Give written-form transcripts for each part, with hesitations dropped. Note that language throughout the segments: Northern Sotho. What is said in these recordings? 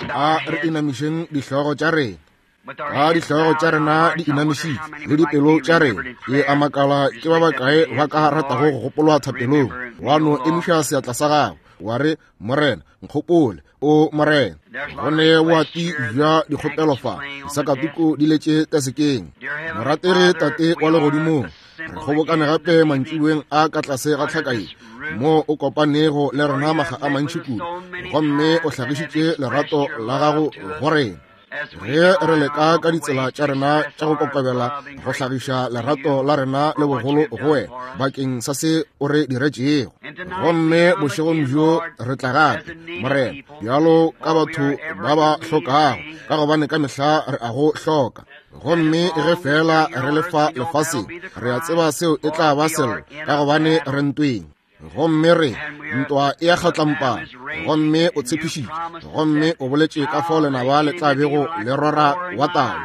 A re inamišeng dihlogo tša rena. Ga dihlogo tša rena di inamišitšwe le dipelo tša rena, ke a makala ke ba bakae ba ka ratago go gopolwa thapelong. Wa no emiša seatla sa gago, wa re, Morena, nkgopole, o Morena. Go ne boati bja dikgopelo fa, disakatuku di letše tasekeng. Morategi Tate wa Legodimong, re kgobokane gape mantšiboeng a ka tlase ga tlhaka ye mo o kopanego le rena maga a mantši kudu, gomme o hlagišitše lerato la gago go rena. Ge re leka ka ditsela tša rena tša go kokobela go hlagiša lerato la rena le bogolo go wena bakeng sa se o re diretšego. Gomme bošegong bjo re tla gape, Morena, bjalo ka batho ba ba hlokago, ka gobane ka mehla re a go hloka. Gomme ge feela re le fa lefaseng, re a tseba seo e tla ba sello, ka gobane re ntweng. Gomme re ntwa e a kgatlampana, gomme o tshepišitše, gomme o boletše ka fao lenaba le tla bego le rora wa tau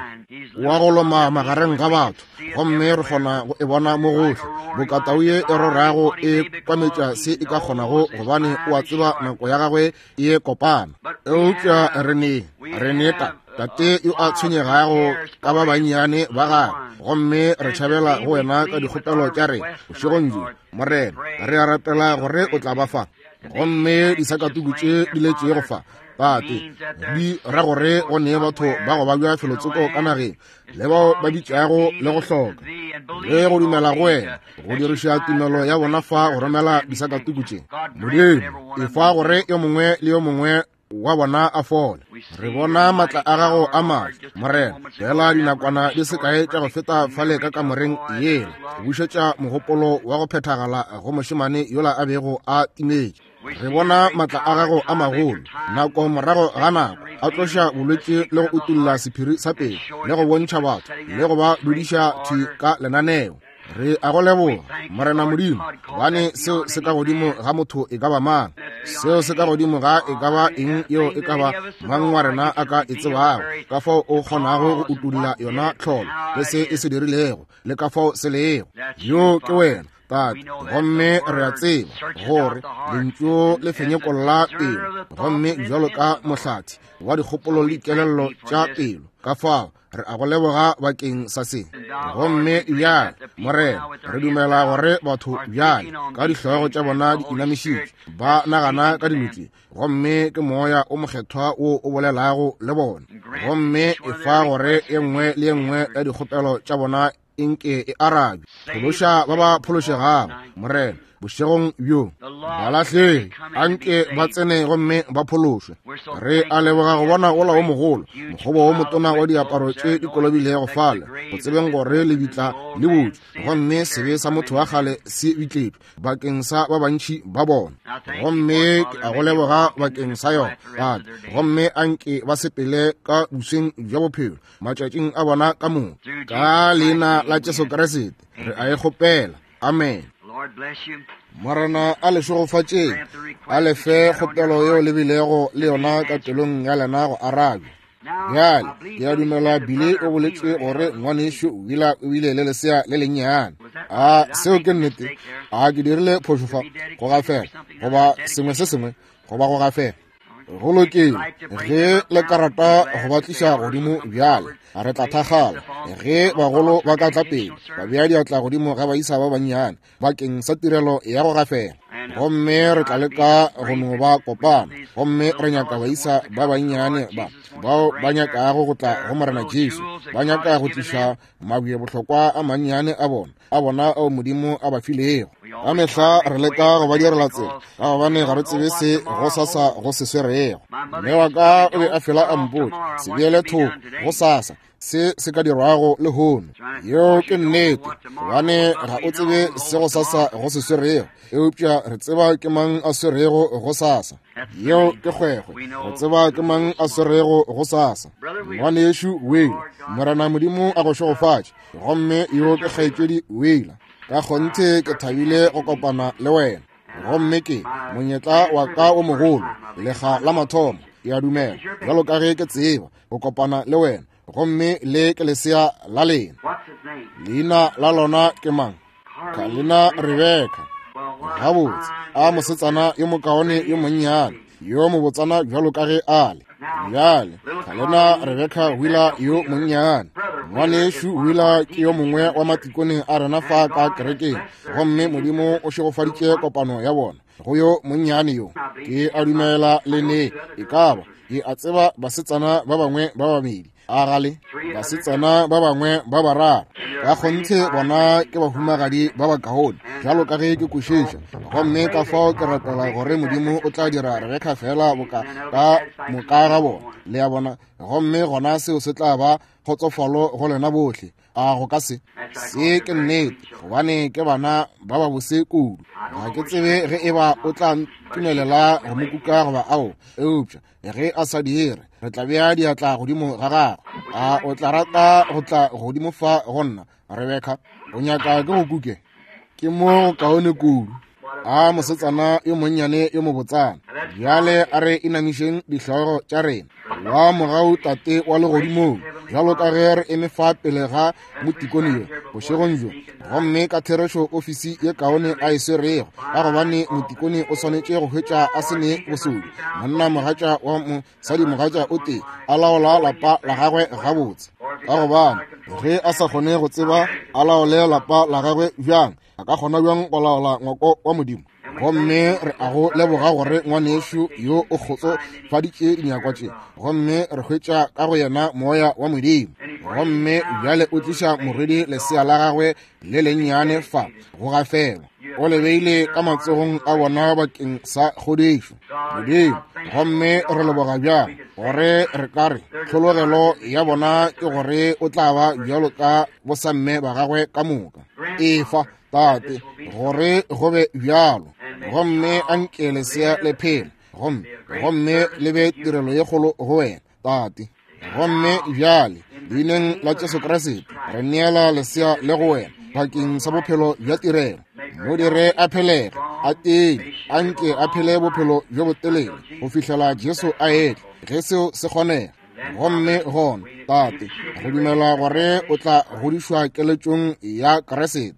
wa go loma magareng ga batho, gomme re kgona go e bona mo gohle, boka tau ye e rorago e kwametša se e ka kgonago, gobane o a tseba nako ya gagwe e kopana. Eupša re ne, re ne ta, tate yo a tshwenyegago ka ba bannyane ba gagwe, gomme re tšhabela go wena ka dikgopelo tša rena bošegong bjo. Morena, re a rapela gore o tla ba fa. Gomme disakatuku tše di letšego fa, Tate, di ra gore go ne batho ba go babja felotsoko ka nageng, le bao ba bitšago le go hloka le go dumela go wena, go diriša tumelo ya bona fa go romela disakatuku tše. Modimo, efa gore yo mongwe le yo mongwe wa bona a fole. Re bona matla a gago a maatla, Morena, fela dinakwana di se kae tša go feta fale ka kamoreng yela, go bušetša mogopolo wa go phethagala go mošemane yola a bego a timetše. Re bona matla a gago a magolo, nako morago ga nako, a tloša bolwetši le go utolla sephiri sa pelo, le go bontšha batho, le go ba dudiša thwi ka lenaneo. Re a go leboga, Morena Modimo, gobane seo se ka godimo ga motho e ka ba mang, seo se ka godimo ga e ka ba eng yeo e ka ba mang wa rena a ka e tsebago, ka fao o kgonago go utolla yona tlholo le se e se dirilego, le ka fao se lego. Yo ke wena, Tate, gomme re a tseba gore lentšu le fenyekolla pelo, gomme bjalo ka mohlathi wa dikgopolo le dikelello tša pelo, ka fao re a go leboga bakeng sa se. Gomme bjale, Morena, re dumela gore batho bjale ka dihlogo tša bona di inamišitšwe, ba nagana ka dilo tše, gomme ke Moya o Mokgethwa wo o bolelago le bona. Gomme efa gore e nngwe le e nngwe ya dikgopelo tša bona e nke e arabje. Phološa ba ba phološegago, Morena, bošegong bjo. Balahlegi a nke ba tsene gomme ba phološwe. Re a leboga go bona wola wo mogolo, mokgobo wo motona wa diaparo tše di kolobilego fale, go tsebeng gore lebitla le butšwe, gomme sebe sa motho wa kgale se bitletšwe bakeng sa ba bantši ba bona. Gomme ke a go leboga bakeng sa yona, Tate. Gomme a nke ba sepele ka bosweng bja bophelo matšatšing a bona ka moka. Ka leina la Jesu Kriste re a e kgopela. Amen. Morena a le šegofatšeng, a le fe kgopelo yeo le bilego le yona ka pelong ya lena go arabja. Bjale, ke a dumela Billy o boletše gore ngwanešu Wheeler o bile le lesea le lennyane. A seo ke nnete? A ke dirile phošo fa? Go gafela, goba sengwe se sengwe, goba go gafela. Go lokile, ge le ka rata go ba tliša godimo bjale, re tla thakgala ge bagolo ba ka tla pele ba bea diatla godimo ga baisa ba bannyane bakeng sa tirelo ya go gafela. Gomme re tla leka go no ba kopana, gomme re nyaka baisa ba bannyane ba bao ba nyakago go tla go Morena Jesu, ba nyaka go tliša mabje bohlokwa a mannyane a bona, a bona ao Modimo a ba filego. Ka mehla re leka go ba direla tsela, ka gobane ga re tsebe se go sasa go se swerego. Mme wa ka o be a fela a mpotša, se beele thoko go sasa se se ka dirwago lehono. Yeo ke nnete, gobane ga o tsebe se go sasa go se swerego, eupša re tseba ke mang a swerego go sasa. Yeo ke kgwekgwe, re tseba ke mang a swerego go sasa. Ngwanešu Whale, Morena Modimo a go šegofatše. Gomme yo ke kgaetšedi Wheeler. Ka kgonthe ke thabile go kopana le wena. Gomme ke monyetla wa ka o mogolo, lekga la mathomo, ke a dumela, bjalo ka ge ke tseba, go kopana le wena. Gomme le ke lesea la lena. Leina la lona ke mang? Kalina Rebecca. Gabotse, a mosetsana yo mokaone yo monnyane, yo mobotsana bjalo ka ge a le. Bjale, ga lena Rebecca Wheeler yo monnyane. Ngwanešu Wheeler ke yo mongwe wa matikone a rena fa ka kerekeng, gomme Modimo o šegofaditše kopano ya bona go yo monnyane yo. Ke a dumela le ne e ka ba ke a tseba basetsana ba bangwe ba babedi, a gale basetsana ba bangwe ba bararo. Ka kgonthe bona ke bahumagadi ba bakaone, bjalo ka ge ke kwešiša. Gomme ka fao ke rapela gore Modimo o tla dira Rebecca fela boka ka moka ga bona, le a bona, gomme gona seo se tla ba kgotsofalo go lena bohle. A go ka se? Se ke nnete, gobane ke bana ba ba bose kudu. Ga ke tsebe ge e ba o tla ntumelela go mo kuka goba ao, eupša ge a sa dire, re tla bea diatla godimo ga gagwe. A o tla rata go tla godimo fa go nna, Rebecca? O nyaka ke go kuke? Ke mo go kaone kudu. A mosetsana yo monnyane yo mobotsana. Bjale a re inamišeng dihlogo tša rena. Wa mogau Tate wa legodimong, bjalo ka ge re eme fa pele ga motikone yo bošegong bjo, gomme ka therešo ofisi ye kaone a e swerego, ka gobane motikone o swanetše go hwetša a se ne bosodi, monna mogatša wa mosadi mogatša o tee, a laola lapa la gagwe gabotse. Ka gobane ge a sa kgone go tseba a laole lapa la gagwe bjang, a ka kgona bjang go laola ngwako wa Modimo? Gomme re a go leboga gore ngwanešu yo o kgotsofaditše dinyakwa tše, gomme re hwetša ka go yena moya wa Modimo. Gomme bjale o tliša morwedi lesea la gagwe le lennyane fa go gafelwa, o le beile ka matsogong a bona bakeng sa kgodišo. Modimo, gomme re leboga bjang gore re ka re tlhologelo ya bona ke gore o tla ba bjalo ka bosamme ba gagwe ka moka. Efa, Tate, gore go be bjalo, gomme a nke lesea le phele, gomme gomme le be tirelo ye kgolo go wena, Tate. Gomme bjale, leineng la Jesu Kriste, re neela lesea le go wena bakeng sa bophelo bja tirelo. Mo dire a phelege, a tee, a nke a phele bophelo bjo botelele go fihlela Jesu a etla, ge seo se kgonega. Gomme gona, Tate, re dumela gore o tla godišwa keletšong ya Kriste.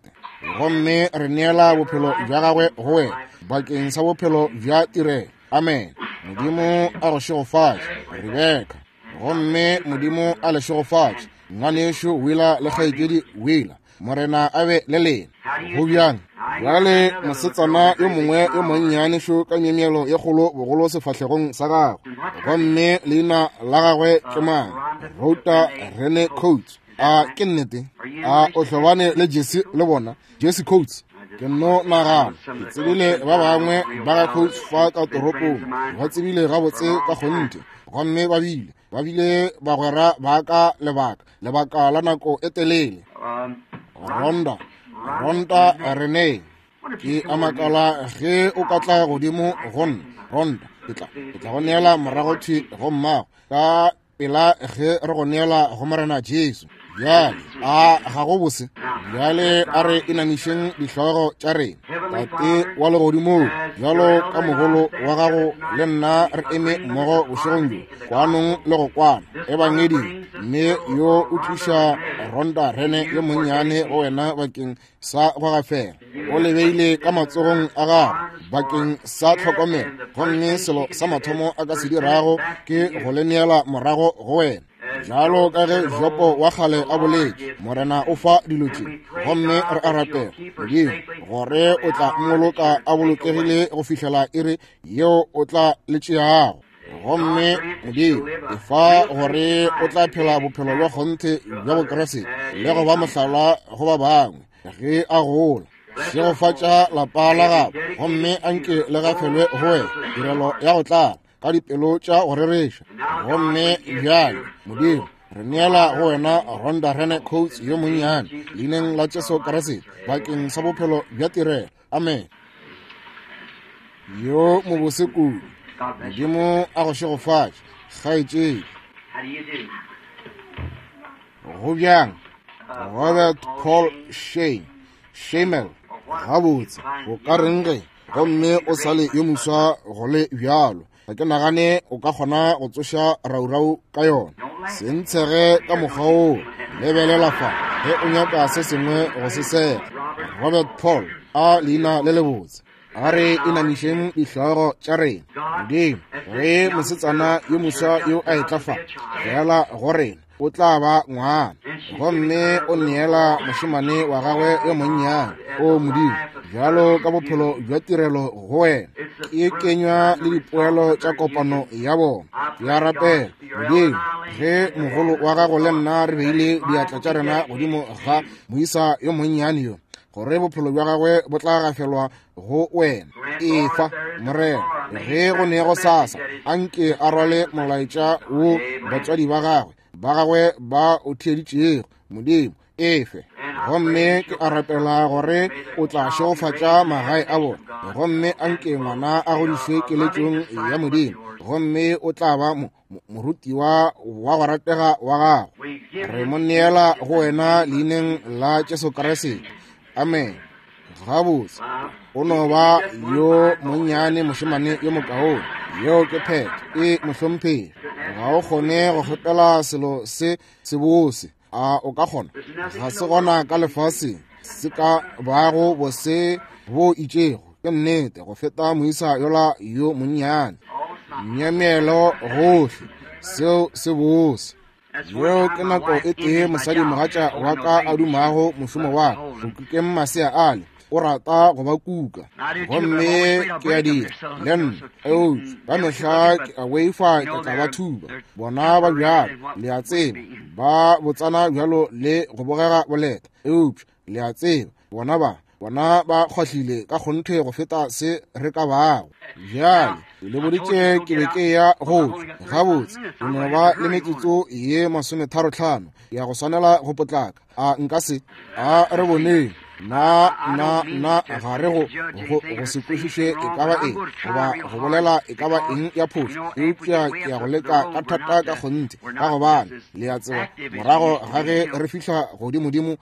Gomme re neela bophelo bja gagwe go wena bakeng sa bophelo bja tirelo. Amen. Modimo a go šegofatše, Rebeka. Gomme Modimo a le šegofatše, ngwanešu Wheeler le kgaetšedi Wheeler. Morena a be le lena. Go bjang? Bjale mosetsana yo mongwe yo monnyane šo ka myemyelo ye kgolo bogolo sefahlegong sa gagwe, gomme leina la gagwe ke mang? Rota Rene Coates. A ke nnete? A o hlobane le Jesse le bona? Jesse Coates. Ke nno nagana, ke tsebile ba bangwe ba ga Coates fa ka toropong, ba tsebile gabotse ka kgonthe, gomme ba bile ba bile bagwera ba ka lebaka lebaka la nako e telele. Rhonda, Rhonda Rene, ke a makala ge o ka tla godimo go nna, Rhonda, ke tla ke tla go neela morago thwi go mmago ka pela ge re go neela go Morena Jesu. Bjale, a ga go bose? Bjale a re inamišeng dihlogo tša rena. Tate wa legodimong, bjalo ka mogolo wa gago le nna re eme mmogo bošegong bjo, kwanong le go kwana ebangeding, mme yo o tliša Rhonda Rene yo monnyane go wena bakeng sa go gafela. O le beile ka matsogong a gago bakeng sa tlhokomelo, gomme selo sa mathomo a ka se dirago ke go le neela morago go wena. Bjalo ka ge Jopo wa kgale a boletše, Morena o fa dilo tše, gomme re a rapela, Modimo, gore o tla mmoloka a bolokegile go fihlela iri yeo o tla le tšeago. Gomme Modimo, efa gore o tla phela bophelo bja kgonthe bja Bokriste le go ba mohlala go ba bangwe ge a gola. Šegofatša lapa la gagwe, gomme a nke le gafelwe go wena tirelo ya go tlala ka dipelo tša go rereša. Gomme bjale, Modimo, re neela go wena Rhonda Rene Coates yo monnyane, leineng la Jesu Kriste, bakeng sa bophelo bja tirelo. Amen. Yo mobose kudu. Modimo a go šegofatše, kgaetšedi. Go bjang? Robert Paul Shane, Shamel. Gabotse, go ka reng ge gomme o sa le yo moswa go le bjalo? Ga ke nagane o ka kgona go tsoša raurau ka yona. Se ntshege ka mokgwa woo. Lebelela fa ge o nyaka se sengwe go se sega. Robert Paul, a leina le lebotse. A re inamišeng dihlogo tša rena. Modimo, ge mosetsana yo moswa yo a etla fa, feela go rena, o tla ba ngwana, gomme o neela mošemane wa gagwe yo monnyane, o Modimo, bjalo ka bophelo bja tirelo go wena, ke kenywa le dipoelo tša kopano ya bona. Ke a rapela, Modimo, ge mogolo wa gago le nna re beile diatla tša rena godimo ga moisa yo monnyane yo, gore bophelo bja gagwe bo tla gafelwa go wena. Efa, Morena, ge go ne go sasa, anke a rwale molaetša wo batswadi ba gagwe ba gagwe ba o theeditšego. Modimo, efe. Gomme ke a rapela gore o tla šegofatša magae a bona, gomme anke ngwana a godišwe keletšong ya Modimo, gomme o tla ba morutiwa wa go ratega wa gago. Re mo neela go wena leineng la Jesu Kriste. Amen. Gabotse, o no ba yo monnyane mošemane yo mokaone. Yeo ke phetho. E mohlomphegi, ga o kgone go kgopela selo se sebose. A o ka kgona? Ga se gona ka lefaseng se ka bago bose bo itšego, ke nnete, go feta moisa yola yo monnyane. Myemyelo gohle, seo se bose. Yeo ke nako e tee mosadimogatša wa ka a dumago mošomo wa ka, go kukeng masea ale. O rata go ba kuka, gomme ke a dira le nna, eupša ka mehla ke a boifa ke tla ba thuba. Bona ba bjalo, le a tseba, ba botsana bjalo le go bogega boleta, eupša le a tseba, bona ba bona ba kgwahlile ka kgonthe go feta se re ka bago. Bjale ke le boditše ke be ke ya go tšwa. Gabotse, ke no ba le metsotso ye 35 ya go swanela go potlaka. A nka se? A re boneng. Na, na, na ga re go, go, go se kwešiše e ka ba eng, goba go bolela e ka ba eng ya phošo, eupša ke ya go leka ka thata ka kgonthe, ka gobane le a tseba, morago ga ge re fihla godimodimo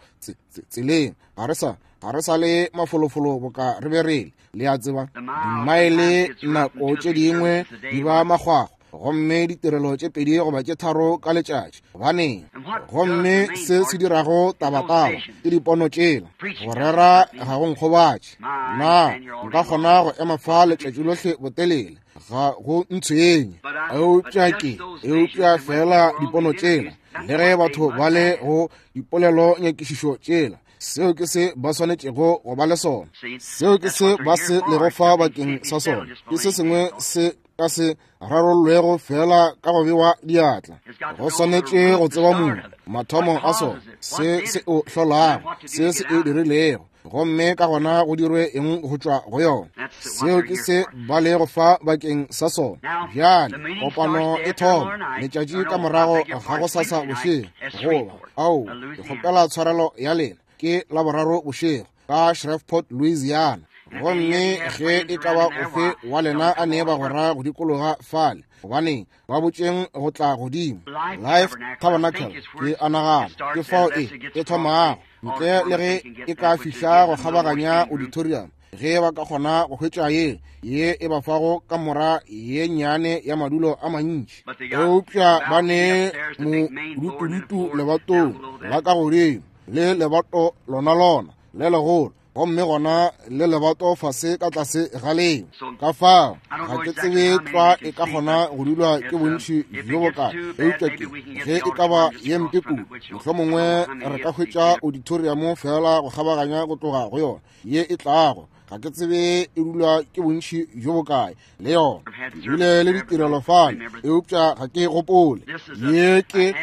tseleng, ga re sa, ga re sa le mafolofolo boka re be re le. Le a tseba, dimaele nako tše dingwe di ba makgwakgwa, gomme ditirelo tše 2 goba tše 3 ka letšatši. Gobaneng? Gomme se se dirago tabataba ke dipono tšela. Go rera ga go nkgobatše. Na nka kgona go ema fa letšatši lohle botelele? Ga go ntshwenye. Eupša ke, eupša fela dipono tšela, le ge batho ba le go dipolelo nyakišišo tšela, seo ke se ba swanetšego go ba le sona. Seo ke se ba se lego fa bakeng sa sona. Ke se sengwe se ka se rarollwego fela ka go bewa diatla. Go swanetše go tseba modu, mathomo a sona, se se o hlolago, se se e dirilego, gomme ka gona go dirwe eng go tšwa go yona. Seo ke se ba lego fa bakeng sa sona. Bjale kopano e thoma letšatši ka morago ga go sasa bošego, goba ao, ke kgopela tshwarelo ya lena, ke Laboraro bošego ka Shreveport, Louisiana. Gomme ge e ka ba ofe wa lena a ne bagwera go dikologa fale, gobaneng, ba botšeng go tla godimo Life Tabernacle, ke a nagana ke fao e e thomago, ntle le ge e ka fihla go kgabaganya auditorium, ge ba ka kgona go hwetša ye ye e ba fago kamora ye nnyane ya madulo a mantši. Eupša ba ne modutudutu lebatong la ka godimo, le lebato lona lona le legolo, gomme gona le lebato fase ka tlase ga leo. Ka fao ga ke tsebe tlwa e ka kgona go dulwa ke bontši bjo bokae, eupša ke ge e ka ba ye mpe kudu, mohlomongwe re ka hwetša auditorium fela go kgabaganya go tloga go yona ye e tlago. Ga ke tsebe e dulwa ke bontši bjo bokae le yona. Ke bile le ditirelo fale, eupša ga ke gopole. Ye ke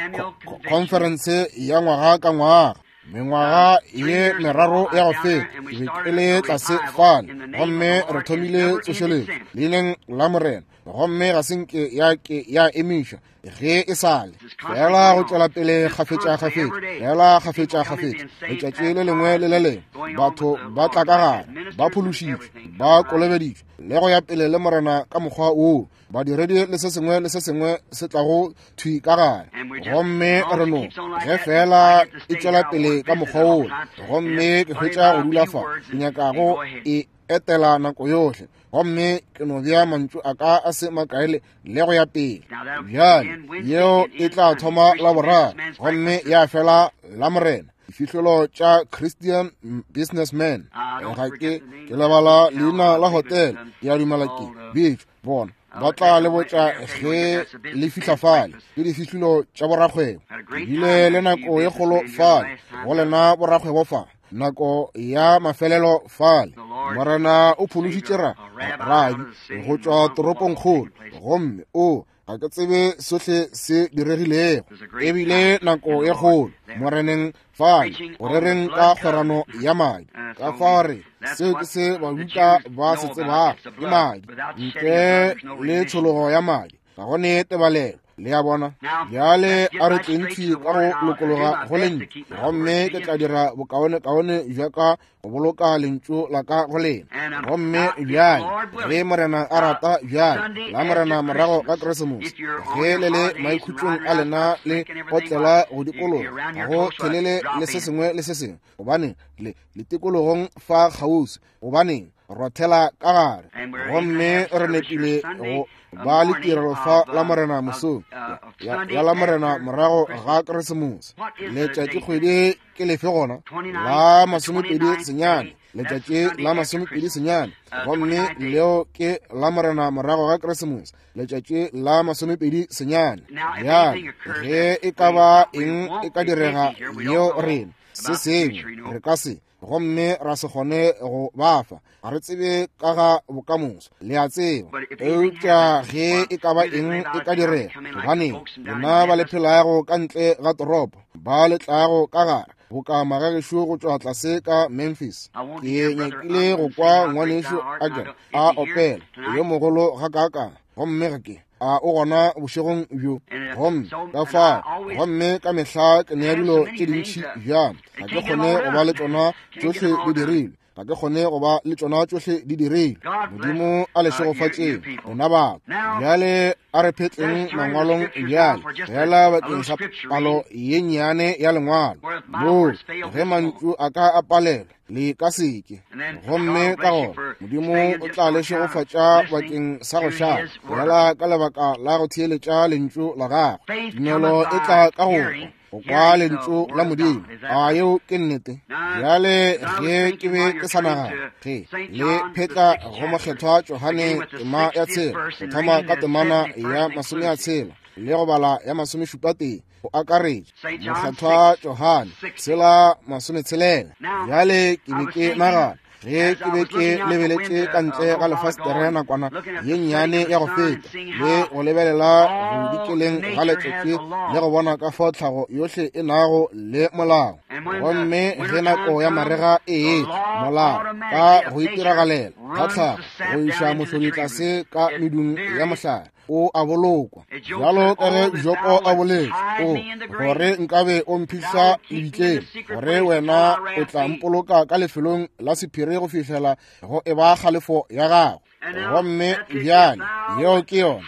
conference ya ngwaga ka ngwaga. Mengwaga ye 3 ya go feta ke be ke le tlase fale, gomme re thomile tsošeletšo leineng la Morena, gomme ga se nke ya ke ya emišwa ge e sale. Fela go tšwela pele kgafetša-kgafetša, fela kgafetša-kgafetša, letšatši le lengwe le le lengwe batho ba tla ka gare, ba phološitšwe, ba kolobeditšwe, le go ya pele le Morena ka mokgwa woo. Badiredi le se sengwe le se sengwe se tlago thwi ka gare, gomme re no ge fela e tšwela pele ka mokgwa woo. Gomme ke hwetša go dula fa, ke nyakago e etela nako yohle, gomme ke no bea mantšu a ka a se makae le go ya pele. Bjale yeo e tla thoma Laboraro gomme ya fela Lamorena. Difihlolo tša Christian Businessman. Ga ke ke lebala leina la hotel, ke a dumela ke bitšwa bona ba tla le botša ge le fihla fale. Ke difihlolo tša borakgwebo. Ke bile le nako ye kgolo fale go lena borakgwebo fa, nako ya mafelelo fale. Morena o phološitše ra rabi go tšwa toropongkgolo, gomme o ga ke tsebe sohle se diregilego. Ebile nako ye kgolo Moreneng fale go rereng ka kgwerano ya madi. Ka fao re seo ke se Bajuda ba se tsebago, ke madi. Ntle le tshologo ya madi ga go ne tebalelo. Le a bona? Bjale a re tleng thwi ka go lokologa go lentšu, gomme ke tla dira bokaonekaone bja ka go boloka lentšu la ka go lena. Gomme bjale ge Morena a rata, bjale la Morena morago ga Keresemose, ge le le maikhutšong a lena le otlela go dikologa go thelele le se sengwe le se sengwe, gobane le le tikologong fa kgauswi, gobaneng rothela ka gare. Gomme re nepile go ba le tirelo fa la Morena mosong ya la Morena morago ga Keresemose. Letšatši kgwedi ke lefe gona? La 29, letšatši la 29. Gomme leo ke la Morena morago ga Keresemose, letšatši la 29. Bjale ge e ka ba eng e ka direga yeo rena se sengwe re ka se gomme ra se kgone go ba fa, ga re tsebe ka ga bokamoso, le a tseba. Eupša ge e ka ba eng e ka direga, gobaneng lena ba le phelago ka ntle ga toropo, ba le tlago ka gare, boka magagešo go tšwa tlase ka Memphis. Ke nyakile go kwa ngwanešu Agan a opela yo mogolo gakaakang, gomme ga ke a o gona bošegong bjo. Gomme ka fao, gomme ka mehla ke nea dilo tše dintši bjang, ga ke kgone go ba le tšona tšohle di dirilwe, ga ke kgone go ba le tšona tšohle di dirilwe. Modimo a le šegofatšeng lena batho. Bjale a re phetleng mangwalong bjale, fela bakeng sa palo ye nnyane ya lengwalo, moo ge mantšu a ka a palelwa le ka seke. Gomme ka gona Modimo o tla le šegofatša bakeng sa go šala, fela ka lebaka la go theeletša lentšu la gagwe. Tumelo e tla ka go kwa, go kwa lentšu la Modimo. A yeo ke nnete? Bjale ge ke be ke sa nagana, ge le phetla go Mokgethwa Johane tema ya 6, go thoma ka temana ya 60 le go bala ya 71, go akaretša Mokgethwa Johane 6:60. Bjale ke be ke nagana ge ke be ke lebeletše ka ntle ga lefastere nakwana ye nnyane ya go feta, le go lebelela go dikeleng ga letšatši le go bona ka fao tlhago yohle e nago le molao. Gomme ge nako ya marega e etla, molao ka go itiragalela ga tlhago go iša mohlodi tlase ka medung ya mohlare, o a bolokwa. Bjalo ka ge Jopo a boletše, o gore nkabe o mphihla lebitleng, gore wena o tla mpoloka ka lefelong la sephiri go fihlela go eba kgalefo ya gago. Gomme bjale yeo ke yona,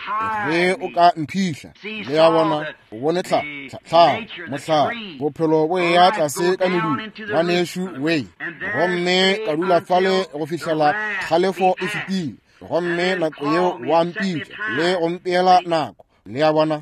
ge o ka mphihla. Le a bona, o bone tlhago, mohlare, bophelo bo eya tlase ka medung, ngwanešu Way. Gomme ka dula fale go fihlela kgalefo e fetile. Gomme nako yeo wa mpitša le go mpeela nako. Le a bona,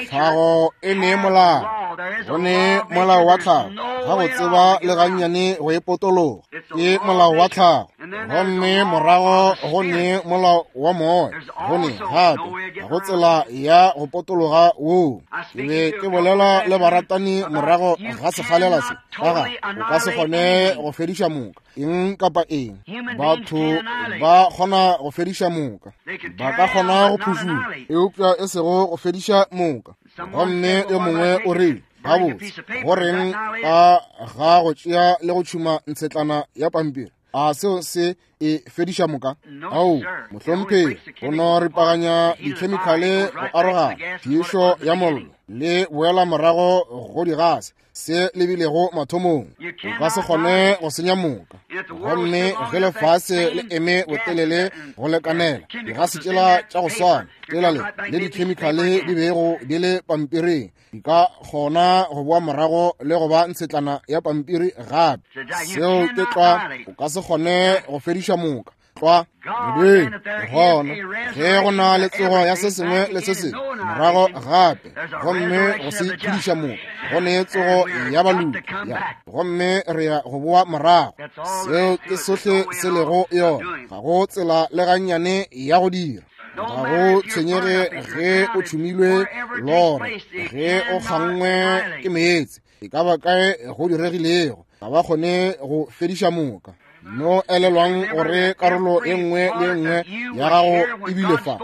tlhago e ne molao, go ne molao wa tlhago, ga go tseba le gannyane go e potologa, ke molao wa tlhago. Gomme morago go ne molao wa moya, go ne gape ga go tsela ya go potologa woo. Ke be ke bolela le baratani morago ga sekgalela se, ka ga o ka se kgone go fediša moka eng kapa eng. Batho ba kgona go fediša moka, ba ka kgona go phušula, eupša e sego go fediša moka. Gomme yo mongwe o rile, gabotse, go reng ka ga go tšea le go tšhuma ntshetlana ya pampiri? A seo se e fediša moka? Ao, mohlomphegi, go no ripaganya dikhemikhale go arogana, phišo ya mollo le boela morago go digase se lebilego mathomong. O ka se kgone go senya moka. Gomme ge lefase le eme botelele go lekanela, digase tšela tša go swana tšela le dikhemikhale di bego di le pampiring di ka kgona go boa morago le go ba ntshetlana ya pampiri gape. Seo ke tlwa, o ka se kgone go fediša moka. Tlwa, Modimo, gona ge go na le tsogo ya se sengwe le se sengwe, Morago gape, gomme go se phediša moka, go ne tsogo ya baloki, ya, gomme re ya go boa morago. Seo ke sohle se lego yona. Ga go tsela le gannyane ya go dira. Ga go tshwenyege ge o tšhumilwe lore, ge o kgangwe ke meetse, e ka ba kae go diregilego, ga ba kgone go fediša moka. No elelwang gore karolo e nngwe le e nngwe ya gago e bile fa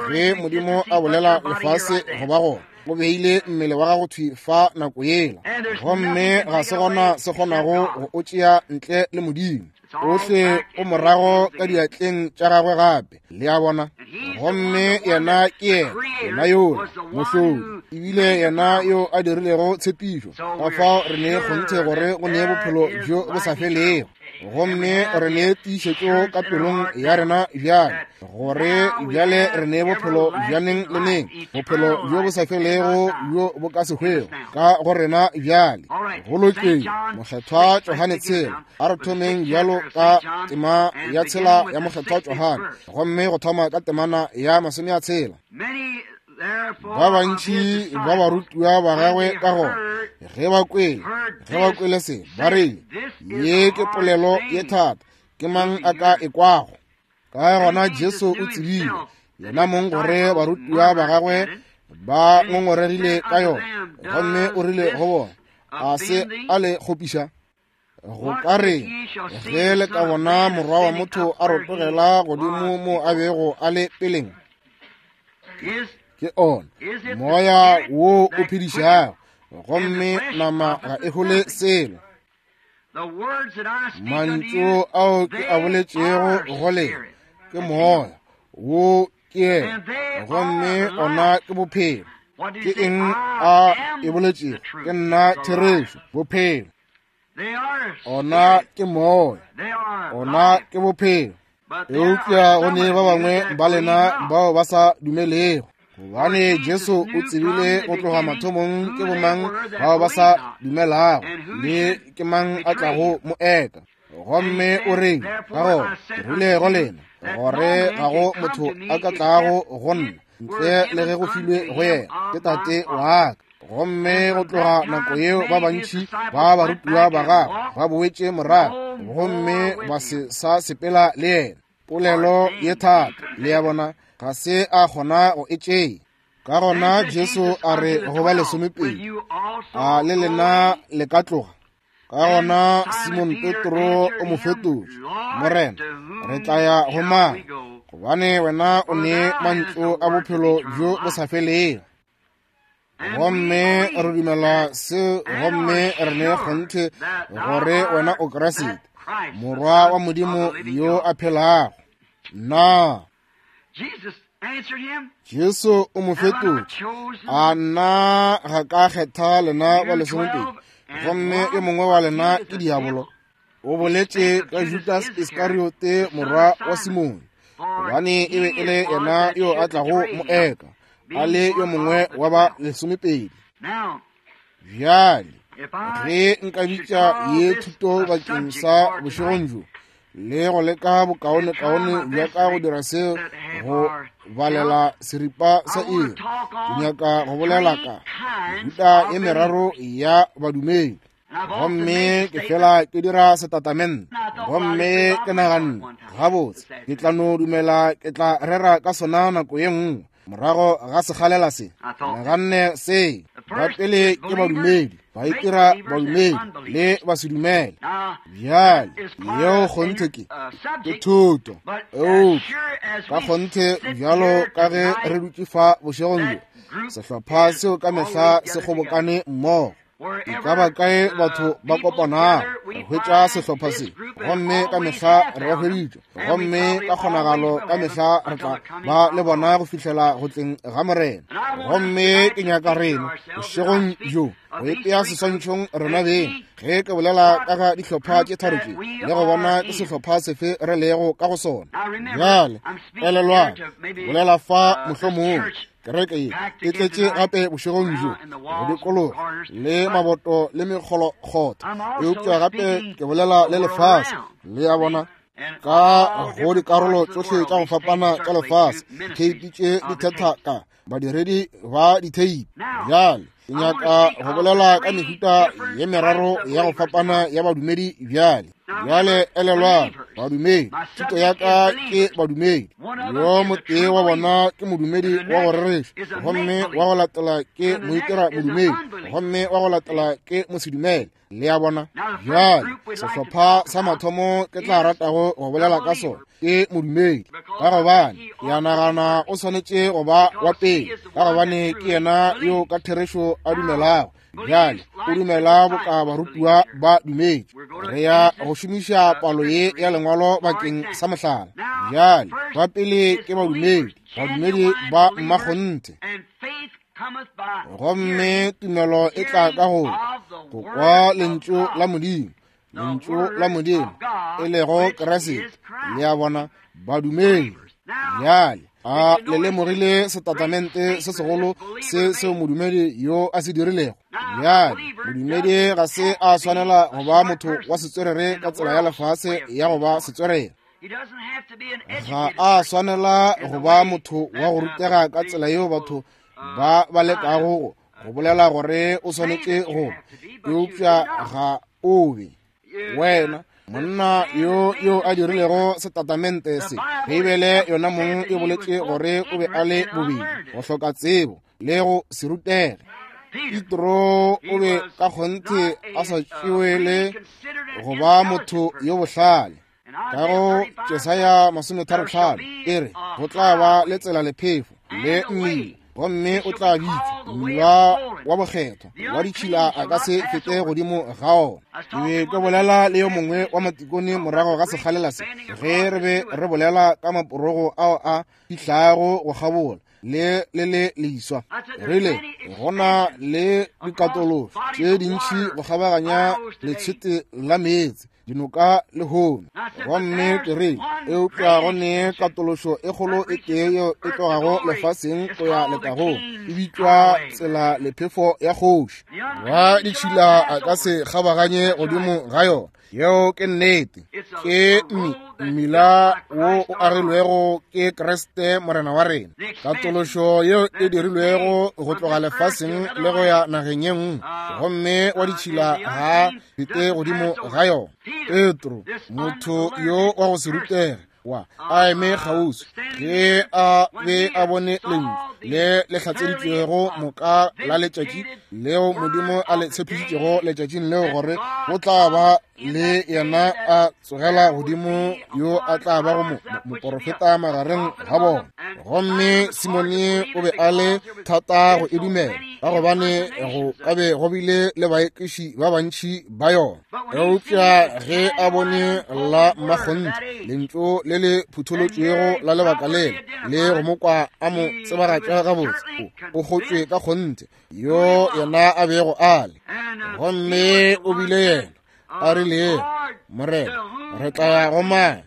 ge Modimo a bolela lefase go ba gona. O beile mmele wa gago thwi fa nako yela, gomme ga se gona se kgonago go o tšea ntle le Modimo. Ohle o morago ka diatleng tša gagwe gape, le a bona. Gomme yena ke yena, yena yola mohlodi, ebile yena yo a dirilego tshepišo. Ka fao re ne kgonthe gore go ne bophelo bjo bo sa felego, gomme re ne tiišetšo ka pelong ya rena bjale, gore bjale re ne bophelo bja neng le neng, bophelo bjo bo sa felego bjo bo ka se hwego ka go rena bjale. Go lokile, Mokgethwa Johane 6. A re thomeng bjalo ka tema ya 6 ya Mokgethwa Johane, gomme go thoma ka temana ya 60. Ba bantši ba barutiwa ba gagwe ka gona, ge ba kwele se, ba rile, ye ke polelo ye thata, ke mang a ka e kwago? Ka gona Jesu o tsebile yena mong gore barutiwa ba gagwe ba ngongoregile ka yona, gomme o rile go bona, a se a le kgopiša? Go ka re ge le ka bona morwa wa motho a rotogela godimo mo a bego a le peleng? Ke ona moya wo o phedišago, gomme nama ga e hole selo. Mantšu ao ke a boletšego go lena ke moya wo ke yena, gomme ona ke bophelo. Ke eng a e boletšego? Ke nna therešo, bophelo. Ona ke moya, ona ke bophelo. Eupša go ne ba bangwe ba lena bao ba sa dumelego, gobane Jesu o tsebile go tloga mathomong ke bomang bao ba sa dumelago le ke mang a tlago mo eka. Gomme o reng ka gona? Ke rile go lena gore ga go motho a ka tlago go nna ntle le ge go filwe go yena ke Tate wa ka. Gomme go tloga nako yeo ba bantši ba barutiwa ba gagwe ba boetše morago, gomme ba se sa sepela le yena. Polelo ye thata, le ya bona, ga se a kgona go e tšea. Ka gona Jesu a re go ba 12, a le lena le ka tloga? Ka gona Simon Petro o mo fetotše, Morena, re tla ya go mang? Gobane wena o ne mantšu a bophelo bjo bo sa felego. Gomme re dumela se, gomme re ne kgonthe gore wena o Kriste, Morwa wa Modimo yo a phelago. Na Jesu o mo fetotše, a nna ga ka kgetha lena ba 12, gomme yo mongwe wa lena ke diabolo? O boletše ka Judas Iskariote morwa wa Simone, gobane e be e le yena yo a tlago mo eka, a le yo mongwe wa ba 12. Bjale ge nka bitša ye thuto bakeng sa bošegong bjo, le go leka bokaonekaone bja ka go dira seo, go balela seripa sa iri, ke nyaka go bolela ka mehuta e meraro ya badumedi. Gomme ke fela ke dira setatamente, gomme ke naganne, gabotse, ke tla no dumela ke tla rera ka sona nako ye nngwe morago ga sekgalela se. Naganne se, ba pele ke badumedi, ba itira badumedi le basedumele. Bjale yeo kgonthe ke thuto, eupša ka kgonthe bjalo ka ge re dutše fa bošegong bjo, sehlopha seo ka mehla se kgobokane mmogo. E ka ba kae batho ba kopanago, re hwetša sehlopha se, gomme ka mehla re ba hweditše, gomme ka kgonagalo ka mehla re tla ba le bona go fihlela go tleng ga Morena. Gomme ke nyaka rena bošegong bjo go ipea seswantšhong rena beng ge ke bolela ka ga dihlopha tše tharo tše, le go bona ke sehlopha sefe re lego ka go sona. Bjale elelwang, bolela fa mohlomongwe kereke ye e tletše gape bošegong bjo go dikologa le maboto le mekgolokgotha, eupša gape ke bolela le lefase, le ya bona. Ka go dikarolo tšohle tša go fapana tša lefase, ditheipi tše di thetha ka badiredi ba ditheipi. Bjale ke nyaka go bolela ka mehuta ye meraro ya go fapana ya badumedi bjale. Bjale elelwang, badumedi, thuto ya ka ke badumedi. Yo motee wa bona ke modumedi wa go rereša, gomme wa go latela ke moitira modumedi, gomme wa go latela ke mosedumele. Le a bona? Bjale sehlopha sa mathomo ke tla ratago go bolela ka sona ke modumedi, ka gobane ke a nagana o swanetše go ba wa pele, ka gobane ke yena yo ka therešo a dumelago. Bjale o dumela boka barutiwa ba dumetše. Re ya go šomiša palo ye ya lengwalo bakeng sa mohlala. Bjale ba pele ke badumedi, badumedi ba mmakgonthe. Gomme tumelo e tla ka go go kwa lentšu la Modimo, lentšu la Modimo e lego Kriste. Le a bona, badumedi. Bjale a le lemogile setatamente se segolo se seo modumedi yo a se dirilego? Bjale modumedi ga se a swanela go ba motho wa setswerere ka tsela ya lefase ya go ba setswerere. Ga a swanela go ba motho wa go rutega ka tsela yeo batho ba ba lekago go bolela gore o swanetše go, eupša ga o be. Wena monna yo yo a dirilego setatamente se, Beibele yona mong e boletše gore o be a le bobedi go hloka tsebo le go se rutege. Petro o be ka kgonthe a sa tšewe le go ba motho yo bohlale. Ka go Jesaya 35 e re go tla ba le tsela lephefo le mmila, gomme o tla bitšwa mmila wa bokgethwa, wa ditšhila a ka se fete godimo ga ona. Ke be ke bolela le yo mongwe wa matikone morago ga sekgalela se, ge re be re bolela ka maporogo ao a fihlago go kgabola le le le leswa. Rile go na le dikatološo tše dintši go kgabaganya letshwete la meetse, dinoka le hono. Gomme ke rile, eupša go ne katološo e kgolo e tee yeo e tlogago lefaseng go ya letagong, e bitšwa tsela lephefo ya kgoši. Wa ditšhila a ka se kgabaganye godimo ga yona. Yeo ke nnete. Ke mmila wo o agilwego ke Kriste Morena wa rena. Katološo yeo e dirilwego go tloga lefaseng le go ya nageng ye nngwe, gomme wa ditšhila ga fete godimo ga yona. Petro, motho yo wa go se rutege, wa a eme kgauswi ge a be a bone lentšu le le hlatseditšwego moka la letšatši leo Modimo a le tshepišitšego letšatšing leo gore go tla ba le yena a tsogela godimo yo a tla ba go moporofeta magareng ga bona. Gomme Simone o be a le thata go e dumela, ka gobane go ka be go bile le baekiši ba bantši ba yona. Eupša ge a bone la mmakgonthe lentšu le le phutholotšwego la lebaka lela le go mo kwa a mo tsebagatša gabotse, o kgotšwe ka kgonthe yo yena a bego a le. Gomme o bile yena a rile, Morena, re tla ya go mang?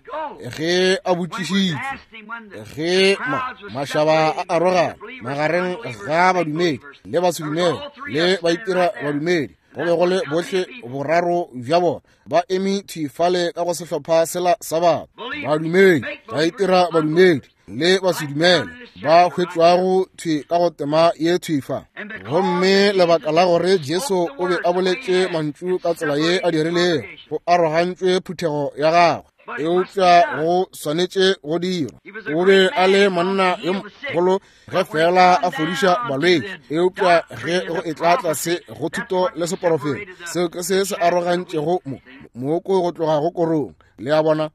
Ge a botšišitšwe, ge mašaba a arogana magareng ga badumedi le basedumele le baitira badumedi, go be go le bohle boraro bja bona ba eme thwi fale ka go sehlopha sela sa batho, badumedi, baitira badumedi le basedumele, ba hwetšwago thwi ka go tema ye thwi fa. Gomme lebaka la gore Jesu o be a boletše mantšu ka tsela ye a dirilego, go arogantšwe phuthego ya gagwe, eupša go swanetše go dirwa. O be a le monna yo mogolo ge fela a fodiša balwetši, eupša ge go etla tlase go thuto le seporofeto, seo ke se se arogantšego mooko go tloga go korong. Le a bona,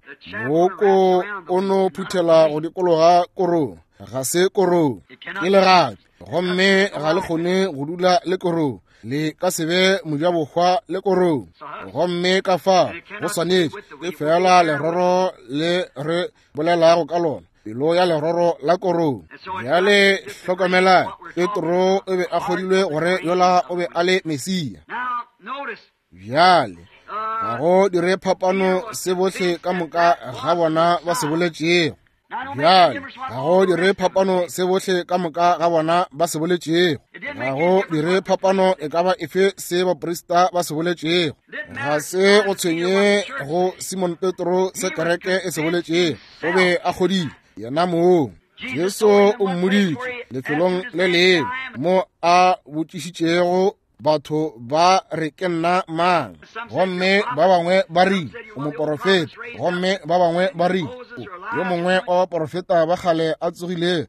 mooko o no phuthela go dikologa korong, ga se korong, ke legapi, gomme ga le kgone go dula le korong, le ka se be mojabohwa le korong. Gomme ka fa go swanetše ke fela leroro le re bolelago ka lona, pelo ya leroro la korong. Bjale hlokomelang, Petro o be a kgodilwe gore yola o be a le Mesia. Bjale ga go dire phapano se bohle ka moka ga bona ba se boletšego. Bjale ga go dire phapano se bohle ka moka ga bona ba se boletšego. Ga go dire phapano e ka ba efe se baprista ba se boletšego. Ga se go tshwenye go Simon Petro se kereke e se boletšego. O be a kgodile yena mong. Jesu o mmoditše lefelong le lengwe mo a botšišitšego batho ba re ke nna mang, gomme ba bangwe ba rile o moporofeta, gomme ba bangwe ba rile yo mongwe wa baporofeta ba kgale a tsogile,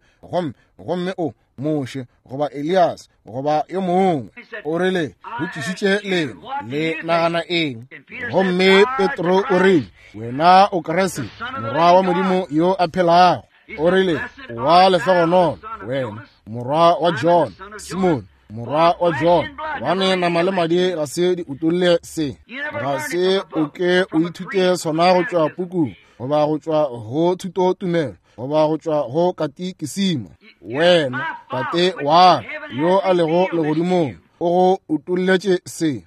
gomme o Moshe goba Elias goba yo mongwe. O rile, botšišitše lena, le nagana eng? Gomme Petro o rile, wena o Kriste, morwa wa Modimo yo a phelago. O rile, wa lehlogonolo wena, morwa wa John, Simon, morwa wa John, gobane nama le madi ga se di utolle se. Ga se o ke o ithute sona go tšwa pukung, goba go tšwa go thutotumelo, goba go tšwa go katikisima. Wena, Tate wa yo a lego legodimong, o go utolletše se.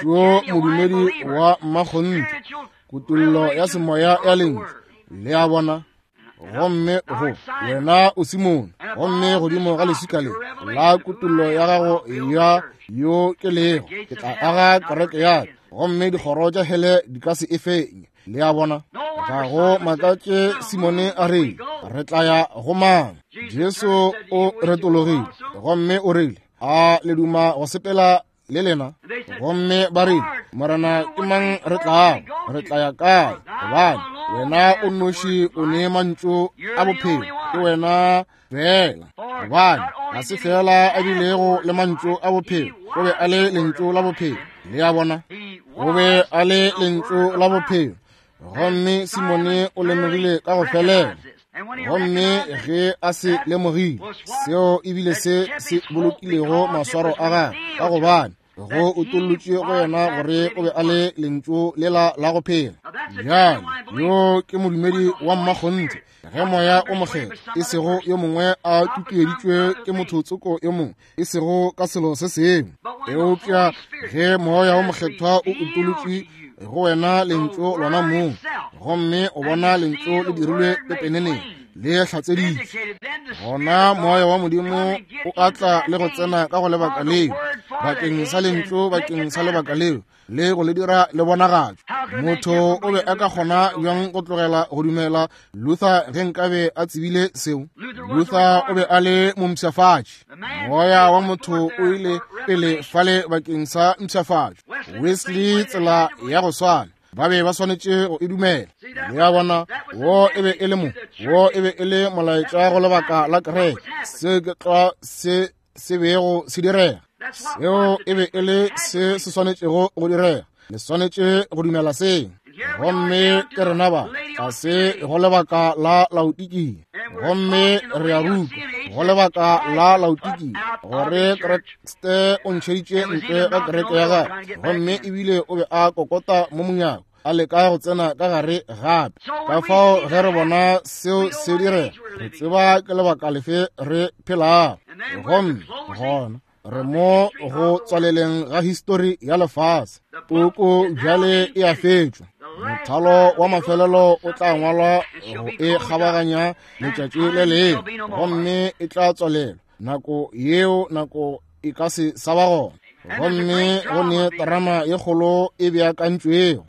Šo modumedi wa mmakgonthe, kutollo ya semoya ya lentšu. Le a bona? Gomme go wena o Simone, gomme godimo ga leswika le la kutollo ya gago ya yo ke lego, ke tla aga kereke ya ka, gomme dikgoro tša hele di ka se e fenye. Le a bona? Ga go makatše Simone a rile, re tla ya go mang? Jesu o retologile gomme o rile, a le duma go sepela le lena? Gomme ba rile, Morena, ke mang re tlago? Re tla ya kae? Gobane wena o nnoši o ne mantšu a bophelo, ke wena fela. Gobane ga se fela a bilego le mantšu a bophelo, o be a le lentšu la bophelo. Le a bona? O be a le lentšu la bophelo. Gomme Simone o lemogile ka go felela. Gomme ge a se lemogile, seo ebile se se bolokilego maswaro a gagwe, ka gobane go utollotšwe go yena gore o be a le lentšu lela la go phela. Bjale yo ke modumedi wa mmakgonthe, ge moya o mokgethwa, e sego yo mongwe a tutueditšwe ke motho tsoko yo mongwe, e sego ka selo se sengwe, eupša ge moya o mokgethwa o utolotšwe go wena lentšu lona mong, gomme o bona lentšu le dirilwe pepeneneng, le hlatseditšwe, gona moya wa Modimo o a tla le go tsena ka go lebaka leo, bakeng sa lentšu, bakeng sa lebaka leo, le go le dira le bonagatšwe. Motho o be a ka kgona bjang go tlogela go dumela Luther ge nkabe a tsebile seo? Luther o be a le mompshafatši. Moya wa motho o ile pele fale bakeng sa mpshafatšo. Wesley tsela ya go swana, ba be ba swanetše go e dumela. Le a bona, wo e be e le mo, wo e be e le molaetša go lebaka la kereke. Se ke tlwa se se bego se direga. Seo e be e le se se swanetšego go direga. Le swanetše go dumela seo. Gomme ke rena ba ga se go lebaka la Laodikia, gomme re a rutwa go lebaka la Laodikia gore Kriste o ntšheditše ntle ga kereke ya gagwe, gomme ebile o be a kokota mo monyako a leka go tsena ka gare gape. Ka fao ge re bona seo se direga, re tseba ke lebaka lefe re phelago. Gomme gona re mo go tswaleleng ga histori ya lefase. Puku bjale e a fetšwa. Mothalo wa mafelelo o tla ngwalwa go e kgabaganya letšatši le lengwe, gomme e tla tswalelwa. Nako yeo nako e ka se sa ba gona. Gomme go ne terama ye kgolo e beakantšwego,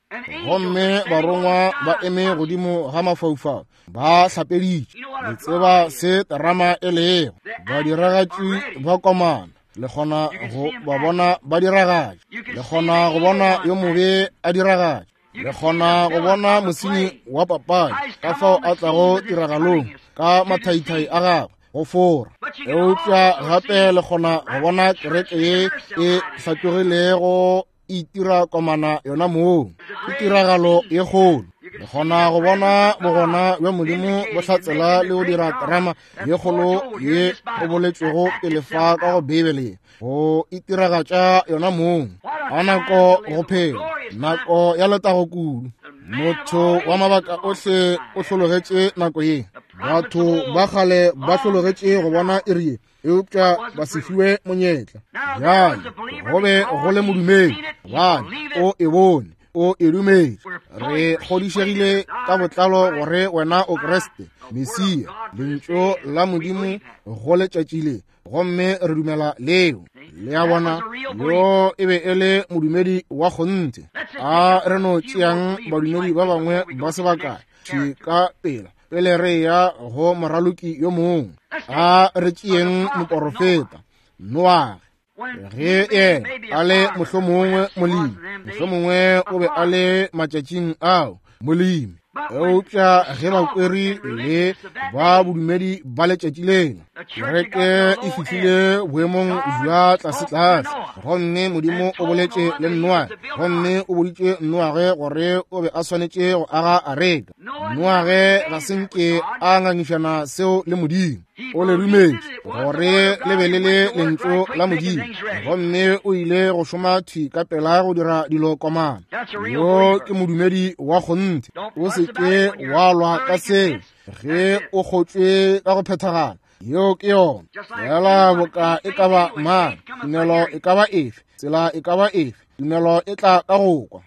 gomme barongwa ba eme godimo ga mafaufau ba hlapeditše. Le tseba se terama e lego. Badiragatši ba komana, le kgona go ba bona ba diragatša, le kgona go bona yo mobe a diragatša, le kgona go bona mosenyi wa papadi ka fao a tlago tiragalong ka mathaithai a gagwe go fora. Eupša gape le kgona go bona kereke ye e hlatlogilego e itira komana yona moo. Ke tiragalo ye kgolo. Le kgona go bona bogona bja Modimo bo hlatsela le go dira terama ye kgolo ye o boletšwego pele fa ka go Beibele, go itiragatša yona mong. A nako go phela, nako ya letago kudu. Motho wa mabaka ohle o hlologetše nako ye. Batho ba kgale ba hlologetše go bona iri ye, eupša ba se fiwe monyetla. Bjale go be go le modumedi, gobane o e bone. O e dumetše. Re kgodišegile ka botlalo gore wena o Kriste, Mesia, Lentšu la Modimo go letšatši le, gomme re dumela leo. Le a bona, yo e be e le modumedi wa kgonthe. A re no tšeang badumedi ba bangwe ba se bakae thwi ka pela pele re ya go moraloki yo mongwe. A re tšeeng moporofeta Noage. Ge yena a le mohlomongwe molemi, mohlomongwe o be a le matšatšing ao molemi, eupša ge bakweri le ba bodumedi ba letšatši lena, kereke e fihlile boemong bja tlasetlase, gomme Modimo o boletše le Noage, gomme o boditše Noage gore o be a swanetše go aga areka. Noage ga se nke a ngangišana seo le Modimo. O le dumetše gore le be le le lentšu la Modimo, gomme o ile go šoma thwi ka pela go dira dilo komana. Yo ke modumedi wa kgonthe. O se ke wa lwa ka seo ge o kgotšwe ka go phethagala. Yeo ke yona. Fela boka e ka ba mang, tumelo e ka ba efe, tsela e ka ba efe, tumelo e tla ka go kwa.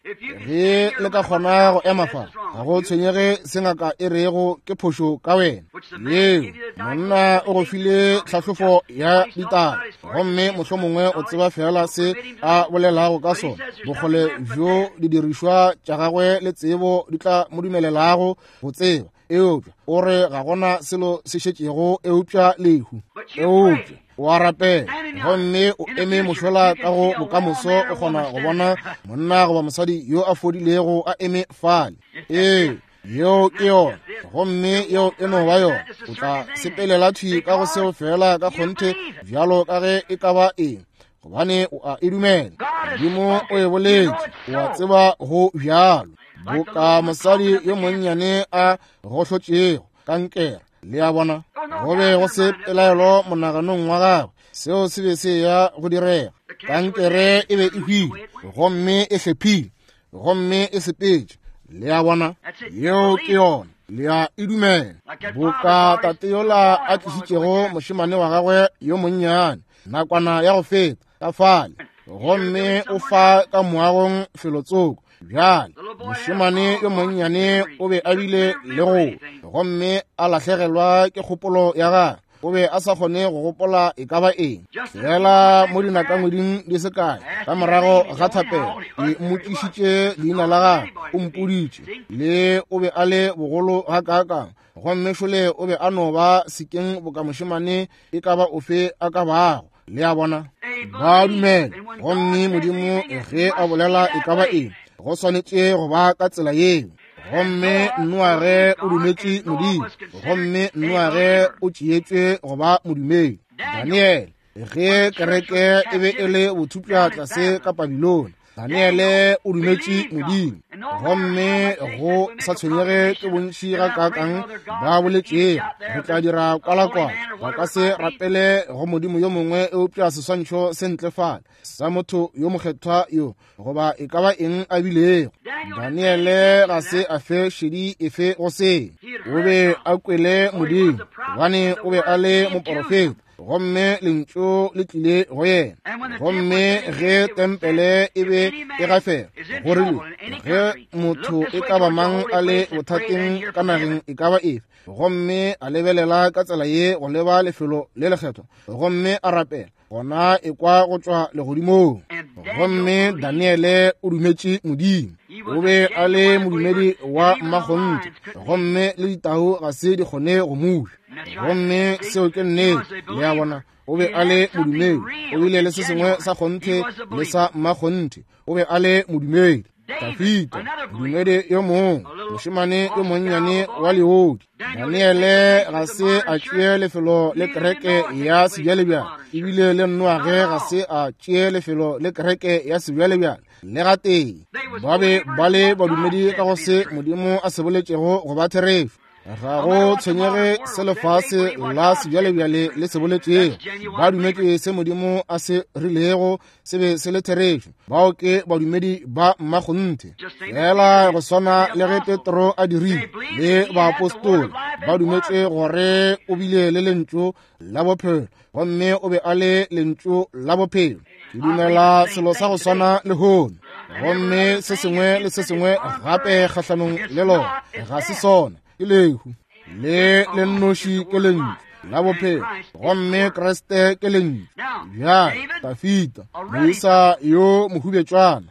Ge le ka kgona go ema fa, ga go tshwenyege se ngaka e rego ke phošo ka wena. Yeo, monna o go file tlhahlofo ya ditaba, gomme mohlomongwe o tseba fela se a bolelago ka sona. Bokgole bjo didirišwa tša gagwe le tsebo di tla mo dumelelago go tseba, eupša o re ga gona selo se šetšego eupša lehu. Eupša o a rapela, gomme o eme mošola ka go bokamoso, o kgona go bona monna goba mosadi yo a fodilego a eme fale. Ee, yeo ke yona, gomme yeo e no ba yona. O tla sepelela thwi ka go seo fela ka kgonthe bjalo ka ge e ka ba eng, gobane o a e dumela. Modimo o e boletše, o a tseba go bjalo. Boka mosadi yo monnyane a gohlotšego kankere, le a bona, go be go se pelaelo monaganong wa gagwe, seo se be se ya go direga. Kankere e be e hwile, gomme e hlephile, gomme e sepetše. Le a bona, yeo ke yona. Le a e dumela. Boka tate yola a tlišitšego mošemane wa gagwe yo monnyane nakwana ya go feta ka fale, gomme o fa ka moagong felotsoko. Bjale mošemane yo monnyane o be a bile le go, gomme a lahlegelwa ke kgopolo ya gagwe. O be a sa kgone go gopola e ka ba eng. Fela mo dinakangweding di se kae ka morago ga thapelo, ke mmotšišitše leina la gagwe, o mpoditše le o be a le bogolo gakaakang, gomme šole o be a no ba sekeng boka mošemane e ka ba ofe a ka bago. Le a bona, ba dumela, gomme Modimo ge a bolela e ka ba eng, go swanetše go ba ka tsela yeo. Gomme Noage o dumetše Modimo, gomme Noage o tšeetšwe go ba modumedi. Daniele, ge kereke e be e le bothupša tlase ka Babilone, Daniele o dumetše Modimo, gomme go sa tshwenyege ke bontši gakaakang ba boletšego, re tla dira kwalakwala, ba ka se rapele go Modimo yo mongwe eupša seswantšho se ntle fale sa motho yo mokgethwa yo, goba e ka ba eng a bilego. Daniele ga se a fe šedi efe go se. O be a kwele Modimo, gobane o be a le moporofeta, gomme lentšu le tlile go yena. Gomme ge tempele e be e gafela, go rile ge motho e ka ba mang a le bothateng ka nageng e ka ba efe, gomme a lebelela ka tsela ye go leba lefelo le lekgethwa, gomme a rapela, gona e kwa go tšwa legodimong. Gomme Daniele o dumetše Modimo. O be a le modumedi wa mmakgonthe, gomme le ditau ga se di kgone go muša. Gomme seo ke nnete. Le a bona, o be a le modumedi. O bile le se sengwe sa kgonthe le sa mmakgonthe. O be a le modumedi. Dafida, modumedi yo mongwe, mošemane yo monnyane wa leodi. Daniele ga se a tšee lefelo le kereke ya sebjalebjale, ebile le Noage ga se a tšee lefelo le kereke ya sebjalebjale le gatee. Ba be ba le badumedi ka go se Modimo a se boletšego go ba therešo. Ga go tshwenyege se lefase la sebjalebjale le se boletšego, ba dumetše se Modimo a se rilego se be se le therešo. Bao ke badumedi ba mmakgonthe, fela go swana le ge Petro a dirile le baapostola. Ba dumetše gore o bile le lentšu la bophelo, gomme o be a le lentšu la bophelo. Ke dumela selo sa go swana lehono. Gomme se sengwe le se sengwe gape kgahlanong le lona ga se sona, ke lehu. Le le nnoši ke lentšu la bophelo, gomme Kriste ke lentšu. Bjale Dafita, moisa yo mohubetšwana,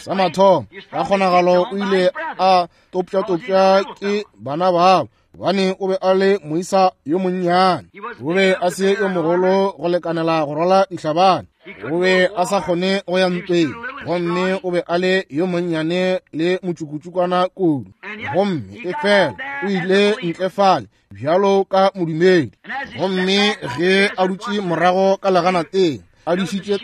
sa mathomo ka kgonagalo o ile a topša-topša ke bana babo, gobane o be a le moisa yo monnyane. O be a se yo mogolo go lekanela go rwala dihlabane, o be a sa kgone go ya ntweng, gomme o be a le yo monnyane le motšukutšukwana kudu. Gomme efela o ile ntle fale bjalo ka modumedi, gomme ge a dutše morago ka leganateng a dišitše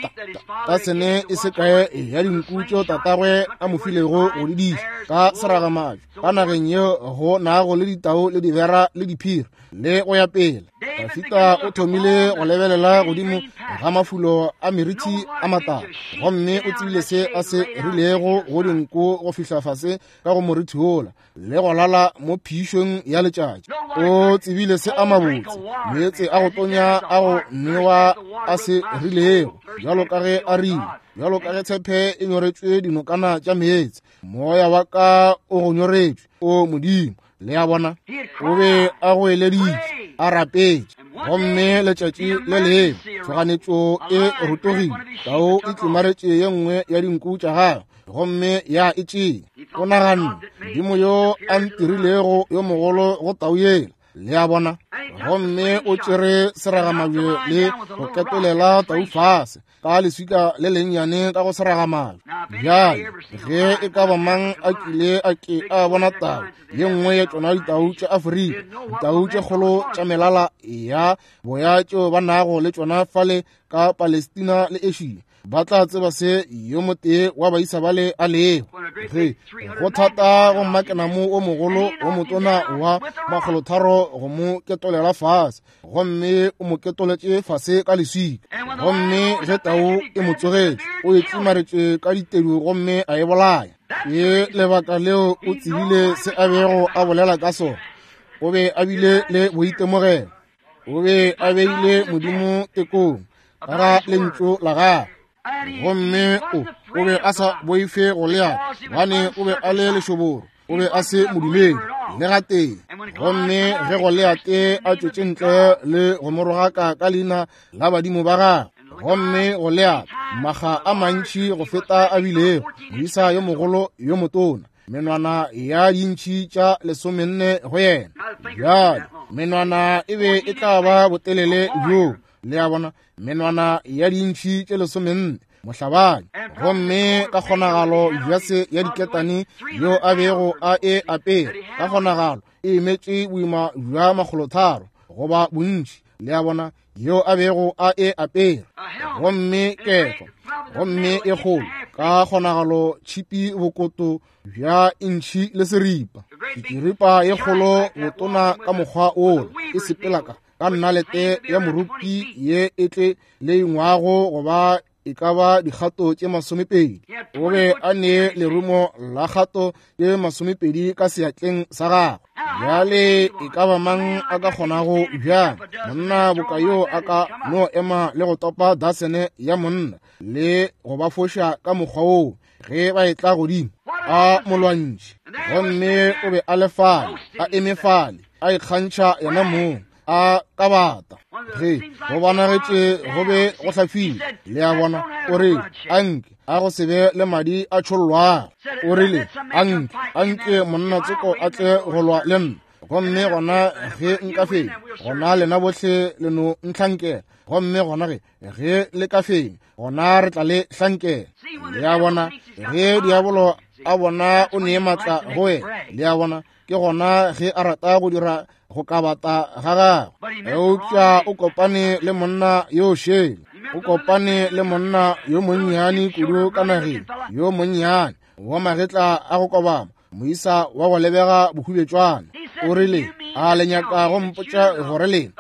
tasene e se kae ya dinku tšeo tatagwe a mo filego go di diša ka seragamajwe ka nageng yeo go nago le ditau le dibera le diphiri le go ya pele. Dafita o thomile go lebelela godimo ga mafulo a meriti a matala, gomme o tsebile se a se rilego go dinku go fihla fase ka go moriti wola le go lala mo phišong ya letšatši. O tsebile se a mabotse meetse a go tonya a go newa a se rilego, bjalo ka ge a rile, bjalo ka ge tshepe e nyoretšwe dinokana tša meetse, moya wa ka o go nyoretšwe, o Modimo. Le a bona, o be a goeleditše, a rapetše. Gomme letšatši le lengwe tshoganyetšo e rotogile, tau e tlimaretše ye nngwe ya dinku tša gagwe gomme ya e tšea. O naganne, Modimo yo a ntirilego yo mogolo go tau yela. Le a bona, gomme o tšere seragamabje le go ketolela tau fase ka leswika le lennyane ka go seragamabje. Bjale ge e ka ba mang a kile a ke a bona tau ye nngwe ya tšona ditau tša Afrika, ditau tše kgolo tša melala ya boya tšeo ba nago le tšona fale ka Palestina le Asia, ba tla tseba se yo motee wa baisa bale a lego. Ge go thata go mmakenamo o mogolo o motona wa makgolotharo go mo ketolela fase, gomme o mo ketoletše fase ka leswika. Gomme ge tau e mo tsogetše, o e tlimaretše ka ditedu gomme a e bolaya. Ke lebaka leo o tsebile se a bego a bolela ka sona. O be a bile le boitemogelo. O be a beile Modimo tekong ka ga lentšu la gagwe, gomme o be a sa boife Goliate, gobane o be a le lešoboro, o be a se modumedi le gatee. Gomme ge Goliate a tšwetše ntle le go mo rogaka ka leina la badimo ba gagwe, gomme Goliate makga a mantši go feta a bilego moisa yo mogolo yo motona, menwana ya dintšhi tša 14 go yena. Bjale menwana e be e tla ba botelele bjo, le a bona, menwana ya dintšhi tše 14, mohlabani. Gomme ka kgonagalo jase ya diketane yo a bego a e apere, ka kgonagalo e emetše boima bja 300 goba bontši, le a bona, yo a bego a e apere. Gomme kefa, gomme e kgolo, ka kgonagalo tšhipi bokoto bja intšhi le seripa, diripa ye kgolo botona ka mokgwa wola, e sepela ka nnalete ya morupi ye e tle le ingwago go ba e ka ba dikgato tše 20. O be a ne lerumo la kgato tše 20 ka seatleng sa gagwe. Bjale e ka ba mang a ka kgonago bjang monna boka yo a ka no ema le go topa dasene ya monna le go ba foša ka mokgwa woo ge ba etla godimo a molwantšhi? Gomme o be a le fale, a eme fale, a ikgantšha yena mong, a ka bata. Ge go bonagetše go be go hlafile, le a bona, o rile, anke a go se be le madi a tšhollwago. O rile, anke, anke monna tsoko a tle go lwa le nna, gomme gona ge nka fenya, gona lena bohle le no ntlhankela, gomme gona ge le ka fenya, gona re tla le hlankela. Le a bona, ge diabolo a bona o ne matla go wena, le a bona, ke gona ge a rata go dira go kabata ga gagwe. Eupša o kopane le monna yo šele, o kopane le monna yo monnyane kudu ka nageng, yo monnyane wa magetla a go kobama, moisa wa go lebega bohubetšwana. O rile, a le nyaka go mpotša gore lena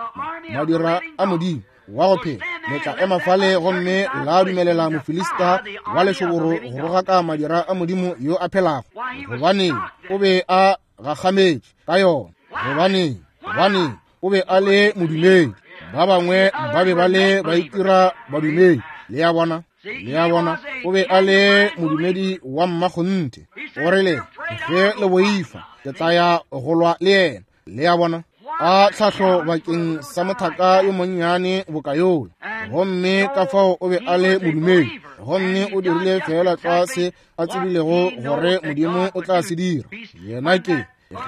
madira a Modimo wa go phela le tla ema fale gomme la dumelela Mofilista wa lešoboro go rogaka madira a Modimo yo a phelago? Gobaneng, o be a gakgametše ka yona. Gobaneng, gobaneng, o be a le modumedi. Ba bangwe ba be ba le ba itira badumedi, le a bona. Le a bona, o be a le modumedi wa mmakgonthe. O rile, ge le boifa, ke tla ya go lwa le yena. Le a bona, a tlhahlo bakeng sa mothaka yo monnyane boka yola. Gomme ka fao o be a le modumedi, gomme o dirile feela tlwa se a tsebilego gore Modimo o tla se dira. Yena ke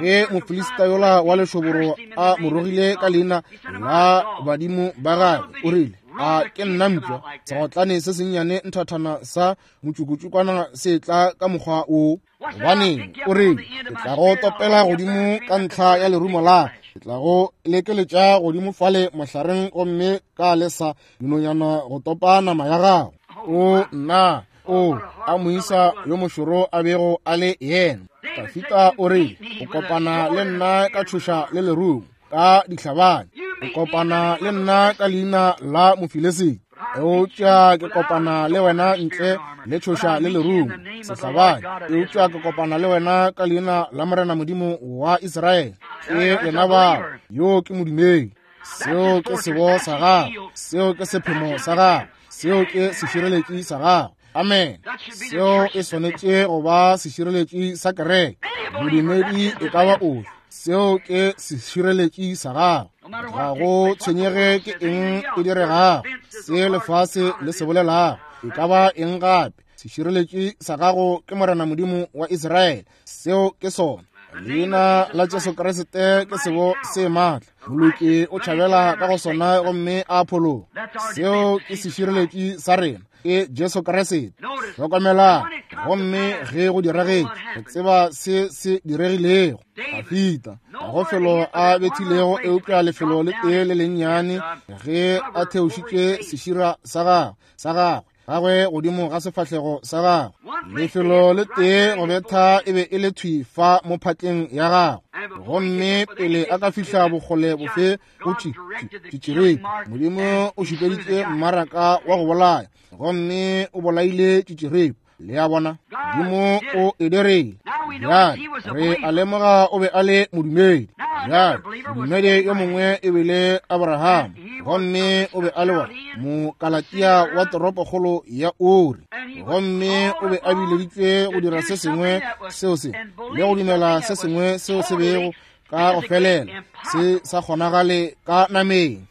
ge Mofilista yola wa lešoboro a mo rogile ka leina la badimo ba gagwe, o rile, a ke nna mpša, segotlane se sennyane nthathana sa motšukutšukwana se tla ka mokgwa wo. Gobaneng, o rile, ke tla go topela godimo ka ntlha ya lerumo la, ke tla go lekeletša godimo fale mohlareng gomme ka lesa dinonyana go topa nama ya gago. O nna, o a moisa yo mošoro a bego a le yena. Dafita o rile, o kopana le nna ka tšhoša le lerumo, ka dihlabane, o kopana le nna ka leina la Mofilisi, eupša ke kopana le wena ntle le tšhoša le lerumo, sehlabane, eupša ke kopana le wena ka leina la Morena Modimo wa Israele. Ke lena bao, yo ke modumedi. Seo ke sebo sa gago, seo ke sephemo sa gago, seo ke sešireletši sa gago. Amen. Seo e swanetše go ba sešireletši sa kereke. Modumedi e ka ba ofe, seo ke sešireletši sa gago. Ga go tshwenyege ke eng e diregago, se lefase le se bolelago, e ka ba eng gape, sešireletši sa gago ke Morena Modimo wa Israele. Seo ke sona. Leina la Jesu Kriste ke sebo se maatla. Moloki o tšhabela ka go sona gomme a phologa. Seo ke sešireletši sa rena, ke Jesu Kriste. Hlokomelang, gomme ge go diragetše, re tseba se se diregilego. Dafita ga go felo a bethilego eupša lefelo le tee le lennyane ge a theošitše sešira sa gagwe gagwe godimo ga sefahlego sa gagwe. Lefelo le tee go betha e be e le thwi fa mo phatleng ya gagwe, gomme pele a ka fihla bokgole bofe go tšitširepe, Modimo o šupeditše mmaraka wa go bolaya, gomme o bolaile tšitširepe. Le a bona, Modimo o e dirile. Bjale re a lemoga o be a le modumedi. Bjale modumedi yo mongwe e bile Abraham, gomme o be a le wa Mokalatia wa toropokgolo ya Uri, gomme o be a bileditšwe go dira se sengwe seo se le go dumela se sengwe seo se bego ka go felela se sa kgonagale ka nameng.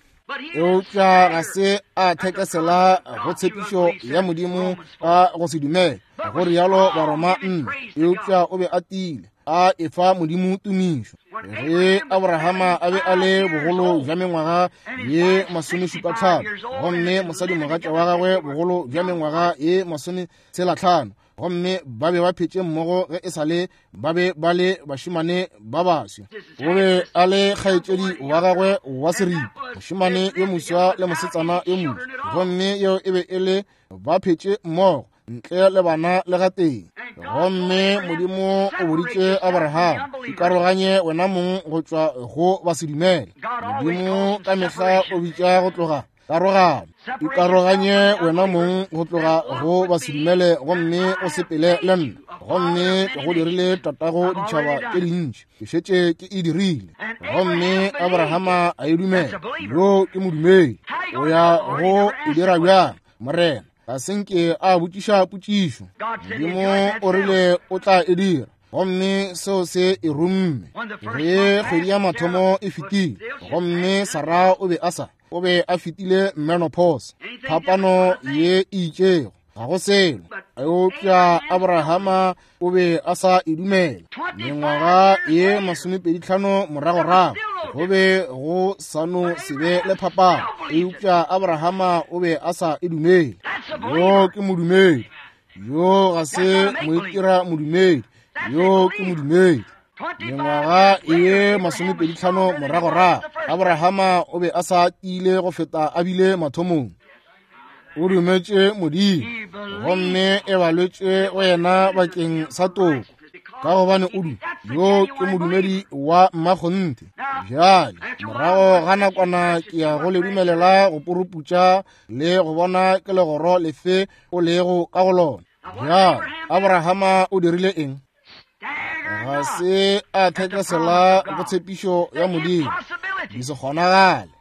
Eupša ga se a thekesela go tshepišo ya Modimo ka go se dumele, go rialo Baroma 4. Eupša o be a tiile, a efa Modimo tumišo. Ge Abrahama a be a le bogolo bja mengwaga ye 75, gomme mosadimogatša wa gagwe bogolo bja mengwaga ye 65, gomme ba be ba phetše mmogo ge e sa le ba be ba le bašemane ba baswa. O be a le kgaetšedi wa gagwe wa seripa, mošemane yo moswa le mosetsana yo moswa, gomme yeo e be e le ba phetše mmogo ntle le bana le gatee. Gomme Modimo o boditše Abraham, ikaroganye wena mong go tšwa go basedumele. Modimo ka mehla o bitša go tloga karogano. Ikaroganye wena mong go tloga go basedumele gomme o sepele le nna, gomme ke go dirile tatago ditšhaba tše dintši. Ke šetše ke e dirile. Gomme Abrahama a e dumela. Yo ke modumedi. O ya go e dira bjang, Morena? Ga se nke a botšiša potšišo. Modimo o rile o tla e dira, gomme seo se e rumme. Ge kgwedi ya mathomo e fetile, gomme Sara o be a sa, o be a fetile menopause, phapano ye e itšego, ga go selo. Eupša Abrahama o be a sa e dumela. Mengwaga ye 25 moragorago, go be go sa no se be le phapano, eupša Abrahama o be a sa e dumele. Yo ke modumedi. Yo ga se moitira modumedi. Yo ke modumedi. Mengwaga ye 25 moragorago, Abrahama o be a sa tiile go feta a bile mathomong. O dumetše Modimo, gomme e balwetše go yena bakeng sa toko, ka gobane o du yo ke modumedi wa mmakgonthe. Bjale morago ga nakwana ke ya go le dumelela go puruputša le go bona ke legoro lefe o lego ka go lona. Bjale Abrahama o dirile eng? Ga se a thekesela go tshepišo ya Modimo, di se kgonagale.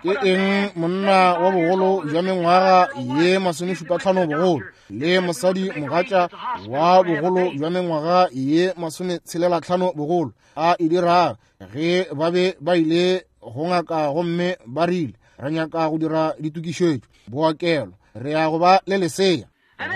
Ke eng monna wa bogolo bja mengwaga ye 75 bogolo le mosadi mogatša wa bogolo bja mengwaga ye 65 bogolo a e dirago ge ba be ba ile go ngaka gomme ba rile, re nyaka go dira ditokišetšo bookelo, re ya go ba le lesea.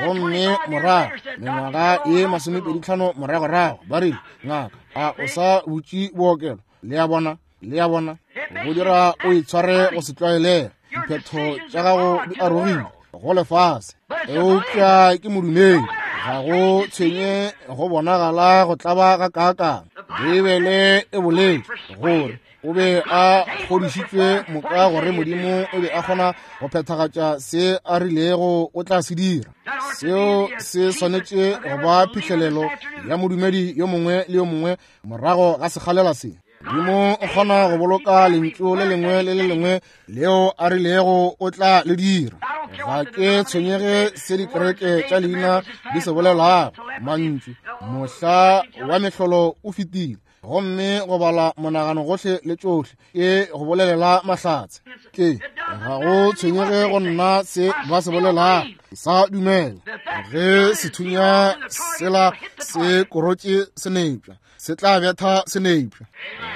Gomme morago mengwaga ye 25 moragorago ba rile, ngaka, a o sa butše bookelo? Le a bona, le a bona, go dira o itshware go se tlwaelege, diphetho tša gago di arogile go lefase. Eupša ke modumedi, ga go tshwenye go bonagala go tlaba ga kaakang. Beibele e boletše gore o be a kgodišitšwe moka gore Modimo o be a kgona go phethagatša se a rilego o tla se dira. Seo se swanetše go ba phihlelelo ya modumedi yo mongwe le yo mongwe morago ga sekgalela se. Modimo o kgona go boloka lentšu le lengwe le le lengwe leo a rilego o tla le dira. Ga ke tshwenyege se dikereke tša leina di se bolelago. Mantšu mohla wa mehlolo o fetile, gomme go bala monagano gohle le tšohle ke go bolelela mahlatse. Ke ga go tshwenyege go nna se ba se bolelago, sa dumela ge sethunya sela se korotše senepša, se tla betha senepša.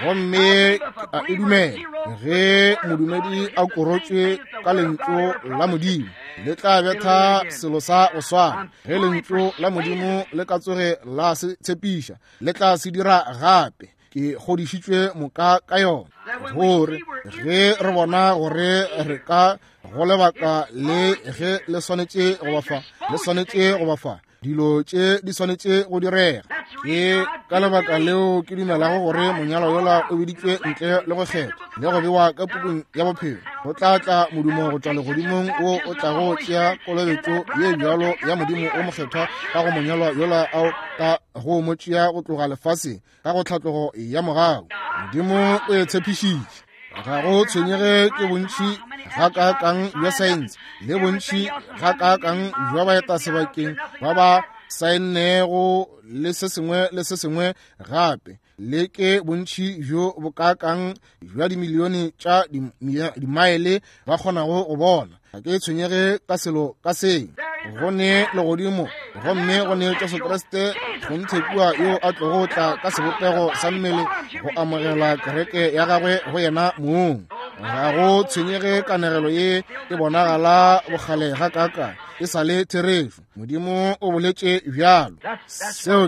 Gomme a e dumela ge modumedi a korotšwe ka lentšu la Modimo, le tla betha selo sa go swana. Ge lentšu la Modimo le ka tsoge la se tshepiša, le tla se dira gape. Ke kgodišitšwe moka ka yona, gore ge re bona gore re ka go lebaka le ge le swanetše go ba fa, le swanetše go ba fa, dilo tše di swanetše go direga. Ke ka lebaka leo ke dumelago gore monyalo yola o biditšwe ntle le go kgethwa le go bewa ka pukung ya bophelo. Go tla tla modumo go tšwa legodimong wo o tlago tšea kolobetšo ye bjalo ya Modimo o mokgethwa ka go monyalwa yola ao ka go mo tšea go tloga lefaseng ka go tlhatlogo ya mogau. Modimo o e tshepišitše. Ga go tshwenyege ke bontši gakaakang bja saense le bontši gakaakang bja baetasebakeng ba ba saennego le se sengwe le se sengwe gape, le ke bontši bjo bokaakang bja dimilione tša dimaele ba kgonago go bona. Ga ke tshwenyege ka selo ka seng. Go ne legodimo, gomme go ne Jesu Kriste kgonthe kua yo a tlogo tla ka sebopego sa mmele go amogela kereke ya gagwe go yena mong. Ga go tshwenyege kanegelo ye e bonagala bokgale gakaakang, e sa le therešo. Modimo o boletše bjalo. Seo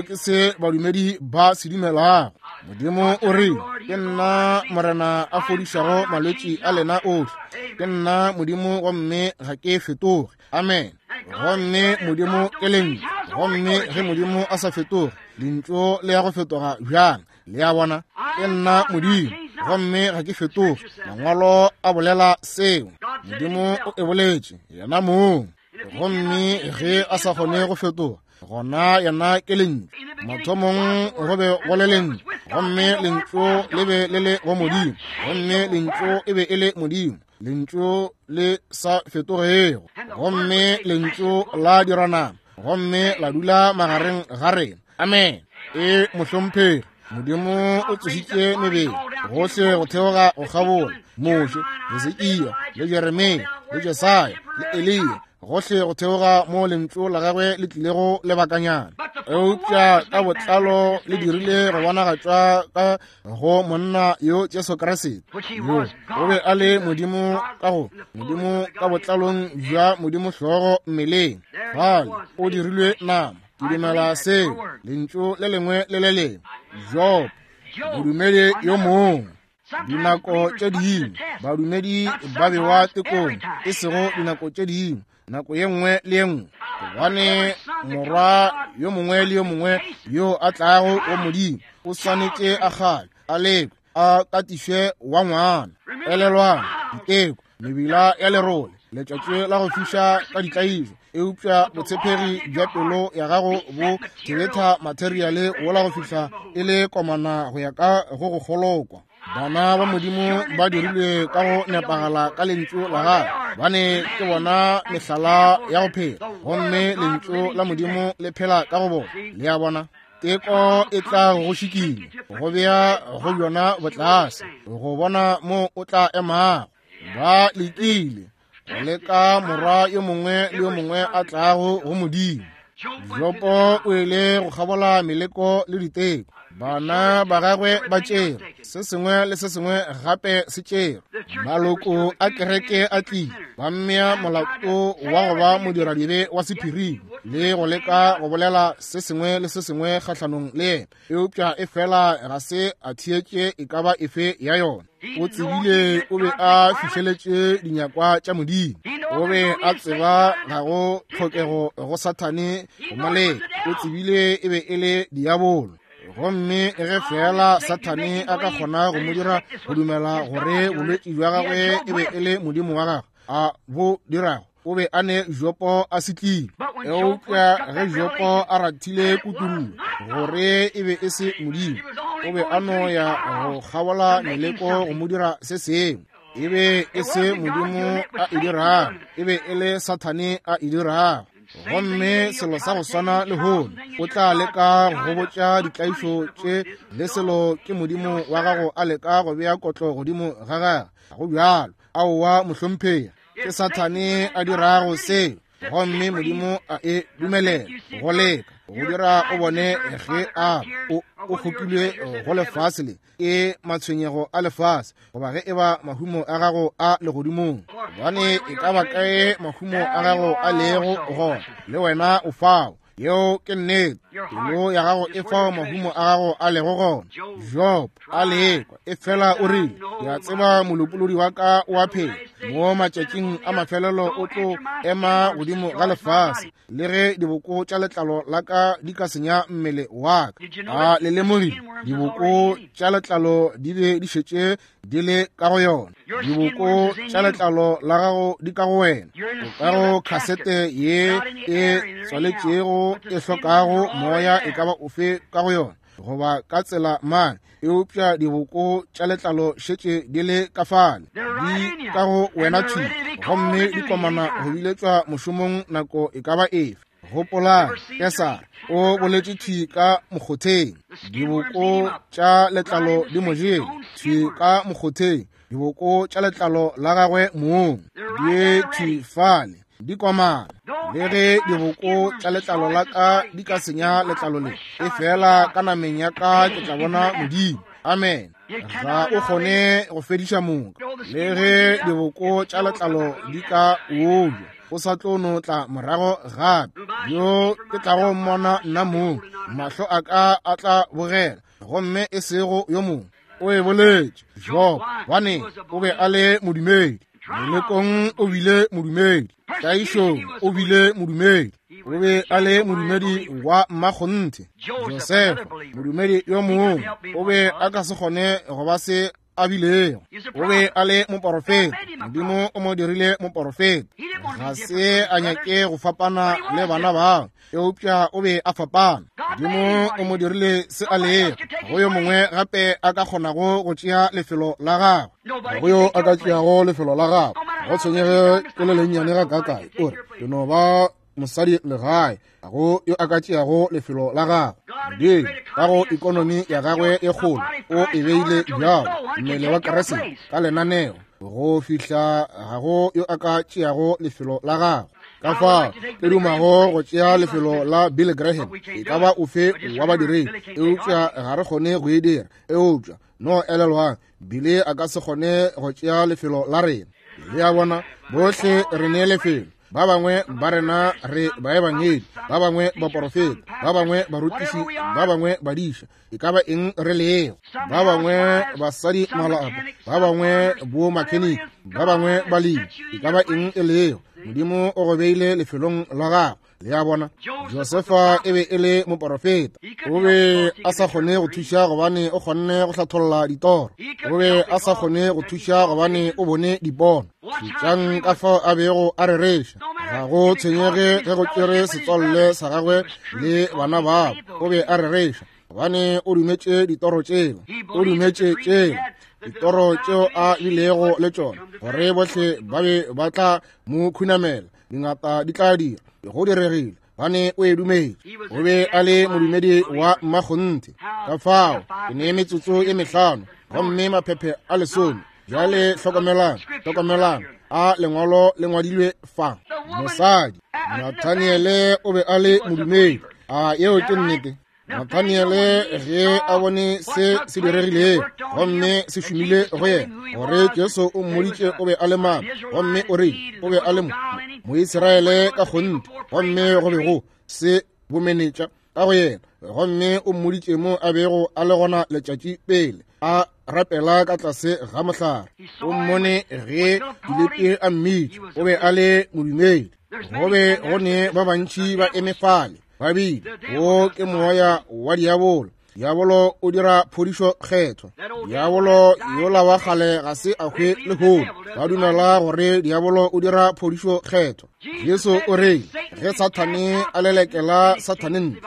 ke se badumedi ba se dumelago. Modimo o rile, ke nna Morena a fodišago malwetši a lena ohle. Ke nna Modimo gomme ga ke fetoge. Amen. Gomme Modimo ke lentšu. Gomme ge Modimo a sa fetoge, lentšu le ya go fetoga bjang? Le a bona? Ke nna Modimo gomme ga ke fetoge. Mangwalo a bolela seo. Modimo o e boletše yena mong. Gomme ge a sa kgone go fetoga, gona yena ke lentšu. Mathomong go be go le lentšu, gomme lentšu le be le le go Modimo, gomme lentšu e be e le Modimo, lentšu le sa fetogego. Gomme lentšu la dira nama, gomme la dula magareng ga rena. Amen. E mohlomphegi, Modimo o tsošitše mebele gohle go theoga go kgabola Moshe, Hesekia, le Jeremia, le Jesaya, le Eliya, gohle go theoga mo lentšu la gagwe le tlilego lebakanyana. Eupša ka botlalo le dirile go bonagatšwa ka go monna yo Jesu Kriste, yo o be a le Modimo ka go Modimo ka botlalong bja Modimo hlogo mmeleng. Fale o dirilwe nama. Ke dumela seo, lentšu le lengwe le le lengwe. Job, modumedi yo mongwe. Dinako tše dingwe badumedi ba bewa tekong, e sego dinako tše dingwe, nako ye nngwe le ye nngwe. Gobane morwa yo mongwe le yo mongwe yo a tlago go Modimo o swanetše a kgale, a lekwe, a katišwe wa ngwana. Elelwang diteko, mebila ya lerole, letšatši la go fiša ka ditlaišo, eupša botshepegi bja pelo ya gago bo thebetha materiale wola go fihla e le komana go ya ka go go kgolokwa. Bana ba Modimo ba dirilwe ka go nepagala ka lentšu la gagwe, bane ke bona mehlala ya go phela, gomme lentšu la Modimo le phela ka go bona. Le a bona? Teko e tla go šikinya, go bea go bjona botlase, go bona mo o tla emago. Ba lekile go leka morwa yo mongwe le yo mongwe a tlago go Modimo. Jopo o ile go kgabola meleko le diteko. Bana ba gagwe ba tšere se sengwe le se sengwe gape se tšere. Maloko a kereke a tlile, ba mmea molato wa go ba modiradibe wa sephiring le go leka go bolela se sengwe le se sengwe kgahlanong le yena, eupša efela ga se a theetše e ka ba efe ya yona. O tsebile o be a fihleletše dinyakwa tša Modimo. O be a tseba ga go tlhokego go Sathane go mo leka. O tsebile e be e le diabolo. Gomme ge feela Sathane a ka kgona go mo dira go dumela gore bolwetši bja gagwe e be e le Modimo wa gagwe a bo dirago, o be a ne Jopo a setlile. Eupša ge Jopo a rathile kutullo gore e be e se Modimo, o be a no ya go kgabola meleko go mo dira se sengwe. E be e se Modimo a e dirago, e be e le Sathane a e dirago. Gomme selo sa go swana lehono, o tla leka go botša ditlaišo tše le selo ke Modimo wa gago a leka go bea kotlo godimo ga gagwe. Ga go bjalo. Aowa, mohlomphegi. Ke Sathane a dirago seo, gomme Modimo a e dumelela go leka go dira o bone ge a o kgopilwe go lefase le ke matshwenyego a lefase, goba ge e ba mahumo a gago a legodimong. Gobane e ka ba kae mahumo a gago a lego gona, le wena o fao. Yeo ke nnete. Pelo ya gago e fao mahumo a gago a lego gona. Job a lekwa, efela o rile, ke a tseba molopolodi wa ka o a phela, mo matšatšing a mafelelo o tlo ema godimo ga lefase, le ge diboko tša letlalo la ka di ka senya mmele wa ka. A le lemogile diboko tša letlalo di be di šetše di le ka go yona? Diboko tša letlalo la gago di ka go wena. O ka go khasete ye e tswaletšego e hlokago moya e ka ba ofe ka go yona, goba ka tsela mang, eupša diboko tša letlalo šetše di le ka fale, di ka go wena thwi, gomme di komana go biletšwa mošomong nako e ka ba efe. Gopolang, Kesara o boletše thwi ka mokgotheng. Diboko tša letlalo di mo jele thwi ka mokgotheng. Diboko tša letlalo la gagwe mong di thwi fale, di komana. Le ge diboko tša letlalo la ka di ka senya letlalo le, efela ka nameng ya ka ke tla bona Modimo. Amen. Ga o kgone go fediša moka. Le ge diboko tša letlalo di ka obja, o sa tlo no tla morago gape. Yo ke tlago mmona nna mong, mahlo a ka a tla bogela, gomme e sego yo mongwe. O e boletše, Job, gobane o be a le modumedi. Melekong o bile modumedi, tlaišong o bile modumedi. O be a le modumedi wa mmakgonthe. Josefa, modumedi yo mongwe, o be a ka se kgone go ba se a bilego. O be a le moporofeta. Modimo o mo dirile moporofeta. Ga se a nyake go fapana le bana bao, eupša o be a fapana. Modimo o mo dirile se a lego. Go yo mongwe gape a ka kgonago go tšea lefelo la gagwe. Go yo a ka tšeago lefelo la gagwe. Ga go tshwenyege ke le lennyane ga kakae, o re, ke no ba mosadi legae. Ga go yo a ka tšeago lefelo la gagwe. Modimo ka go ikonomi ya gagwe e kgolo o e beile bjalo, mmele wa Kriste ka lenaneo, go fihla ga go yo a ka tšeago lefelo la gagwe. Ka fao ke dumago go tšea lefelo la Billy Graham, e ka ba ofe wa badiredi, eupša ga re kgone go e dira. Eupša no elelwang, Billy a ka se kgone go tšea lefelo la rena. Le a bona, bohle re ne lefelo. Ba bangwe ba rena re baebangedi, ba bangwe baporofeta, ba bangwe barutiši, ba bangwe badiša, e ka ba eng re lego. Ba bangwe basadi malapa, ba bangwe bo makheniki, ba bangwe balemi, e ka ba eng e lego. Modimo o go beile lefelong la gago. Le a bona, Josefa e be e le moporofeta. O be a sa kgone go thuša gobane o kgonne go hlatholla ditoro. O be a sa kgone go thuša gobane o bone dipono. Šetšang ka fao a bego a rereša. Ga go tshwenyege ge go tšere setswalle sa gagwe le bana babo, o be a rereša gobane o dumetše ditoro tšeo. O dumetše tšeo ditoro tšeo a bilego le tšona, gore bohle ba be ba tla mo khunamela. Dingata di tla dira. Go diregile. Gobane o e dumetše. O be a le modumedi wa mmakgonthe. Ka fao, ke ne metsotso e mehlano, gomme maphephe a lesome. Bjale hlokomelang, hlokomelang, a lengwalo le ngwadilwe fa. Mosadi, Nathaniele o be a le modumedi. A yeo ke nnete? Nathaniele ge a bone se se diregilego gomme se šomile go yena, gore Jesu o mmoditše o be a le mang, gomme o rile o be a le Moisraele ka kgonthe, gomme go be go se bomenetša ka go yena, gomme o mmoditše mo a bego a le gona letšatši pele a rapela ka tlase ga mohlare. O mmone ge Filipi a mmitša, o be a le modumedi. Go be go ne ba bantši ba eme fale, ba bile wo ke moya wa diabolo. Diabolo o dira phodišo kgethwa. Diabolo yola wa kgale ga se a hwe lehono. Ba dumela gore diabolo o dira phodišo kgethwa. Jesu o re ge Sathane a lelekela Sathane ntle,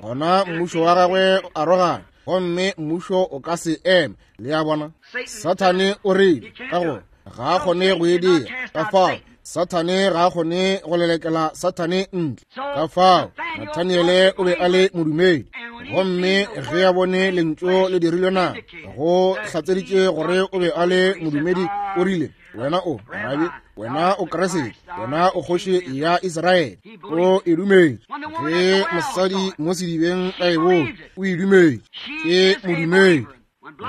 gona mmušo wa gagwe o arogane, gomme mmušo o ka se eme. Le a bona? Sathane o rile ka gore ga a kgone go e dira. Ka fao Sathane ga a kgone go lelekela Sathane ntle. Ka fao Nathaniele o be a le modumedi, gomme ge a bone lentšu le dirilwe nama, go hlatseditše gore o be a le modumedi. O rile, wena o rabi, wena o Kriste, wena o kgoši ya Israele. O e dumetše. Ge mosadi mo sedibeng a e bone, o e dumetše. Ke modumedi.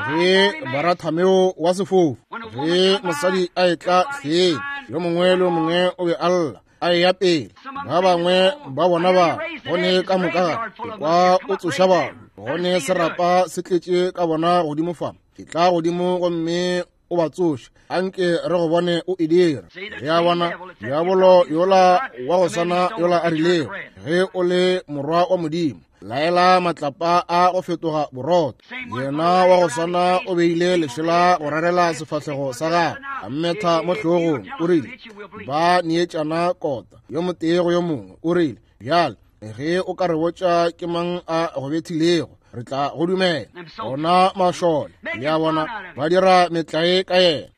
Ge Barathameo wa sefofu, ge mosadi a etla hleng, yo mongwe le yo mongwe o be a lla a eya pele. Ba bangwe ba bona ba gone ka moka ga kwa o tsoša batho, gone serapa se tletše ka bona godimo fa. Ke tla godimo gomme o ba tsoše, anke re go bone o e dira. Ge a bona diabolo yola wa go swana yola a rilego, ge o le morwa wa Modimo, laela matlapa a go fetoga borotho. Yena wa go swana o beile lešela go rarela sefahlego sa gagwe, a mmetha mo hlogong. O rile, ba neetšana kota yo motee go yo mongwe. O rile, bjale ge o ka re botša ke mang a go bethilego, re tla go dumela. Bona mašole, le a bona, ba dira metlae ka yena.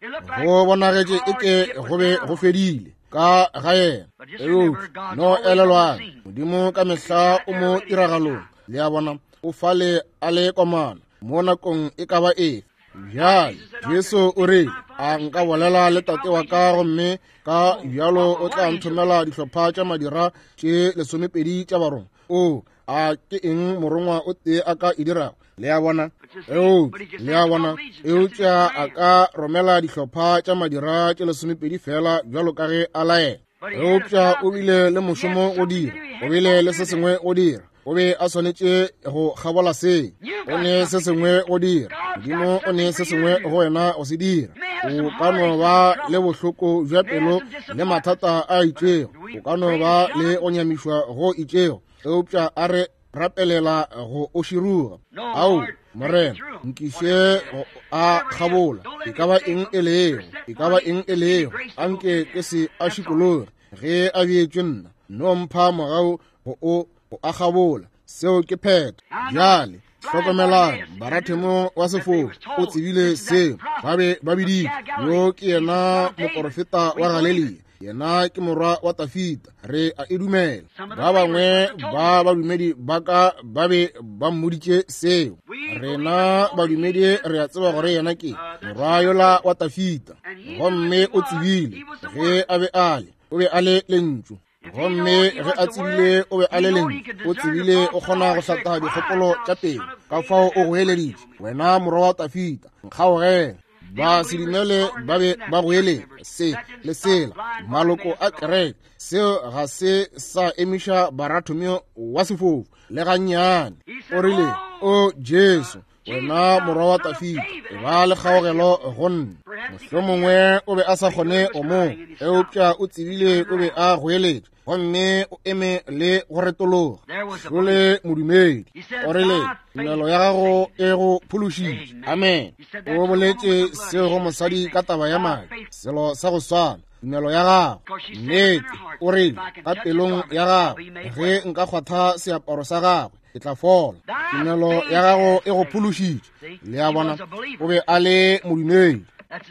Go bonagetše eke go be go fedile ka ga yena. Eupša no elelwang, Modimo ka mehla o mo tiragalong. Le a bona, o fale a le komana mo nakong e ka ba efe. Bjale Jesu o re, a nka bolela le tate wa ka, gomme ka bjalo o tla nthomela dihlopha tša madira tše 12 tša barongwa. O, a ke eng morongwa o tee a ka e dirago? Le a bona? Eupša, le a bona, eupša a ka romela dihlopha tša madira tše 12 fela bjalo ka ge a laela. Eupša o bile le mošomo go dira, o bile le se sengwe go dira, o be a swanetše go kgabola se. O ne se sengwe go dira, Modimo o ne se sengwe go wena go se dira. O ka no ba le bohloko bja pelo le mathata a itšego, o ka no ba le go nyamišwa go itšego, eupša a re rapelela go o širuga. Ao, Morena, nkiše go a kgabola, e ka ba eng e lego, e ka ba eng e lego, anke ke se a šikologe ge a beetšwe nna. No mpha mogau go o go a kgabola. Seo ke phetho. Bjale hlokomelang, Barathemo wa sefofu o tsebile seo. Ba be ba biditše, yo ke yena moporofeta wa Galelia, yena ke morwa wa Tafita. Re a e dumela. Ba bangwe ba badumedi ba ka ba be ba mmoditše seo. Rena badumedi re a tseba gore yena ke morwa yola wa Tafita. Gomme o tsebile ge a be a le, o be a le lentšu. Gomme ge a tsebile o be a le lentšu, o tsebile o kgona go hlatha dikgopolo tša pelo. Ka fao o goeleditše, wena morwa wa Tafita, nkgaogele. Ba se dumele ba be ba goeletša se le sela, maloko a kereke. Seo ga se sa emiša Barathomeo wa sefofu le gannyane. O rile, O Jesu, wena morwa wa Tafita, e ba le kgaogelo go nna. Mohlomongwe o be a sa kgone go mo, eupša o tsebile o be a goeletša, gomme o eme le go retologa. Šole modumedi. O rile, tumelo ya gago e go phološitše. Amen. O boletše seo go mosadi ka taba ya madi, selo sa go swana, tumelo ya gago. Nnete, o rile ka pelong ya gagwe, ge nka kgwatha seaparo sa gagwe, ke tla fola. Tumelo ya gago e go phološitše. Le a bona, o be a le modumedi.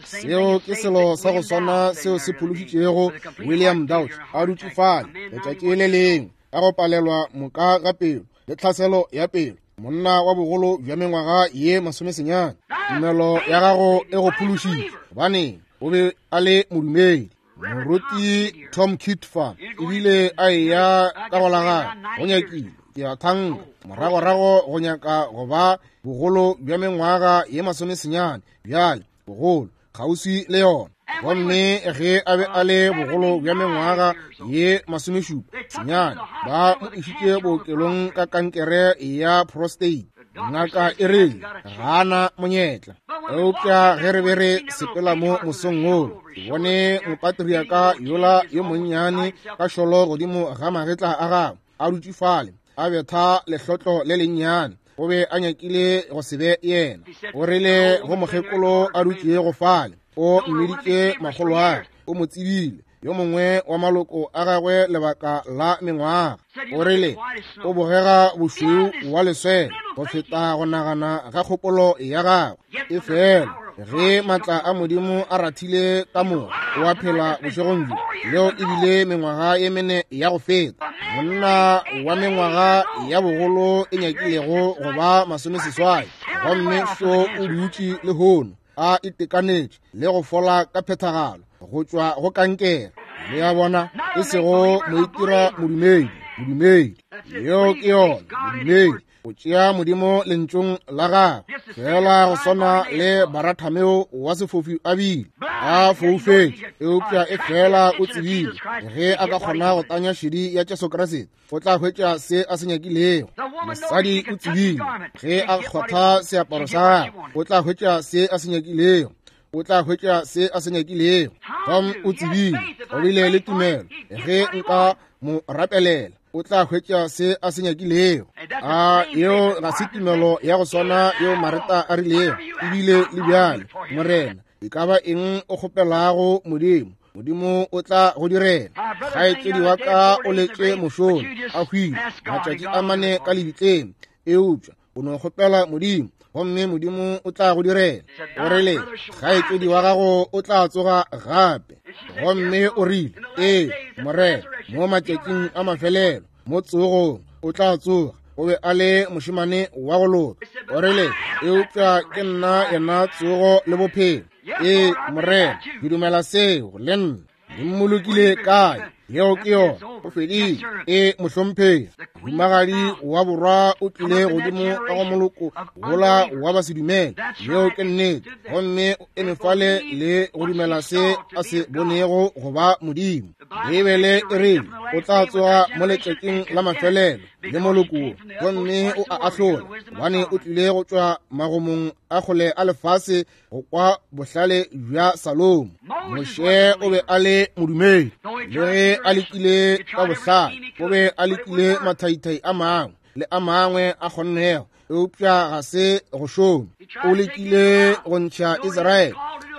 Seo ke selo sa go swana seo se phološitšego William Dauch a dutše fale letšatši le lengwe. ka go palelwa moka ga pelo le tlhaselo ya pelo, monna wa bogolo bja mengwaga ye 90. Tumelo ya gago e go phološitše. Gobaneng? O be a le modumedi. Moruti Tom Kitfa ebile a eya ka go la gagwe go nyakile, ke a thanka, moragorago go nyaka go ba bogolo bja mengwaga ye 90 bjale, bogolo kgauswi le yona. Gomme ge a be a le bogolo bja mengwaga ye 79, ba mo išitše bookelong ka kankere ya prostate. Ngaka e rile ga a na monyetla. Eupša ge re be re sepela mo mosong wo, ke bone mopatriaka yola yo monnyane ka šolo godimo ga magetla a gagwe, a dutše fale a betha lehlotlo le lennyane. O be a nyakile go se be yena. O rile go mokgekolo a dutšego fale, o mmiditše makgolwagwe, o mo tsebile, yo mongwe wa maloko a gagwe lebaka la mengwaga. O rile o bogega bošweu wa leswele go feta go nagana ga kgopolo ya gagwe. Efela ge matla a Modimo a rathile ka moka, o a phela bošegong bjo. Leo e bile mengwaga ye mene ya go feta. Monna wa mengwaga ya bogolo e nyakilego go ba 80, gomme šo o dutše lehono a itekanetše le go fola ka phethagalo go tšwa go kankere. Le a bona, e sego moitira modumedi, modumedi. Yeo ke yona, modumedi o tšea Modimo lentšong la gagwe, fela go swana le Baratameo wa sefofu a bile a foufetše, eupša e fela o tsebile ge a ka kgona go tanya šedi ya Jesu Kriste, o tla hwetša se a se nyakilego. Mosadi o tsebile ge a kgwatha seaparo sa gagwe, o tla hwetša se a se nyakilego. O tla hwetša se a se nyakilego. Tom o tsebile, o bile le tumelo, ge nka mo rapelela, o tla hwetša se a se nyakilego. A yeo ga se tumelo ya go swana yeo Mareta a rilego ebile le bjale, Morena, e ka ba eng o kgopelago Modimo, Modimo o tla go direla. Kgaetšedi wa ka o letše mošono, a hwile matšatši a mane ka lebitleng, eupša o no kgopela Modimo, gomme Modimo o tla go direla. O rile, kgaetšedi wa gago o tla tsoga gape. Gomme o rile, ee, Morena, mo matšatšing a mafelelo, mo tsogong, o tla tsoga. O be a le mošemane wa go loka. O rile, eupša ke nna yena tsogo le bophelo. Ee, Morena, ke dumela seo, le nna. Le mmolokile kae? Yeo ke yona, o fedile. E mohlomphegi, mohumagadi wa borwa o tlile godimo ka go moloko wola wa basedumele. Yeo ke nnete. Gomme o eme fale le go dumela se a se bonego go ba Modimo. Beibele e rile o tla tsoga mo letšatšing la mafelelo le moloko wo, gomme o a ahlola, gobane o tlile go tšwa magomong a kgole a lefase go kwa bohlale bja Salomo. Moshe o be a le modumedi, le ge a lekile ka bohlale, o be a lekile mathaithai a mangwe le a mangwe a kgonnego, eupša ga se go šome. O lekile go ntšha Israele,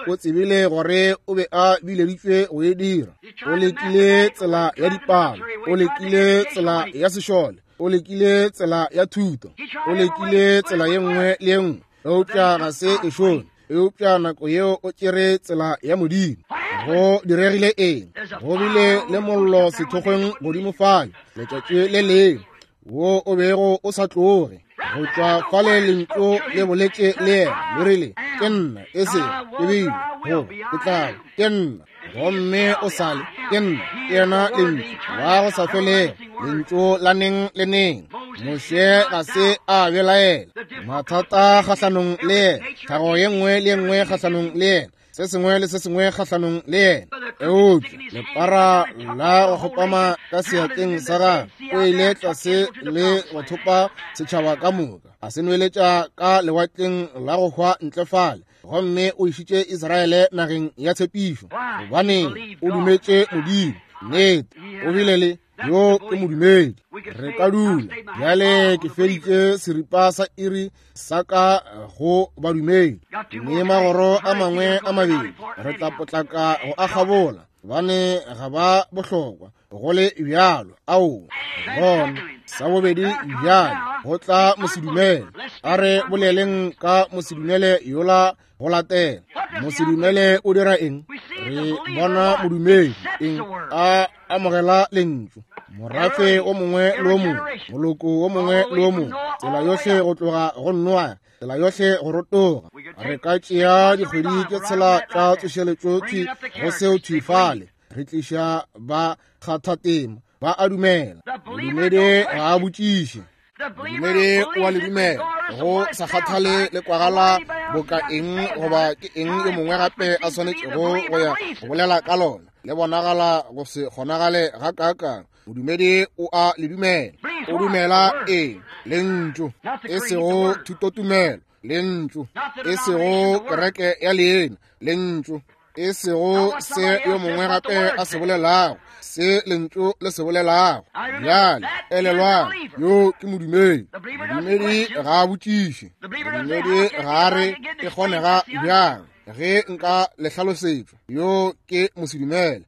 o tsebile gore o be a bileditšwe go e dira. O lekile tsela ya dipalo, o lekile tsela ya sešole, o lekile tsela ya thuto, o lekile tsela ye nngwe le ye nngwe, eupša ga se e šome. Eupša nako yeo o tšere tsela ya Modimo. Go diregile eng? Go bile le mollo sethokgweng godimo fale letšatši le lengwe, wo o bego o sa tloge. Go tšwa fale lentšu le boletše le yena, le rile, ke nna, e se ke bile, goba ke tla ba, ke nna. Gomme o sa le, ke nna, ke yena lentšu la go sa felego, lentšu la neng le neng. Moshe ga se a belaela mathata kgahlanong le yena, tlhago ye nngwe le ye nngwe kgahlanong le yena, se sengwe le se sengwe kgahlanong le yena. Eupša lepara la go kgopama ka seatleng sa gagwe, o ile tlase le go thopa setšhaba ka moka, a se nweletša ka lewatleng la go hwa ntle fale, gomme o išitše Israele nageng ya tshepišo, gobane o dumetše Modimo. Nnete, o bile le yo ke modumedi. Re ka dula bjale. Ke feditše seripa sa iri sa ka go badumedi, mme magoro a mangwe a mabedi re tla potlaka go a kgabola, gobane ga ba bohlokwa go le bjalo. Ao, gona sa bobedi bjale go tla mosedumele. A re boleleng ka mosedumele yola go latela. Mosedumele o dira eng? Re bona modumedi eng? A amogela lentšu. Morafe o mongwe le o mongwe, moloko o mongwe le o mongwe, tsela yohle go tloga go Noa, tsela yohle go rotoga. Re ka tšea dikgwedi tše tshela tša tsošeletšo thwi go seo thwi fale. Re tliša ba kgathatema, ba a dumela. Modumedi ga a botšiše. Modumedi o a le dumela, go sa kgathale le kwagala boka eng goba ke eng yo mongwe gape a swanetšego go ya go bolela ka lona. Le bonagala go se kgonagale gakaakang. Modumedi o a le dumela. O dumela eng? Lentšu, e sego thutotumelo. Lentšu, e sego kereke ya leina. Lentšu, e sego se yo mongwe gape a se bolelago, se lentšu le se bolelago. Bjale elelwang, yo ke modumedi. Modumedi ga a botšiše. Modumedi ga a re e kgonega bjang ge nka le hlalosetšwa. Yo ke mosedumele.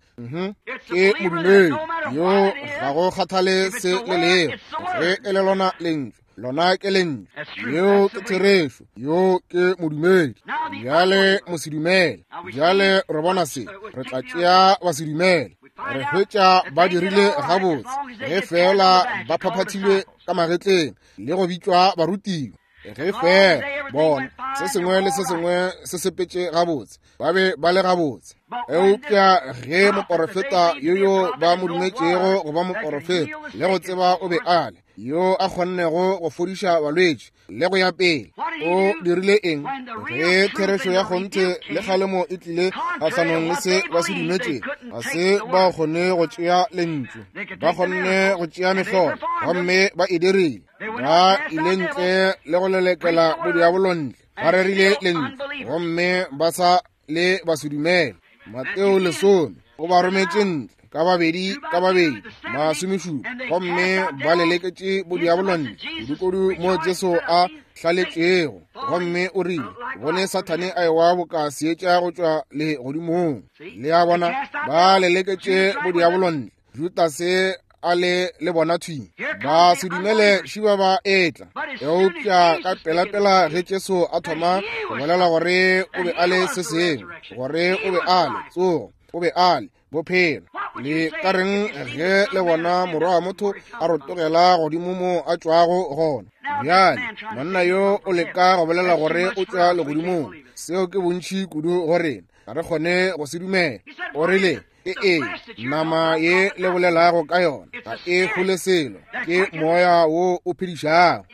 Ke modumedi yo ga go kgathale se le lego, ge e le lona lentšu, lona ke lentšu. Yeo ke therešo. Yo ke modumedi. Bjale mosedumele. Bjale re bona se, re tla tšea basedumele. Re hwetša ba dirile gabotse ge feela ba phaphathilwe ka magetleng le go bitšwa barutiwa. Ge feela bona se sengwe le se sengwe se sepetše gabotse, ba be ba le gabotse. Eupša ge moporofeta yo yo ba mo dumetšego go ba moporofeta le go tseba o be a le yo a kgonnego go fodiša balwetši le go ya pele, o dirile eng? Ge therešo ya kgonthe le kgalemo e tlile kgahlanong le se ba se dumetšego, ga se ba kgone go tšea lentšu, ba kgonne go tšea mehlolo, gomme ba e dirile. Ba ile ntle le go lelekela bodiabolo ntle, ba rerile lentšu, gomme ba sa le ba se dumele. Mateo 10 o ba rometše ntle ka babedi ka babedi, 17, gomme ba leleketše bodiabolo ntle kudukudu mo Jesu a hlaletšego, gomme o rile, bone Sathane a ewa boka seetša go tšwa legodimong. Le a bona, ba leleketše bodiabolo ntle. Judase a le le bona thwi, ba se dumele šiba ba etla. Eupša ka pelapela ge Jesu a thoma go bolela gore o be a le se sengwe, gore o be a le tsogo, o be a le bophelo, le ka reng ge le bona Morwa wa motho a rotogela godimo mo a tšwago gona? Bjale monna yo o leka go bolela gore o tšwa legodimong. Seo ke bontši kudu go rena, ga re kgone go se dumela. O rile, ke eng nama ye le bolelago ka yona? Ga e hole selo, ke moya wo o phedišago.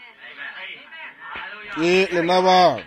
Ke lena bao.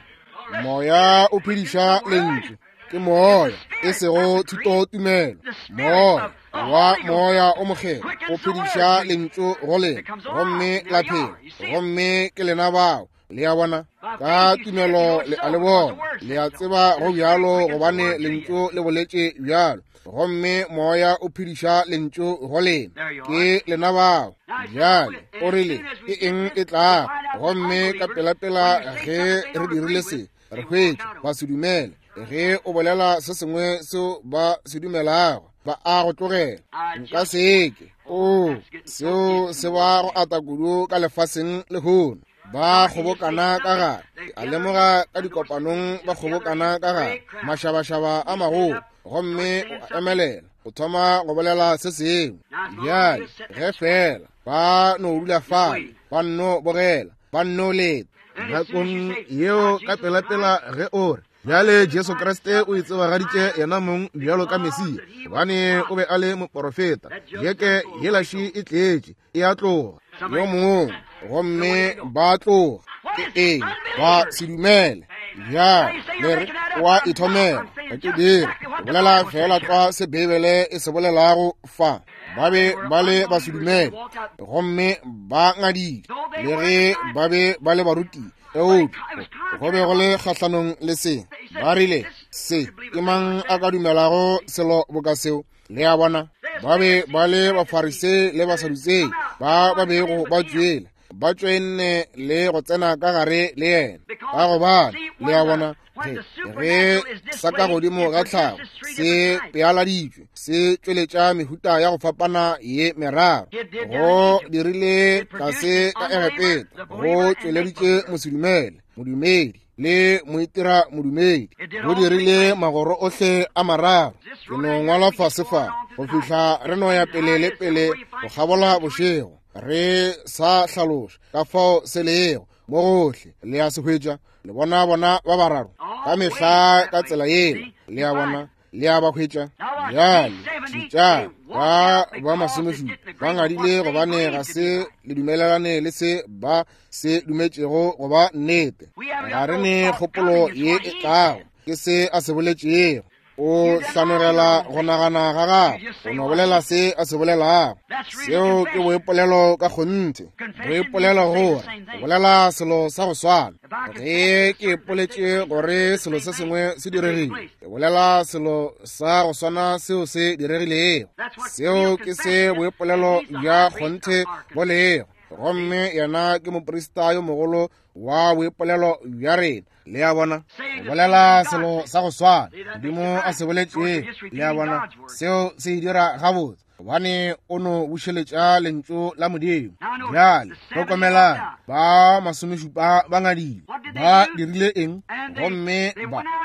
Moya o phediša lentšu, ke moya, e sego thutotumelo. Moya wa moya o mokgethwa o phediša lentšu go lena, gomme la phela, gomme ke lena bao. Le a bona, ka tumelo le a le bona, le a tseba go bjalo, gobane lentšu le boletše bjalo, gomme moya o phediša lentšu go lena. Ke lena bao. Bjale o rile, ke eng e tlago? Gomme ka pelapela ge re dirile se, re hwetša ba se dumele. Ge o bolela se sengwe seo ba se dumelago, ba a go tlogela. Nka seke. O, seo se ba go ata kudu ka lefaseng lehono. Ba kgobokana ka gare, a lemoga ka dikopanong, ba kgobokana ka gare mašabašaba a magolo, gomme o a emelela, o thoma go bolela se sengwe. Bjale ge feela ba no dula fale, ba nno bogela, ba nno leta. Nakong yeo ka pelapela ge o re, bjale Jesu Kriste o itsebagaditše yena mong bjalo ka Mesia, gobane o be a le moporofeta. Jeke yelaši e tletše, e a tloga yo mongwe, gomme ba tloga. Ke eng? Ba se dumele. Bjale le re o a ithomela. Ga ke dire, ke bolela feela tlwa se Beibele e se bolelago fa. Ba be ba le ba se dumele, gomme ba ngadile, le ge ba be ba le baruti, eupša go be go le kgahlanong le se. Ba rile, se ke mang a ka dumelago selo boka seo? Le a bona, ba be ba le Bafarisei le Basadutsei ba ba bego ba tšwele, ba tšwenne le go tsena ka gare le yena, ka gobane le a bona, ge sa ka godimo ga tlhago se pealaditšwe, se tšweletša mehuta ya go fapana ye meraro. Go dirile tlase ka Egepeta, go tšweleditše mosedumele, modumedi. le moitira modumedi. Go dirile magoro ohle a mararo. Ke no ngwala fase fa go fihla re no ya pele le pele go kgabola bošego, re sa hlaloša ka fao se lego mo gohle. Le a se hwetša? Le bona bona ba bararo ka mehla ka tsela yela. Le a bona? Le a ba hwetša? Bjale šetšang, ba ba masomešupa ba ngadile gobane ga se le dumelelane le se ba se dumetšego go ba nnete. Ga re ne kgopolo ye e tlago, ke se a se boletšego. O hlanogela go nagana ga gago, o no bolela se a se bolelago. Seo ke boipolelo ka kgonthe. Boipolelo gore o bolela selo sa go swana. Ge ke ipoletše gore selo se sengwe se diregile, ke bolela selo sa go swana seo se diregilego. Seo ke se boipolelo bja kgonthe bo lego. Gomme yena ke moprista yo mogolo wa boipolelo bja rena. Le a bona? O bolela selo sa go swana Modimo a se boletšego. Le a bona? Seo se e dira gabotse, gobane o no bušeletša lentšu la Modimo. Bjale hlokomelang, ba masomešupa ba ngadile. Ba dirile eng? Gomme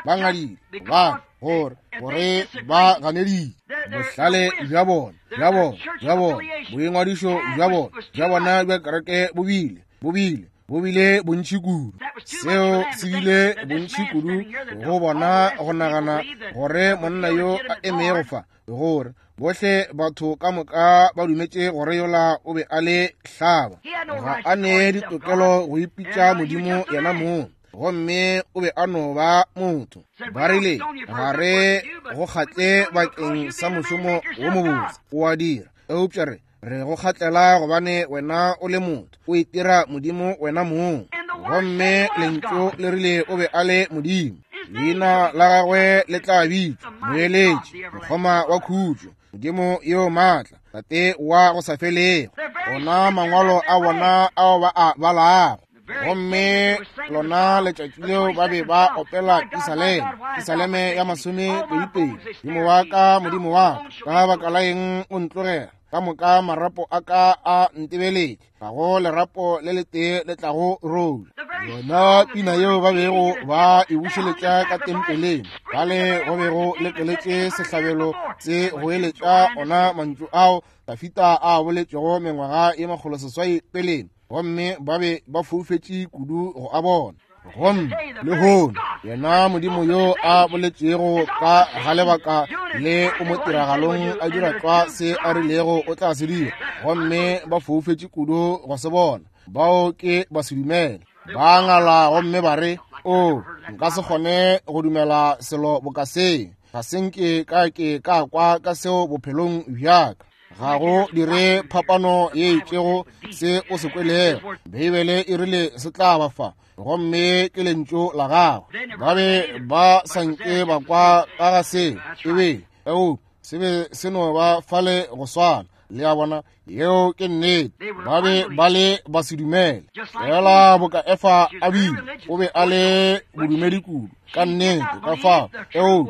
ba ngadile gobane gore gore ba ganeditše bohlale bja bona, bja bona, bja bona, boingwadišo bja bona, bja bona bja kereke bo bile, bo bile, bo bile bontši kudu. Seo se bile bontši kudu go bona go nagana gore monna yo a emego fa, gore bohle batho ka moka ba dumetše gore yola o be a le hlaba. Ga a ne ditokelo go ipitša Modimo yena mong, gomme o be a no ba motho. Ba rile, ga re go kgatle bakeng sa mošomo wo mobotse o a dira, eupša re re go kgatlela gobane wena o le motho, o itira Modimo wena mong. Gomme lentšu le rile o be a le Modimo. Leina la gagwe le tla bitšwa Moeletši, Mokgoma wa Khutšo, Modimo yo maatla, Tate wa go sa felego. Ona mangwalo a bona ao ba a balago. Gomme lona letšatši leo ba be ba opela Pisaleme, Pisaleme ya masomepedipedi. Modimo wa ka, Modimo wa ka, ka baka la eng o ntlogela? Ka moka marapo a ka a ntebeletše, ga go lerapo le letee le tlago rola. Yona pina yeo ba bego ba e bušeletša ka tempeleng, bale go bego le tloletše sehlabelo se goeletša ona mantšu ao Dafita a boletšego mengwaga ye 600 peleng, gomme ba be ba foufetše kudu go a bona. Gomme lehono yena Modimo yo a boletšego ka ga lebaka le o mo tiragalong a dira tlwa se a rilego o tla se dira, gomme ba foufetše kudu go se bona. Bao ke ba se dumele. Ba ngala gomme ba re, O, nka se kgone go dumela selo boka se. Ga se nke ka ke ka kwa ka seo bophelong bja ka. Ga go dire phapano ye itšego se o se kwelego. Beibele e rile se tla ba fa, gomme ke lentšu la gagwe. Ba be ba sa nke ba kwa ka ga seo, e be eo se be se no ba fale go swana. Le a bona? Yeo ke nnete. Ba be ba le ba se dumele. Fela boka Efa a bile, o be a le bodumedi kudu ka nnete, ka fao eo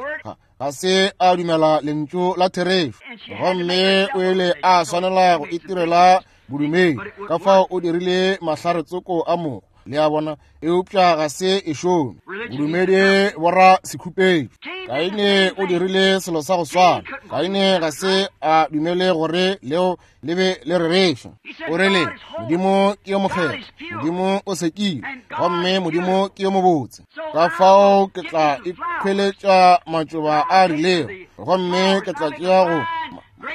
ga se a dumela lentšu la therešo, gomme o ile a swanela go itirela bodumedi, ka fao o dirile mahlaretsoko a mogo. Le a bona? Eupša ga se e šome. Bodumedi bo ra sekhupetšo. Kaine o dirile selo sa go swana. Kaine ga se a dumele gore leo le be le rereša. O rile, Modimo ke yo mokgethwa, Modimo o sekile, gomme Modimo ke yo mobotse. Ka fao ke tla ikhweletša matšoba a rilego, gomme ke tla tšea go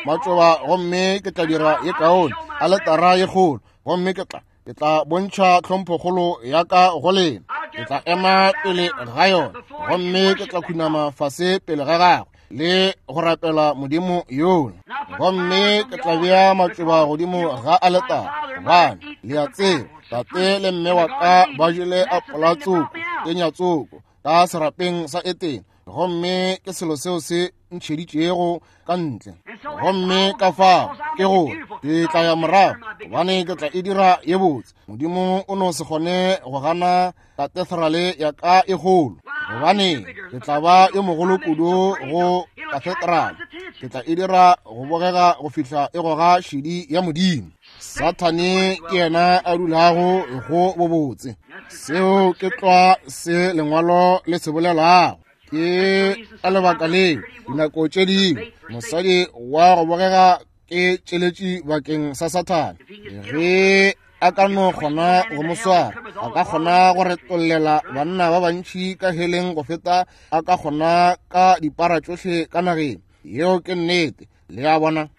matšoba, gomme ke tla dira ye kaone aletara ye kgolo, gomme ke tla ke tla bontšha tlhomphokgolo ya ka go lena. Ke tla ema pele ga yona, gomme ke tla khunama fase pele ga gagwe le go rapela Modimo yola. Gomme ke tla bea matšoba godimo ga aletara, gobane le a tseba tate le mme wa ka ba jele apola tsoko, kenya tsoko ka serapeng sa Etene, gomme ke selo seo se ntšheditšego ka ntle. Gomme ka fao ke gore ke tla ya morago, gobane ke tla e dira ye botse. Modimo o no se kgone go gana katedrale ya ka e kgolo. Gobane ke tla ba yo mogolo kudu go kathetrale, ke tla e dira go bogega go fihla e goga šedi ya Modimo. Sathane ke yena a dulago go bobotse. Seo ke tlwa se lengwalo le se bolelago. Ke ka lebaka leo dinako tše dingwe mosadi wa go bogega ke tšeletši bakeng sa Sathane. Ge a ka no kgona go mo swara, a ka kgona go retollela banna ba bantši ka heleng go feta a ka kgona ka dipara tšohle ka nageng. Yeo ke nnete. Le a bona?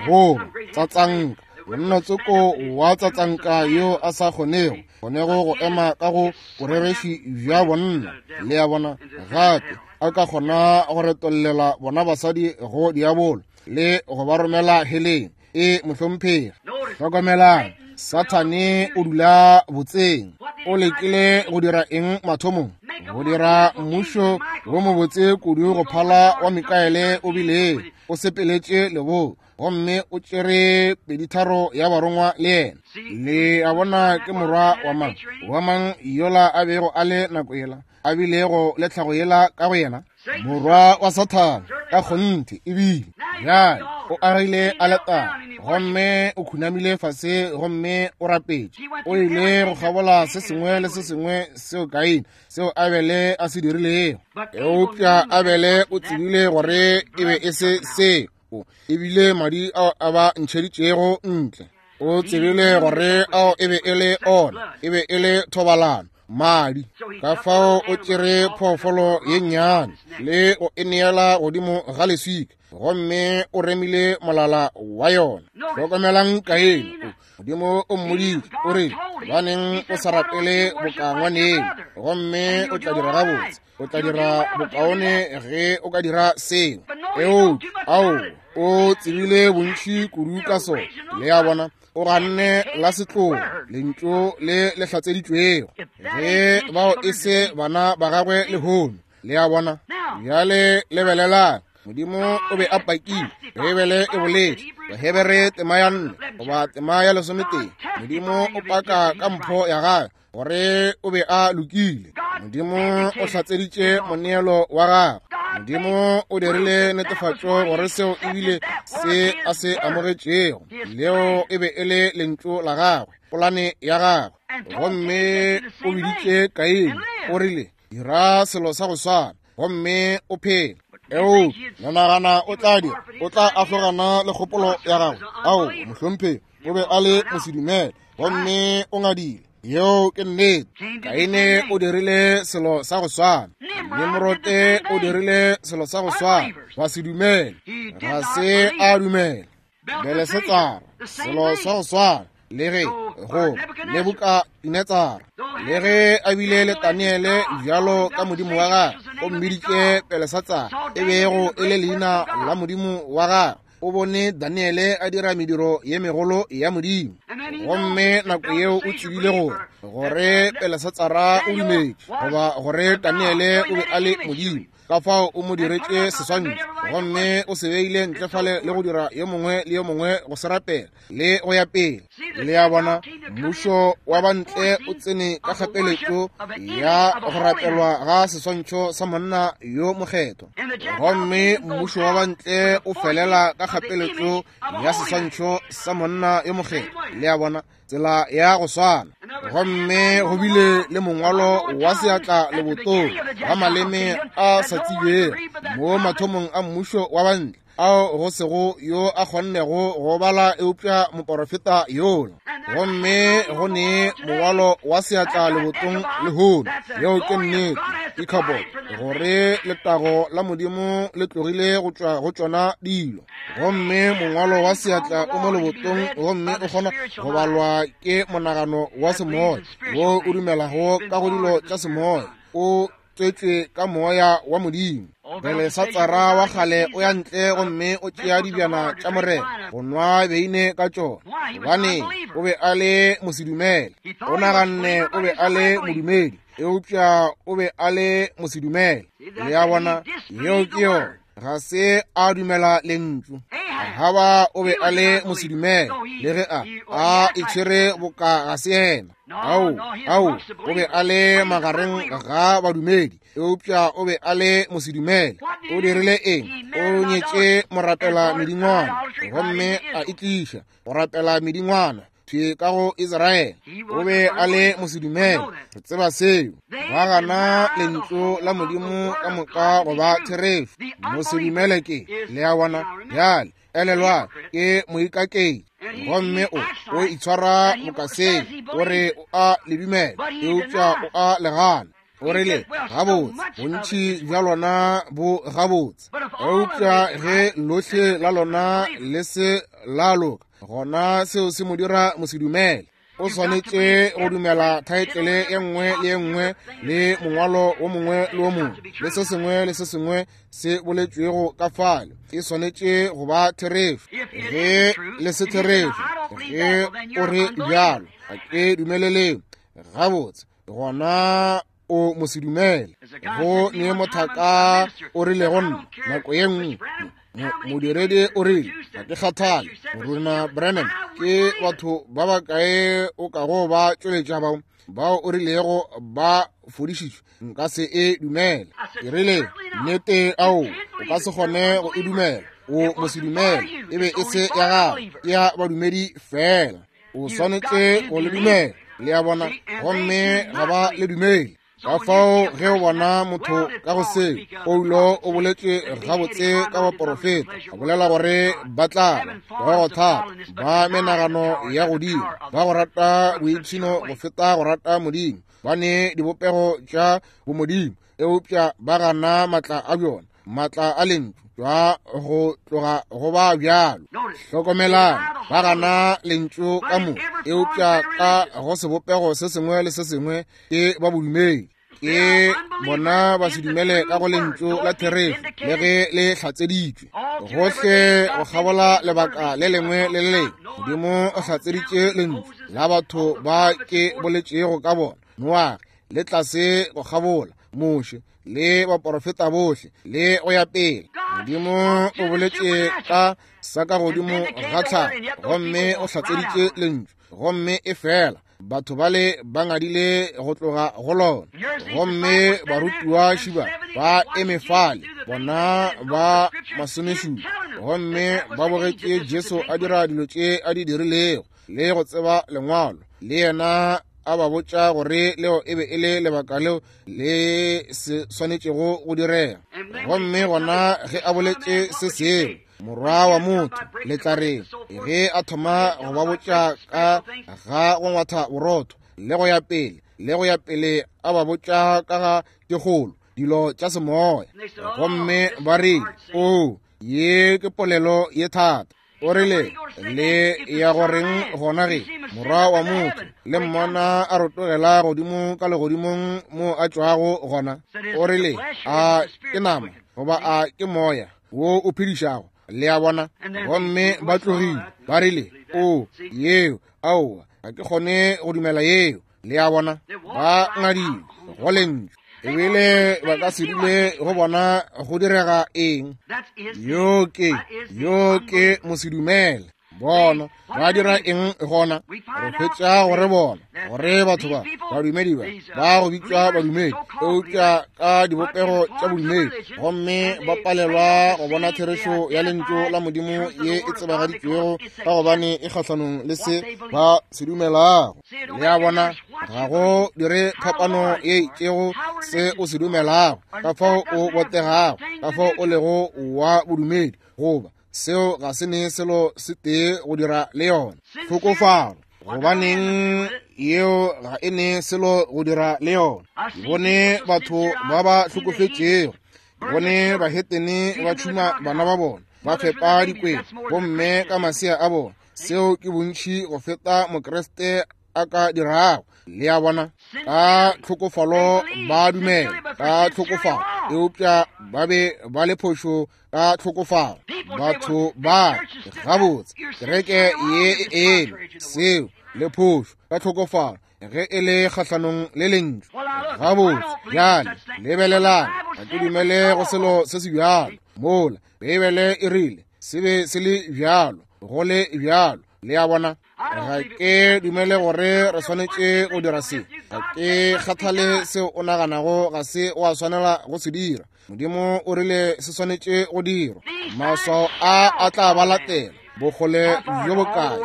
Go tsatsanka, monna tsoko wa tsatsanka yo a sa kgonego go ema ka go borereši bja bonna. Le a bona? Gape a ka kgona go retollela bona basadi go diabolo le go ba romela heleng. E mohlomphegi. Hlokomelang, Sathane o dula botseng. O lekile go dira eng mathomong? Go dira mmušo wo mobotse kudu go phala wa Mikaele o bile o sepeletše lebo, gomme o tšere peditharo ya barongwa le yena. Le a bona ke morwa wa mang? Wa mang yola a bego a le nako yela, a bilego le tlhago yela ka go yena? Morwa wa Sathane ka kgonthe ebile. Bjale o agile aletare gomme o khunamile fase gomme o rapetše. O ile go kgabola se sengwe le se sengwe seo Kaine, seo Abele a se dirilego. Eupša Abele o tsebile gore e be e se seo, ebile madi ao a ba ntšheditšego ntle. O tsebile gore ao e be e le ona, e be e le thobalano, madi. Ka fao o tšere phoofolo ye nnyane le go e neela godimo ga leswika, gomme o remile molala wa yona. Hlokomelang Kaine, Modimo o mmoditše, o re, gobaneng o sa rapele boka ngwaneno, gomme o tla dira gabotse, o tla dira bokaone ge o ka dira seo. Eupša ao o tsebile bontši kudu ka sona. Le a bona, o ganne la setlogo lentšu le le hlatseditšwego, ge bao e se bana ba gagwe lehono. Le a bona? Bjale lebelelang, Modimo o be a pakile. Beibele e boletše, Bahebere tema ya 4 goba tema ya 11, Modimo o paka ka mpho ya gagwe gore o be a lokile. Modimo o hlatseditše moneelo wa gagwe. Modimo o dirile netefatšo gore seo ebile se a se amogetšego, leo e be e le lentšu la gagwe, polane ya gagwe. Gomme o biditše Kaine, o rile, dira selo sa go swana gomme o phele. Eupša nagana o tla dira, o tla ahlogana le kgopolo ya gagwe. Ao, mohlomphegi, o be a le mosedumele gomme o ngadile. Yeo ke nnete. Kaine o dirile selo sa go swana. Nimrote o dirile selo sa go swana. Ba se dumele. Ga se a dumela. Belesetsara, selo sa go swana. Le ge go Nebukadinetsara, le ge a bile le Daniele bjalo ka modimo wa gagwe, o mmiditše Belesatsara, e bego e le leina la modimo wa gagwe. O bone Daniele a dira mediro ye megolo ya Modimo, gomme nako yeo o tsebile gore gore Belesatsara o dumetše, goba gore Daniele o be a le modimo. Ka fao o mo diretše seswantšho, gomme o se beile ntle fale le go dira yo mongwe le yo mongwe go se rapela le go ya pele. Le a bona, mmušo wa bantle o tsene ka kgapeletšo ya go rapelwa ga seswantšho sa monna yo mokgethwa, gomme mmušo wa bantle o felela ka kgapeletšo ya seswantšho sa monna yo mokgethwa. Le a bona, tsela ya go swana. Gomme go bile le mongwalo wa seatla lebotong wa maleme a sa tsebjego mo mathomong a mmušo wa bantle, ao go sego yo a kgonnego go bala eupša moporofeta yola. Gomme go ne mongwalo wa seatla lebotong lehono. Yeo ke nnete, Ichabod, gore letago la Modimo le tlogile go tšwa go tšona dilo. Gomme mongwalo wa seatla o mo lebotong, gomme o kgona go balwa ke monagano wa semoya wo o dumelago ka go dilo tša semoya, o tswetšwe ka moya wa Modimo. Belesatsara wa kgale o ya ntle gomme o tšea dibjana tša Morena go nwa beine ka tšona, gobane o be a le mosedumele. O naganne o be a le modumedi, eupša o be a le mosedumele. Le a bona, yeo ke yona. Ga se a dumela lentšu. Ahaba o be a le mosedumele, le ge a itshwere boka ga se yena. Ao, ao, o be a le magareng ga badumedi, eupša o be a le mosedumele. O dirile eng? O nyetše morapela medingwana, gomme a itliša go rapela medingwana thwi ka go Israele. O be a le mosedumele, re tseba seo. Ba gana lentšu la Modimo ka moka go ba therešo. Mosedumele ke, le a bona. Bjale elelwa, ke moikaketši, gomme o itshwara bokaseng, o re o a le dumela, eupša o a le gana. O rile, gabotse, bontši bja lona bo gabotse, eupša ge lohle la lona le se la loka, gona seo se mo dira mosedumele. O swanetše go dumela thaetlele ye nngwe le ye nngwe le mongwalo wo mongwe le wo mongwe le se sengwe le se sengwe se boletšwego ka fale. E swanetše go ba therešo. Ge le se therešo, ge o re bjalo, ga ke dumeleleng, gabotse, gona o mosedumele. Go ne mothaka o rile go nna nako ye nngwe, modiredi o rile, ga ke kgathale, Morena Branham, ke batho ba bakae o kago ba tšweletša bao bao o rilego ba fodišitšwe, nka se e dumele. Ke rile, nnete, ao, o ka se kgone go e dumela, o mosedumele, e be e se ya gago, ke ya badumedi fela. O swanetše go le dumela, le a bona, gomme ga ba le dumele. Ka fao ge o bona motho ka go seo, Paulo o boletše gabotse ka baporofeta, a bolela gore ba tla ba go thata, ba menagano ya godimo, ba go rata boipshino go feta go rata Modimo, ba ne dibopego tša bomodimo, eupša ba gana matla a bjona, matla a lentšu jwa go tloga go ba bjalo. Hlokomelang, ba gana lentšu ka mo, eupša ka go sebopego se sengwe le se sengwe ke ba bodumedi. Ke bona ba se dumele ka go lentšu la therešo le ge le hlatseditšwe gohle go kgabola lebaka le lengwe le le lengwe. Modimo o hlatseditše lentšu la batho ba ke boletšego ka bona, Noage le tlase go kgabola, Moshe le baporofeta bohle le go ya pele. Modimo o boletše ka sa ka godimo ga tlhago gomme o hlatseditše lentšu, gomme e fela batho bale ba ngadile go tloga go lona. Gomme barutiwa šiba ba eme fale, bona ba masomešupa, gomme ba bogetše Jesu a dira dilo tše a di dirilego le go tseba lengwalo, le yena a ba botša gore leo e be e le lebaka leo le se swanetšego go direga. Gomme gona ge a boletše se seo, Morwa wa motho, le tla reng ge a thoma go ba botša ka ga go ngwatha borotho le go ya pele le go ya pele, a ba botša ka ga dikgolo dilo tša semoya, gomme ba rile, o, ye ke polelo ye thata. O rile, le ya go reng gona ge Morwa wa motho le mmona a rotogela godimo ka legodimong mo a tšwago gona? O rile, a ke nama goba a ke moya wo o phedišago? Le a bona? Gomme ba tlogile, ba rile, o, yeo, aowa, ga ke kgone go dumela yeo. Le a bona? Ba ngadile go lentšu, ebile ba ka se dule go bona go direga eng. Yo ke mosedumele. Bona ba dira eng gona? Re hwetša gore bona gore batho ba badumedi ba ba go bitšwa badumedi, eupša ka dibopego tša bodumedi, gomme ba palelwa go bona therešo ya lentšu la Modimo ye e tsebagaditšwego, ka gobane e kgahlanong le se ba se dumelago. Le a bona, ga go dire phapano ye itšego se o se dumelago, ka fao o botegago, ka fao o lego wa bodumedi, goba seo ga se ne selo se tee go dira le yona. Tlhokofalo, gobaneng yeo ga e ne selo go dira le yona. Ke bone batho ba ba hlokofetšego, ke bone bahetene ba tšhuma bana ba bona, ba fepa dikwena bomme ka masea a bona. Seo ke bontši go feta Mokriste a ka dirago. Le a bona, ka tlhokofalo ba dumela ka tlhokofalo, eupša ba be ba le phošo ka tlhokofalo. Batho ba gabotse kereke ye e eme seo le phošo ka tlhokofalo ge e le kgahlanong le lentšu. Gabotse bjale lebelelang, ga ke dumele go selo se se bjalo. Mola Beibele e rile se be se le bjalo, go le bjalo. Le a bona? Ga ke dumele gore re swanetše go dira se. Ga ke kgathale seo o naganago ga se wa swanela go se dira. Modimo o rile se swanetše go dirwa. Maswao a a tla ba latela bokgole bjo bokae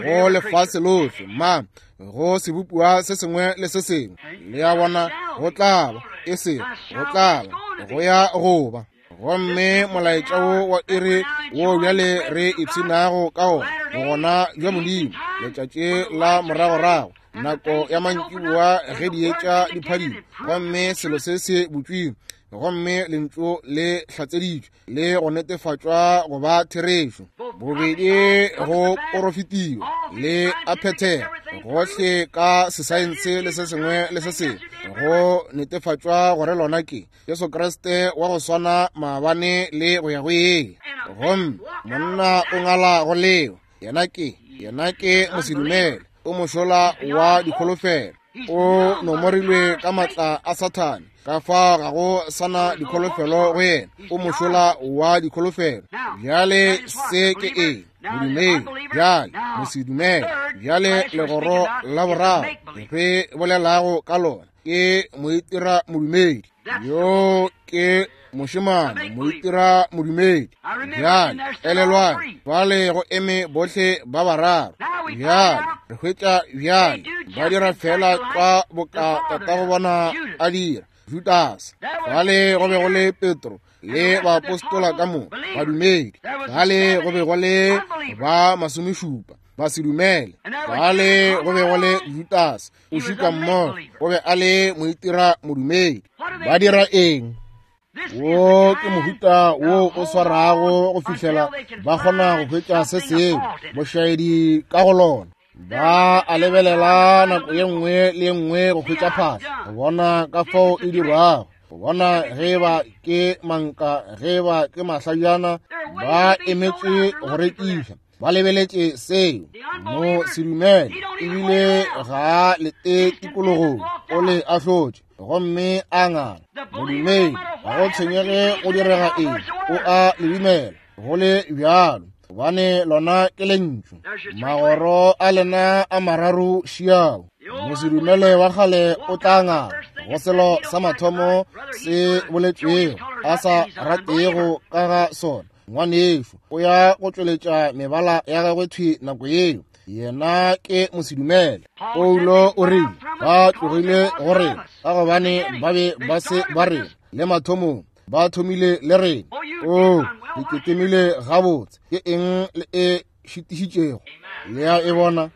go lefase lohle, ma go sebopiwa se sengwe le se sengwe. Le a bona? Go tla ba, e sego go tla ba, go ya go ba. Gomme molaetša wo wa iri wo bjale re ipshinago ka ona, bogona bja Modimo, letšatši la moragorago, nako ya mantšiboa ge dietša di phadima, gomme selo se se butšwile, gomme lentšu le hlatseditšwe le go netefatšwa go ba therešo, bobedi go porofetiwa le a phethega gohle ka sesaense le se sengwe le se sengwe, go netefatšwa gore lona ke Jesu Kriste wa go swana maabane le go ya go ile. Gomme monna o ngala go leo, yena ke, yena ke mosedumele, o mošola wa dikholofelo, o nomorilwe ka matla a Sathane, ka fa ga go sana dikholofelo go yena, o mošola wa dikholofelo. Bjale se ke eng? Modumedi, bjale mosedumele, bjale legoro la boraro re bolelago ka lona ke moitira modumedi. Yo ke mošemane moitira modumedi. Bjale elelwang, fale go eme bohle ba bararo. Bjale re hwetša bjale ba dira fela tlwa boka tatago bona a dira, Judase. Fale go be go le Petro le baapostola ka moka, badumedi. Fale go be go le ba masomešupa, ba se dumele. Fale go be go le Judase, o šika mmogo, o be a le moitira modumedi. Ba dira eng? Wo ke mohuta wo o swarago go fihlela ba kgona go hwetša se sengwe bošaedi ka go lona. Ba a lebelela nako ye nngwe le ye nngwe go hwetša phahla, go bona ka fao e dirwago, go bona ge ba ke manka, ge ba ke mahlajana. Ba emetše go rekiša, ba lebeletše seo. Mo sedumele ebile ga a lete tikologong, o le ahlotše gomme a ngala. Modumedi ga go tshwenyege go direga eng, o a le dumela go le bjalo, gobane lona ke lentšu. Magoro a lena a mararo šiao. Mosedumele wa kgale o tla ngala go selo sa mathomo se boletšwego a sa ratego ka ga sona. Ngwanešu o ya go tšweletša mebala ya gagwe thwi nako yeo. Yena ke mosedumele. Paulo o rile ba tlogile go rena ka gobane ba be ba se ba rena le mathomong, ba thomile le rena. O le ketemile gabotse, ke eng le e šitišitšego? Le a e bona?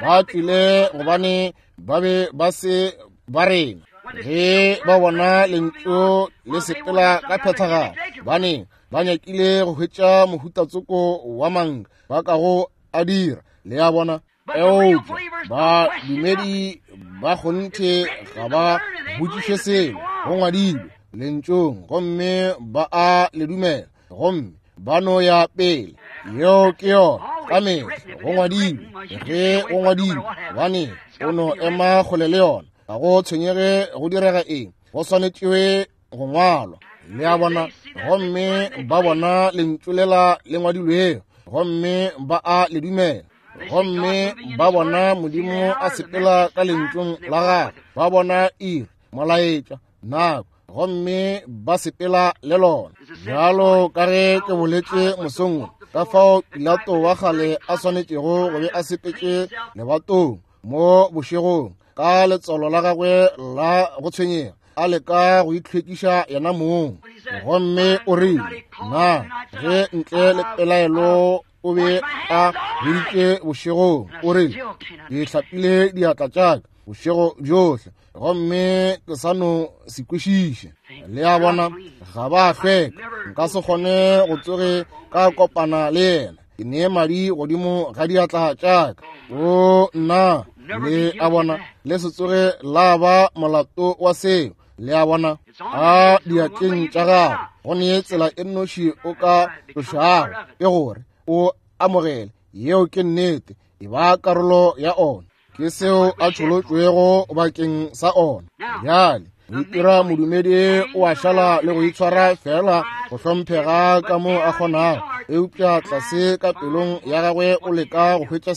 Ba tlile gobane ba be ba se ba rena. Ge ba bona lentšu le sepela ka phethagalo, bane ba nyakile go hwetša mohutatsoko wa manka ba kago a dira. Le a bona? Eupša badumedi ba kgonthe ga ba botšiše selo, go ngwadilwe lentšung gomme ba a le dumela, gomme ba no ya pele. Yeo ke yona ka mehla, go ngwadilwe. Ge go ngwadilwe, gobane o no ema kgole le yona, ga go tshwenyege go direga eng, go swanetšwe go ngwalwa. Le a bona? Gomme ba bona lentšu lela le ngwadilwego, gomme ba a le dumela. Gomme ba bona Modimo a sepela ka lentšung la gagwe, ba bona iri, molaetša, nako, gomme ba sepela le lona. Bjalo ka ge ke boletše mosong wo, ka fao Pilato wa kgale a swanetšego go be a sepetše lebatong mo bošegong ka letswalo la gagwe la go tshwenyega, a leka go itlhwekiša yena mong. Gomme o rile, na ge ntle le pelaelo o be a hweditše bošegong, o rile, ke hlapile diatla tša ka bošego bjohle gomme ke sa no se kwešiše. Le a bona, ga ba hlweka. Nka se kgone go tsoge ka kopana le yena. Ke nee madi godimo ga diatla tša ka. O nna, le a bona, le se tsoge la ba molato wa seo. Le a bona, a diatleng tša gago go nee tsela e nnoši o ka tlošago, ke gore o amogele. Yeo ke nnete, e ba karolo ya ona. Ke seo a tšholotšwego bakeng sa ona. Bjale Go itira modumedi o a šala le go itshwara feela go hlomphega ka mo a kgonago, eupša tlase ka pelong ya gagwe o leka go hwetša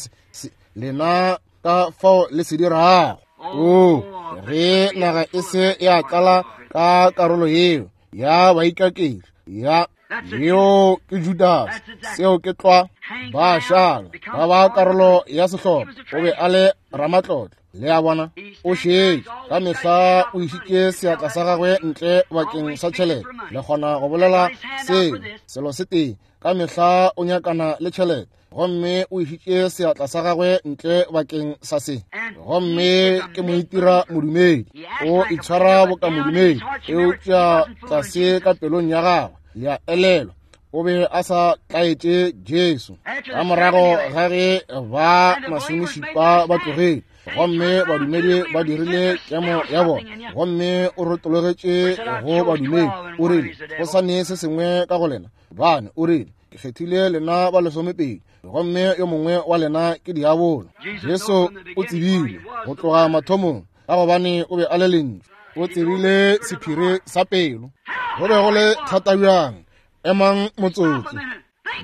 lena ka fao le se dirago. O ge naga e se ya tlala ka karolo yeo ya baikaketši ya yeo ke Judas, seo ke tlwa, ba šala ba ba karolo ya sehlopha. O be a le ramatlotlo, le a bona. O šetše ka mehla o išitše seatla sa gagwe ntle bakeng sa tšhelete. Le kgona go bolela seo selo se tee, ka mehla o nyakana le tšhelete, gomme o išitše seatla sa gagwe ntle bakeng sa se. Gomme ke moitira modumedi, o itshwara boka modumedi, eupša tlase ka pelong ya gagwe le a elelwa o be a sa tlaetše Jesu. Ka morago ga ge ba masomešupa ba tlogile, gomme badumedi ba dirile kemo ya bona, gomme o rotologetše go badumedi, o rile, go sa ne se sengwe ka go lena bane. O rile, ke kgethile lena ba lesomepedi, gomme yo mongwe wa lena ke diabolo. Jesu o tsebile go tloga mathomong, ka gobane o be a le lentšu. O tsebile sephiri sa pelo. Go be go le thata bjang! Emang motsotso,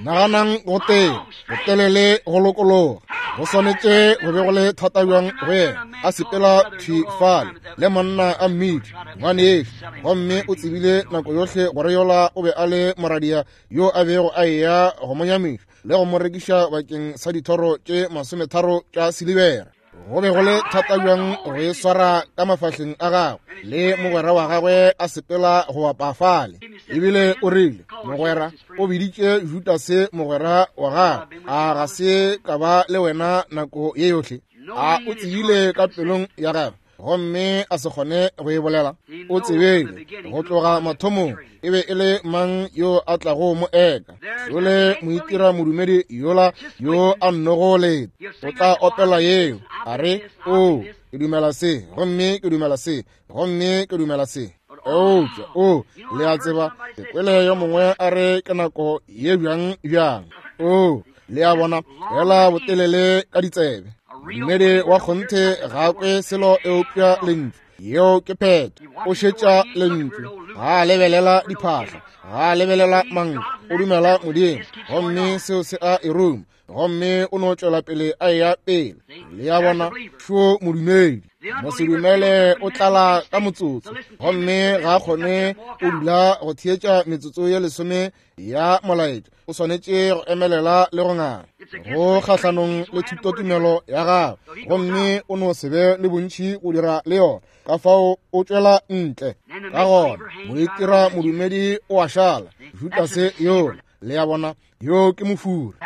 naganang go tee botelele go lokologa. Go swanetše go be go le thata bjang go yena a sepela thwi fale le monna a mmitša ngwanešu, gomme o tsebile nako yohle gore yola o be a le moradia yo a bego a eya go mo nyamiša le go mo rekiša bakeng sa dithoro tše 30 tša silibera. Go be go le thata bjang go e swara ka mafahleng a gagwe le mogwera wa gagwe a sepela go bapa fale. Ebile o rile, mogwera, o biditše Judase mogwera wa gagwe, a ga se ka ba le wena nako ye yohle? A o tsebile ka pelong ya gagwe gomme a se kgone go e bolela? O tsebile go tloga mathomong e be e le mang yo a tlago mo eka. Yole moitira modumedi yola yo a nnogo leta o tla opela yeo, a re, o ke dumela se, gomme ke dumela se, gomme ke dumela se. Eupša o, le a tseba, ke kwele yo mongwe a re ke nako ye bjang bjang. O, le a bona, fela botelele ka ditsebe. Modumedi wa kgonthe ga a kwe selo eupša lentšu. Yeo ke phetho. O šetša lentšu, ga a lebelela diphahla, ga a lebelela manka, o dumela Modimo, gomme seo se a e ruma, gomme o no tšwela pele a eya pele. Le a bona, šo modumedi. Mosedumele o tlala ka motsotso, gomme ga a kgone o dula go theetša metsotso ye 10 ya molaetša. O swanetše go emelela le go ngala go kgahlanong le thutotumelo ya gagwe, gomme o no se be le bontši go dira le yona, ka fao o tšwela ntle. Ka gona moitira modumedi o a šala, Judase yola, le a bona, yo ke mofura,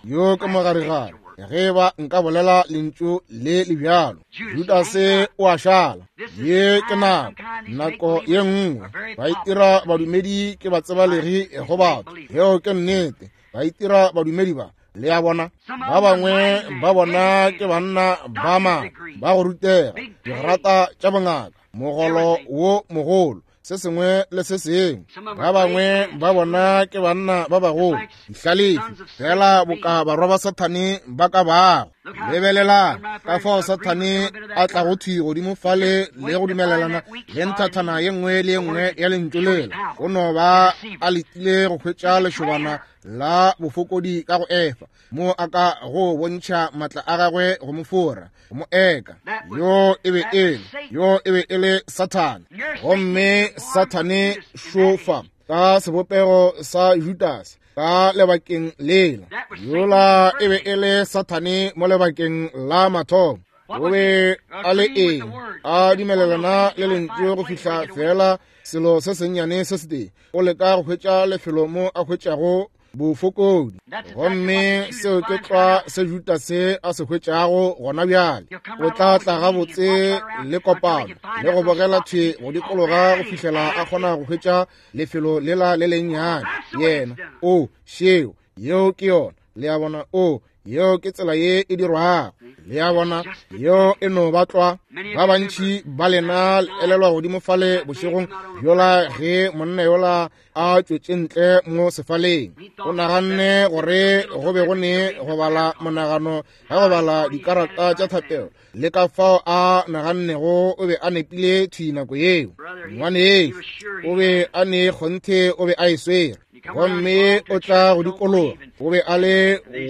yo ke mogarigare, ge ba nka bolela lentšu le le bjalo. Judase o a šala. Ye ke nako, nako ye nngwe ba itira badumedi ke batsebalegi go batho. Yeo ke nnete, ba itira badumedi ba, le a bona. Ba bangwe ba bona ke banna ba maatla, ba go rutega, digrata tša bongaka, mogolo wo mogolo, se sengwe le se sengwe. Ba bangwe ba bona ke banna ba bagolo, dihlalefi, fela boka barwa ba Sathane ba ka bago. Lebelelang ka fao Sathane a tlago thwi godimo fale le go dumelelana le nthathana ye nngwe le ye nngwe ya lentšu lela. O no ba a letile go hwetša lešobana la bofokodi ka go Efa, mo a ka go bontšha matla a gagwe go mo fora, go mo eka. Yo e be e le, yo e be e le Sathane. Gomme Sathane šofa ka sebopego sa Judase ka lebakeng lela. Yola e be e le Sathane mo lebakeng la mathomo. O be a le eng? A dumelelana le lentšu go fihla fela selo se sennyane se setee. O leka go hwetša lefelo mo a hwetšago bofokodi, gomme seo ke tlwa se Judase a se hwetšago gona bjale. O tla tla gabotse le kopano le go bogela thwi go dikologa go fihlela a kgona go hwetša lefelo lela le lennyane. Yena o šeo, yeo ke yona. Le a bona? O, yeo ke tsela ye e dirwago. Le a bona, yeo e no ba tlwa. Ba bantši ba lena le elelwa godimo fale bošegong bjola ge monna yola a tšwetše ntle mo sefaleng. O naganne gore go be go ne go bala monagano ga go bala dikarata tša thapelo, le ka fao a nagannego o be a nepile thwi nako yeo. Ngwanešu o be a ne kgonthe o be a e swere. Gomme o tla go dikologa, o be a le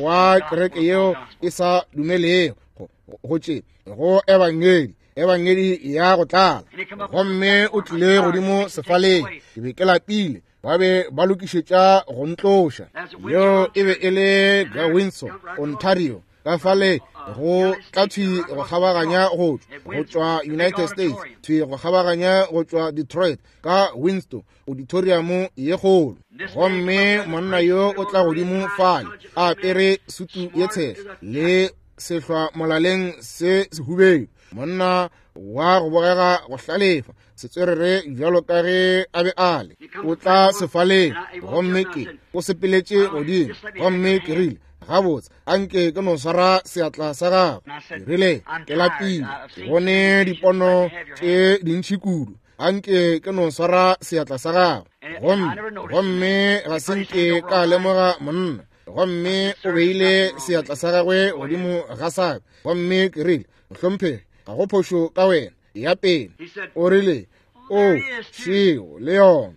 wa kereke yeo e sa dumelego go tše go ebangedi, ebangedi ya go tlala. Gomme o tlile godimo sefaleng, ke be ke lapile, ba be ba lokišetša go ntloša. Yeo e be e le ga Windsor, Ontario, ka fale go tla thwi go kgabaganya go tšwa United States, thwi go kgabaganya go tšwa Detroit ka Windsor auditorium ye kgolo. Gomme monna yo o tla godimo fale a apere sutu ye tshehla le sehlwa molaleng se sehubedu, monna wa go bogega go hlalefa, setswerere bjalo ka ge a be a le. O tla sefaleng, gomme ke o sepeletše godimo, gomme ke rile, gabotse, anke ke no swara seatla sa gago. Ke rile, ke lapile, ke bone dipono tše dintši kudu, anke ke no swara seatla sa gago. Gomme ga se nke ka lemoga monna. Gomme o beile seatla sa gagwe godimo ga sa ka, gomme ke rile, mohlomphegi, ga go phošo ka wena, ya pele. O rile, o šeo le yona.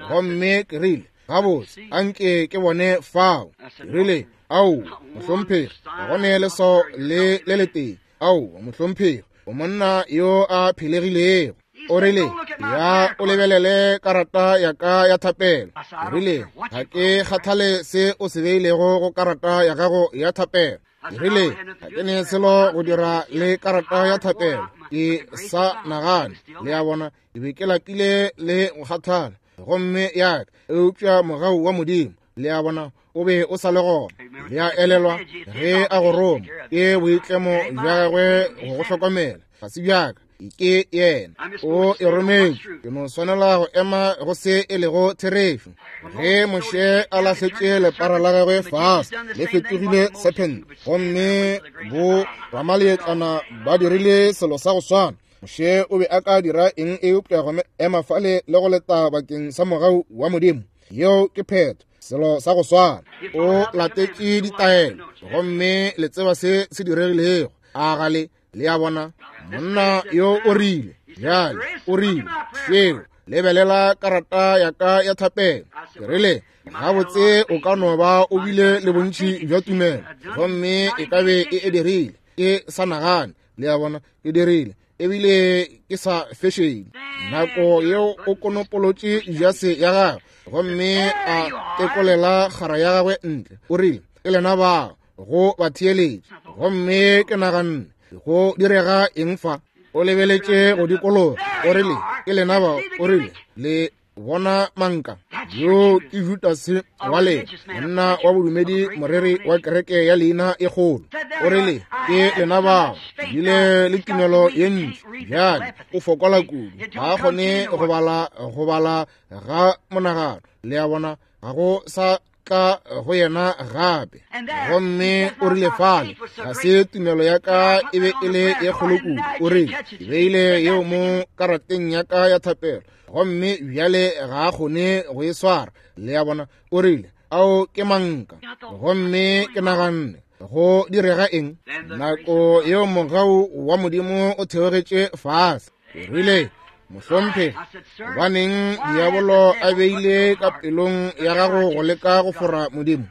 Gomme ke rile, gabotse, anke ke bone fao. Ke rile, ao, mohlomphegi, ga go ne leswao le le letee. Ao, mohlomphegi, o monna yo a phelegilego. O rile, ya o lebelele karata ya ka ya thapelo. Ke rile, ga ke kgathale se o se beilego go karata ya gago ya thapelo. Ke rile, ga ke ne selo go dira le karata ya thapelo. Ke sa nagane, le a bona, ke be ke lapile le go kgathala, gomme ya ka, eupša mogau wa Modimo, le a bona, o be o sa le gona. Le a elelwa ge a go roma, ke boitlemo bja gagwe go go hlokomela, ga se bjaka, ke yena o e rometše. Ke no swanela go ema go se e lego therešo. Ge Moshe a lahletše lepara la gagwe fase, le fetogile serpent, gomme bo ramaleetlana ba dirile selo sa go swana. Moshe o be a ka dira eng eupša go ema fale le go leta bakeng sa mogau wa Modimo? Yeo ke phetho, selo sa go swana. O latetše ditaelo, gomme le tseba se se diregilego. A ga le? Le a bona, monna yo o rile, bjale o rile, šeo, lebelela karata ya ka ya thapelo. Ke rile, gabotse, o ka no ba o bile le bontši bja tumelo, gomme e ka be e e dirile. Ke sa nagane, le a bona, ke dirile, ebile ke sa fešele. Nako yeo o konopolotše jase ya gagwe, gomme a tekolela kgara ya gagwe ntle. O rile, ke lena bao, go ba theeletše. Gomme ke naganne, go direga eng fa? O lebeletše go dikologa, o rile, ke lena bao. O rile, le bona manka yo ke Judase wa lena, monna wa bodumedi, moreri wa kereke ya leina e kgolo. O rile, ke lena bao, bile le tumelo ye ntši. Bjale o fokola kudu, ga a kgone go bala, go bala ga monagano. Le a bona, ga go sa tla go yena gape. Gomme o rile fale, ga se tumelo ya ka e be e le ye kgolo kudu. O rile, ke beile yeo mo karateng ya ka ya thapelo, gomme bjale ga a kgone go e swara. Le a bona, o rile, ao ke manka. Gomme ke naganne, go direga eng? Nako yeo mogau wa Modimo o theogetše fase. O rile, mohlomphegi, gobaneng diabolo a beile ka pelong ya gago go leka go fora Modimo?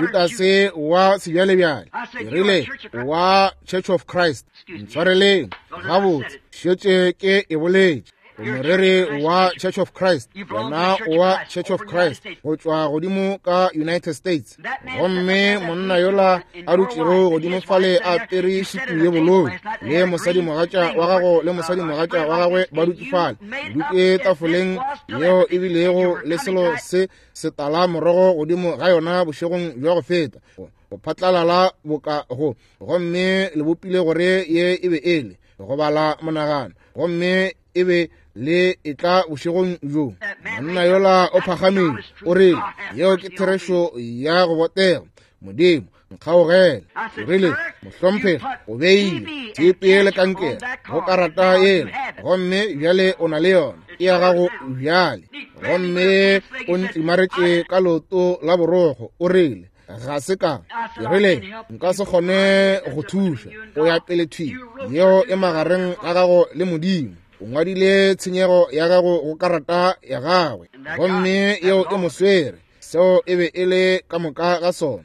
Judase wa sebjalebjale, ke rile, wa Church of Christ, ntshwareleng, gabotse, šetše ke e boletše. O moreri wa Church of Christ, wena o wa Church of Christ go tšwa godimo ka United States. Gomme monna yola a dutšego godimo fale a apere sutu ye bolou, le mosadimogatša wa gago le mosadimogatša wa gagwe ba dutše fale, dutše tafoleng yeo e bilego le selo se setala morogo godimo ga yona bošegong bja go feta, go phatlalala boka go, gomme le bopile gore ye e be e le go bala monagano, gomme e be le etla bošegong bjo. Monna yola o phagamile, o rile, yeo ke therešo ya go botega Modimo. Nkgaogele. Ke rile, Mohlomphegi, o beile TB le kankere go karata yela, gomme bjale o na le yona, ke ya gago bjale. Gomme o ntlimaretše ka leoto la borokgo, o rile, Ga se ka. Ke rile, Nka se kgone go thuša. O ya pele thwi. Yeo e magareng ga gago le Modimo. O ngwadile tshenyego ya gago go karata ya gagwe, gomme yeo e mo swere. Seo e be e le ka moka ga sona.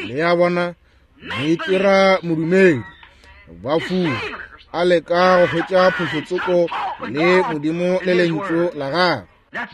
Le a bona, moitira modumedi, ba fula, a leka go hwetša phošotsoko le Modimo le Lentšu la gagwe.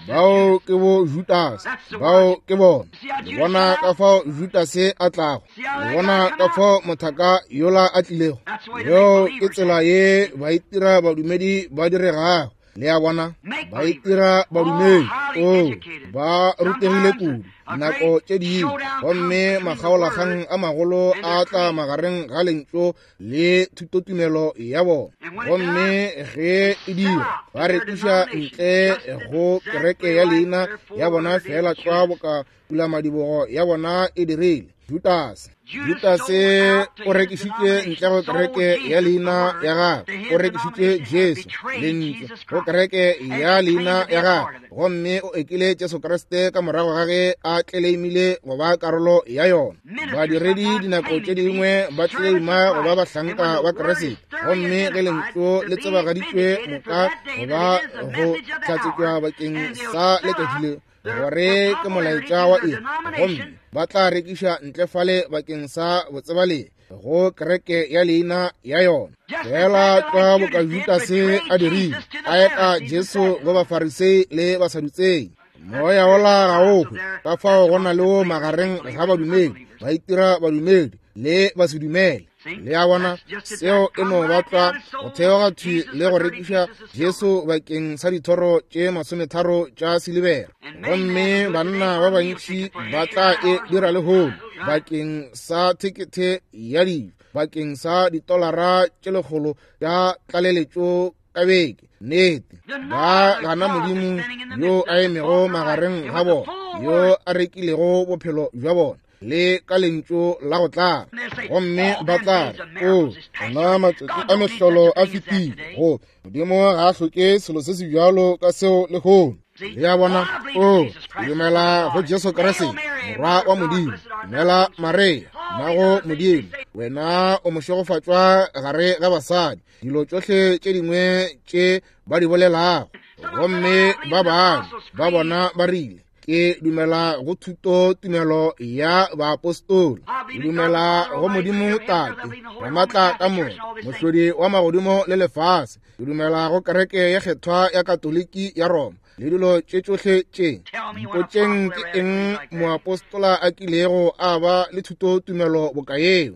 Bao ke bo Judase, bao ke bona. Le bona ka fao Judase a tlago, le bona ka fao mothaka yola a tlilego. Yeo ke tsela ye baitira badumedi ba diregago. Le a bona, ba itira badumedi, o ba rutegile kudu nako tše dingwe, gomme makgaolakgang a magolo a tla magareng ga Lentšu le thutotumelo ya bona. Gomme ge e dira, ba rekiša ntle go kereke ya leina ya bona feela tlwa boka pulamadibogo ya bona e dirile. Judase, Judase o rekišitše ntle go kereke ya leina ya gagwe, o rekišitše Jesu, Lentšu, go kereke ya leina ya gagwe, gomme o ekile Jesu Kriste ka morago ga ge a tleleimile go ba karolo ya yona. Badiredi dinako tše dingwe ba tleleima go ba bahlanka ba Kriste, gomme ge Lentšu le tsebagaditšwe moka go ba go hlatsetšwa bakeng sa letšatši le, gore ke molaetša wa iri, gomme ba tla rekiša ntle fale bakeng sa botsebalegi go kereke ya leina ya yona, feela tlwa boka Judase a dirile, a eta Jesu go Bafarisei le Basadutsei. Moya wola ga o hwe, ka fao go na le wo magareng ga badumedi, ba itira badumedi le basedumele. Le a bona, seo e no ba tlwa go theoga thwi le go rekiša Jesu bakeng sa dithoro tše 30 tša silibera. Gomme banna ba bantši ba tla e dira lehono bakeng sa thekethe ya dijo, bakeng sa ditolara tše 100 tša tlaleletšo ka beke. Nnete, ba gana Modimo yo a emego magareng ga bona, yo a rekilego bophelo bja bona le ka Lentšu la go tlala, gomme ba tla re, O, ona matšatši a mehlolo a fetile. Go Modimo ga a hloke selo se se bjalo ka seo lehono. Le a bona? O, ke dumela go Jesu Kriste, Morwa wa Modimo. Dumela Maria, mmago Modimo, wena o mošegofatšwa gare ga basadi. Dilo tšohle tše dingwe tše ba di bolelago. Gomme ba bangwe ba bona ba rile, Ke dumela go thuto tumelo ya baapostola. Ke dumela go Modimo Tate, Ramatla ka moka, Mohlodi wa magodimo le lefase. Ke dumela go kereke ya kgethwa ya Katoliki ya Roma le dilo tše tšohle tše. Mpotšeng ke eng moapostola a kilego a ba le thuto tumelo boka yeo?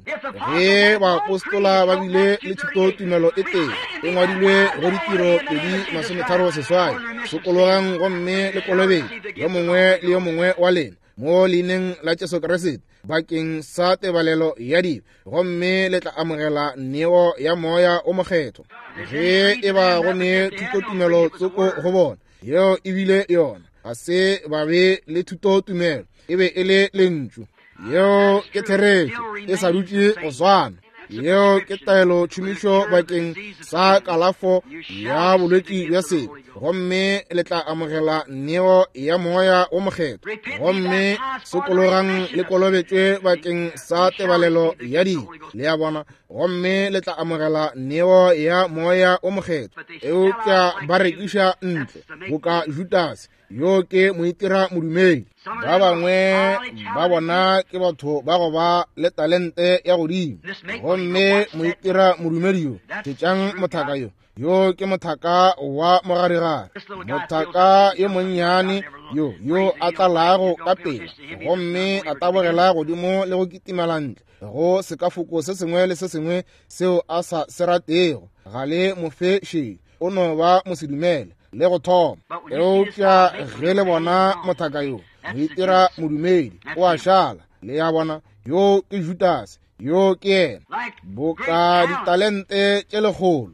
Ge baapostola ba bile le thuto tumelo e tee, e ngwadilwe go Ditiro 2:38, Sokologang gomme le kolobetšwe, yo mongwe le yo mongwe wa lena, mo leineng la Jesu Kriste, bakeng sa tebalelo ya dibe, gomme le tla amogela neo ya Moya o Mokgethwa. Ge e ba go ne thutotumelo tsoko go bona, yeo e bile yona. Ga se ba be le thutotumelo, e be e le Lentšu. Yeo ke therešo, e sa dutše go swana. Yeo ke taelo tšhomišo bakeng sa kalafo ya bolwetši bja sebe, gomme le tla amogela neo ya Moya wo Mokgethwa. Gomme sokologang le kolobetšwe bakeng sa tebalelo ya dibe, le a bona, gomme le tla amogela neo ya Moya wo Mokgethwa. Eupša ba rekiša ntle boka Judase, yo ke moitira modumedi. Ba bangwe ba bona ke batho ba go ba le talente ya godimo, gomme moitira modumedi yo, šetšang mothaka yo, yo ke mothaka wa mogarigare, mothaka yo monnyane yo, yo a tlalago ka pela gomme a tabogela godimo le go kitimela ntle go sekafoko se sengwe le se sengwe seo a sa se ratego. Ga le mo fe šedi, o no ba mosedumele le go thoma. Eupša ge le bona mothaka yo moitira modumedi, o a šala. Le a bona, yo ke Judase, yo ke yena. Boka ditalente tše lekgolo,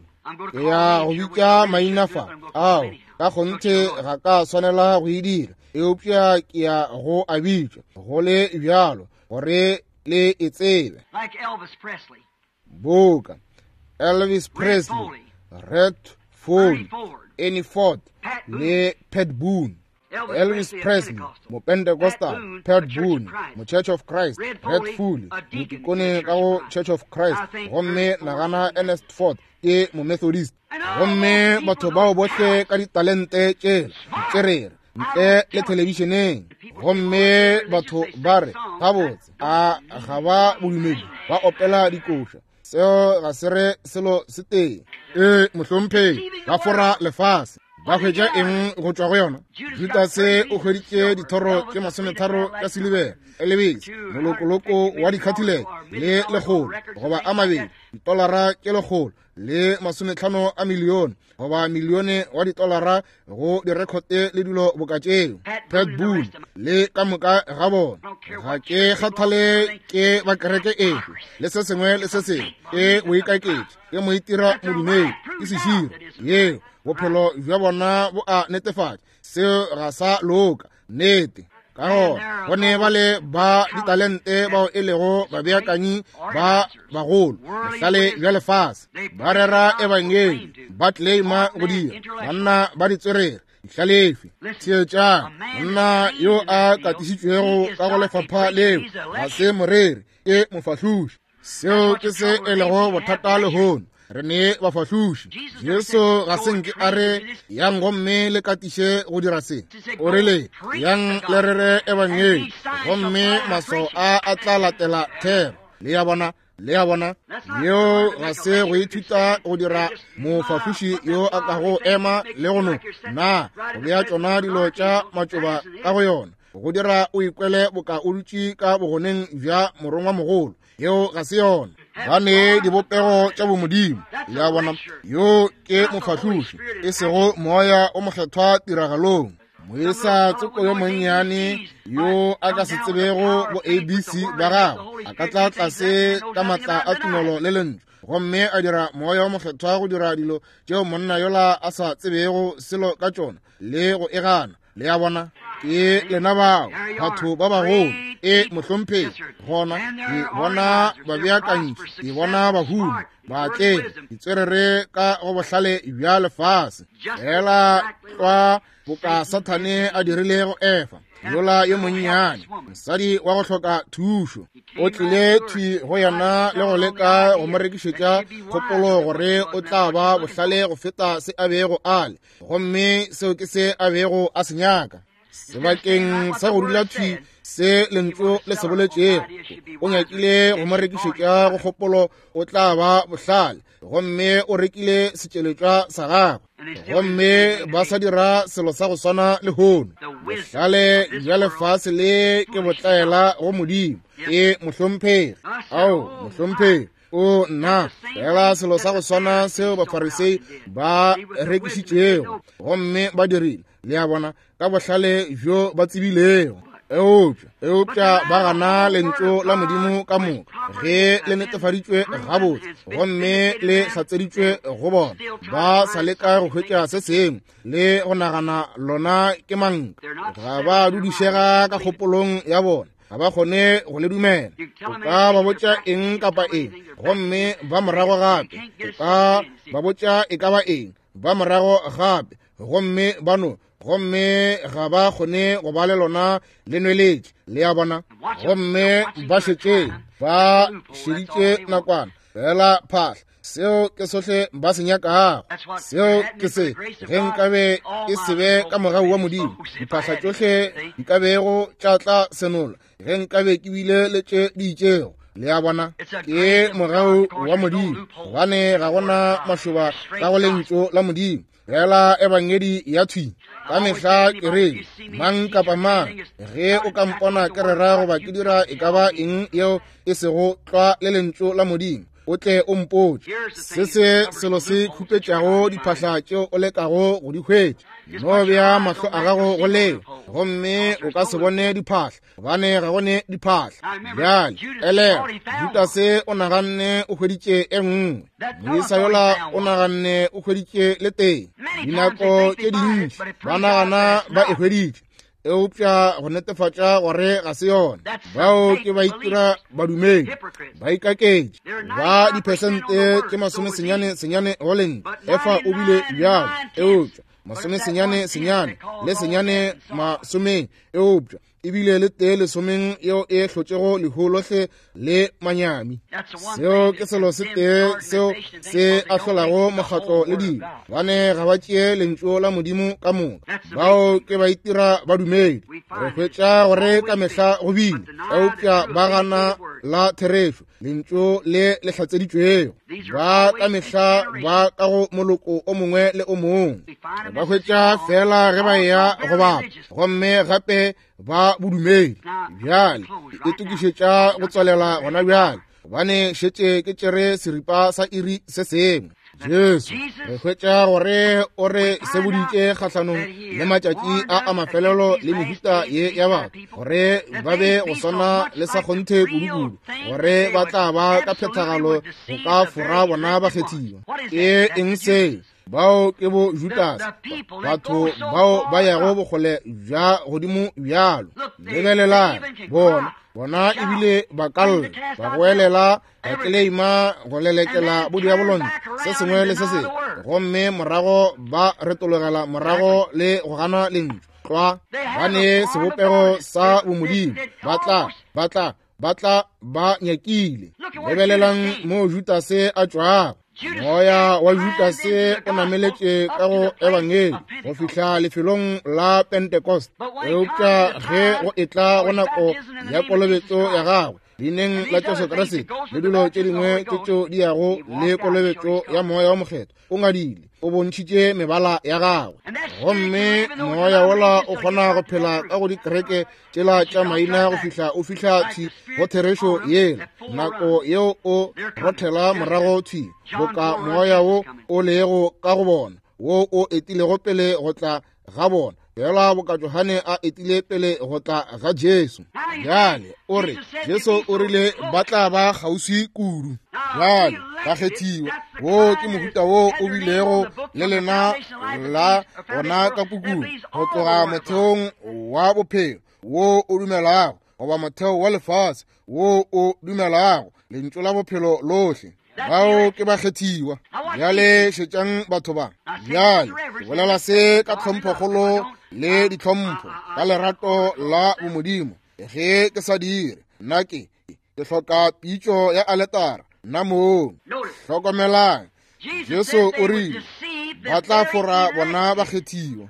ke ya go bitša maina fa, ao ka kgonthe ga ka swanela go e dira, eupša ke ya go a bitša go le bjalo, gore le e tsebe. Boka Elvis Presley, Red Foley, Ernie Ford le Pat Boone. Elvis Presley, Mopentecostal, Pat Boone, Mo-Church of Christ, Red Foley, motikone ka go Church of Christ, gomme nagana Ernest Ford ke Momethodist. Gomme batho bao bohle ka ditalente tšela, ditswerere, ntle le thelebišeneng, gomme batho ba re, gabotse, a ga ba bodumedi, ba opela dikoša. Seo ga se re selo se tee. Ee, mohlomphegi, ba fora lefase. Ba hwetša eng go tšwa go yona? Judase o hweditše dithoro tše 30 tša silibera, Elvis, molokoloko wa dikhathileke le 100 goba a mabedi, ditolara tše 150 a milione goba milione wa ditolara go direkhote le dilo boka tšeo. Pat Boone le ka moka ga bona, ga ke kgathale ke ba kereke efe le se sengwe le se sengwe, ke boikaketši, ke moitira modumedi, ke seširo. Yeo bophelo bja bona bo a netefatša seo ga sa loka. Nnete. Ka gona go ne ba le ba ditalente bao e lego babeakanyi ba bagolo, bohlale bja lefase, ba rera ebangedi, ba claima go dira, banna ba ditswerere, dihlalefi. Theetšang, monna yo a katišitšwego ka go lefapha leo ga se moreri, ke mofahloši. Seo ke se e lego bothata lehono. Re ne bafahloši. Jesu ga se nke a re yang gomme le katiše go dira se. O rile yang le rere ebangedi, gomme maswao a a tla latela thero. Le ya bona, le ya bona, yeo ga se go ithuta go dira mofahloši yo a kago ema le go no na go bea tšona dilo tša matšoba ka go yona, go dira o ikwele boka o dutše ka bogoneng bja morongwa mogolo. Yeo ga se yona. Ba ne dibopego tša bomodimo. Le a bona, yo ke mofahloši, e sego moya o mokgethwa tiragalong. Moisa tsoko yo monnyane yo a ka se tsebego bo ABC ba gagwe a ka tla tlase ka matla a tumelo le lentšu, gomme a dira moya o mokgethwa go dira dilo tšeo monna yola a sa tsebego selo ka tšona le go e gana. Le a bona, ke lena bao batho ba bagolo. E mohlomphegi, gona ke bona babeakantši, ke bona bahumi, baatlegi, ditswerere ka go bohlale bja lefase, fela tlwa boka Sathane a dirile go Efa yola yo monnyane, mosadi wa go hloka thušo. O tlile thwi go yena le go leka go mo rekišetša kgopolo gore o tla ba bohlale go feta se a bego a le, gomme seo ke se a bego a se nyaka. Sebakeng sa go dula thwi se lentšu le se boletšego, o nyakile go mo rekišetša go kgopolo o tla ba bohlale, gomme o rekile setšweletšwa sa gagwe. Gomme ba sa dira selo sa go swana lehono. Bohlale bja lefase le ke botlaela go Modimo. E mohlomphegi, ao mohlomphegi, o nna, fela selo sa go swana seo Bafarisei ba rekišitšego, gomme ba dirile, le a bona, ka bohlale bjo ba tsebilego. Eupša ba gana lentšu la Modimo ka moka ge le netefaditšwe gabotse gomme le hlatseditšwe go bona. Ba sa leka go hwetša se sengwe le go nagana lona ke manka. Ga ba dudišega ka kgopolong ya bona, ga ba kgone go le dumela. O ka ba botša eng kapa eng, gomme ba morago gape. O ka ba botša e ka ba eng, ba morago gape, gomme ba no, gomme ga ba kgone go ba le lona le nweletše. Le a bona? Gomme ba šetše ba šeditše nakwana fela phahla. Seo ke sohle ba se nyakago. Seo ke se, ge nkabe e se be ka mogau wa Modimo, diphahla tšohle di ka bego tša tla senola, ge nkabe ke bile le tše di itšego. Le a bona, ke mogau wa Modimo, gobane ga gona mašoba ka go lentšu la Modimo, fela ebangedi ya thwi. Ka mehla ke re, mang kapa mang, ge o ka mpona ke rera goba ke dira e ka ba eng yeo e sego tlwa le lentšu la Modimo, o tle o mpotše. Se se selo se khupetšago diphahla tšeo o lekago go di hwetša. No bea mahlo a gago go leo, gomme o ka se bone diphahla, gobane ga go ne diphahla. Bjale elelwa, Judase o naganne o hweditše e nngwe, moisa yola o naganne o hweditše le tee. Dinako tše dintši ba nagana ba e hweditše, Eupša go netefatša gore ga se yona. Bao ke ba itira badumedi, ba ikaketše, ba diphesente tše 99 go lentšu. Efa o bile bjalo, eupša 99 le senyane masomeng, eupša ebile le tee lesomeng yeo e hlotšego lehu lohle le manyami. Seo ke selo se tee seo se ahlolago mokgatlo le dilo, bane ga ba tšee lentšu la Modimo ka moka. Bao ke ba itira badumedi. Re hwetša gore ka mehla go bile, eupša ba gana la therešo, lentšu le le hlatseditšwego. Ba ka mehla ba ka go moloko o mongwe le o mongwe. Ba hwetša fela ge ba eya go bapa, gomme gape ba bodumedi. Bjale ke itokišetša go tswalela gona bjale, gobane šetše ke tšere seripa sa iri se sengwe. Jesu, re hwetša gore o re seboditše kgahlanong le matšatši a a mafelelo le mehuta ye ya batho, gore ba be go swana le sa kgonthe kudu-kudu, gore ba tla ba ka phethagalo go ka fora bona bakgethiwa. Ke eng se? Bao ke bo Judase, batho bao ba yago bokgole bja godimo bjalo. Lebelelang bona, bona ebile ba ka lla, ba goelela, ba tleleima go lelekela bodiabolontle, se sengwe le se sengwe, gomme morago ba retologela morago le go gana lentšu. Tlwa, ba ne sebopego sa bomodimo, ba tla, ba tla, ba tla ba nyakile. Lebelelang mo Judase a tšwago. Moya wa Judase o nameletše ka go ebangedi go fihla lefelong la Pentecost, eupša ge go etla go nako ya kolobetšo ya gagwe leineng la Jesu Kriste le dilo tše dingwe tše tšeo di yago le kolobetšo ya Moya wa Mokgethwa, o ngadile, o bontšhitše mebala ya gagwe. Gomme moya wola o kgona go phela ka go dikereke tšela tša maina go fihla o fihla thwi go therešo yela, nako yeo o rothela morago thwi boka moya wo o lego ka go bona, wo o etilego pele go tla ga bona, fela boka Johane a etile pele go tla ga Jesu. Bjale o re Jesu o rile ba tla ba kgauswi kudu. Bjale bakgethiwa, wo ke mohuta wo o bilego le lena la gona ka pukung, go tloga motheong wa bophelo wo o dumelago, goba motheo wa lefase wo o dumelago lentšu la bophelo lohle. Bao ke bakgethiwa. Bjale šetšang batho ba. Bjale ke bolela se ka tlhomphokgolo le ditlhompho, ka lerato la bomodimo. Ge ke sa dire, nna ke hloka pitšo ya aletara nna mong. Hlokomelang, Jesu o rile ba tla fora bona bakgethiwa.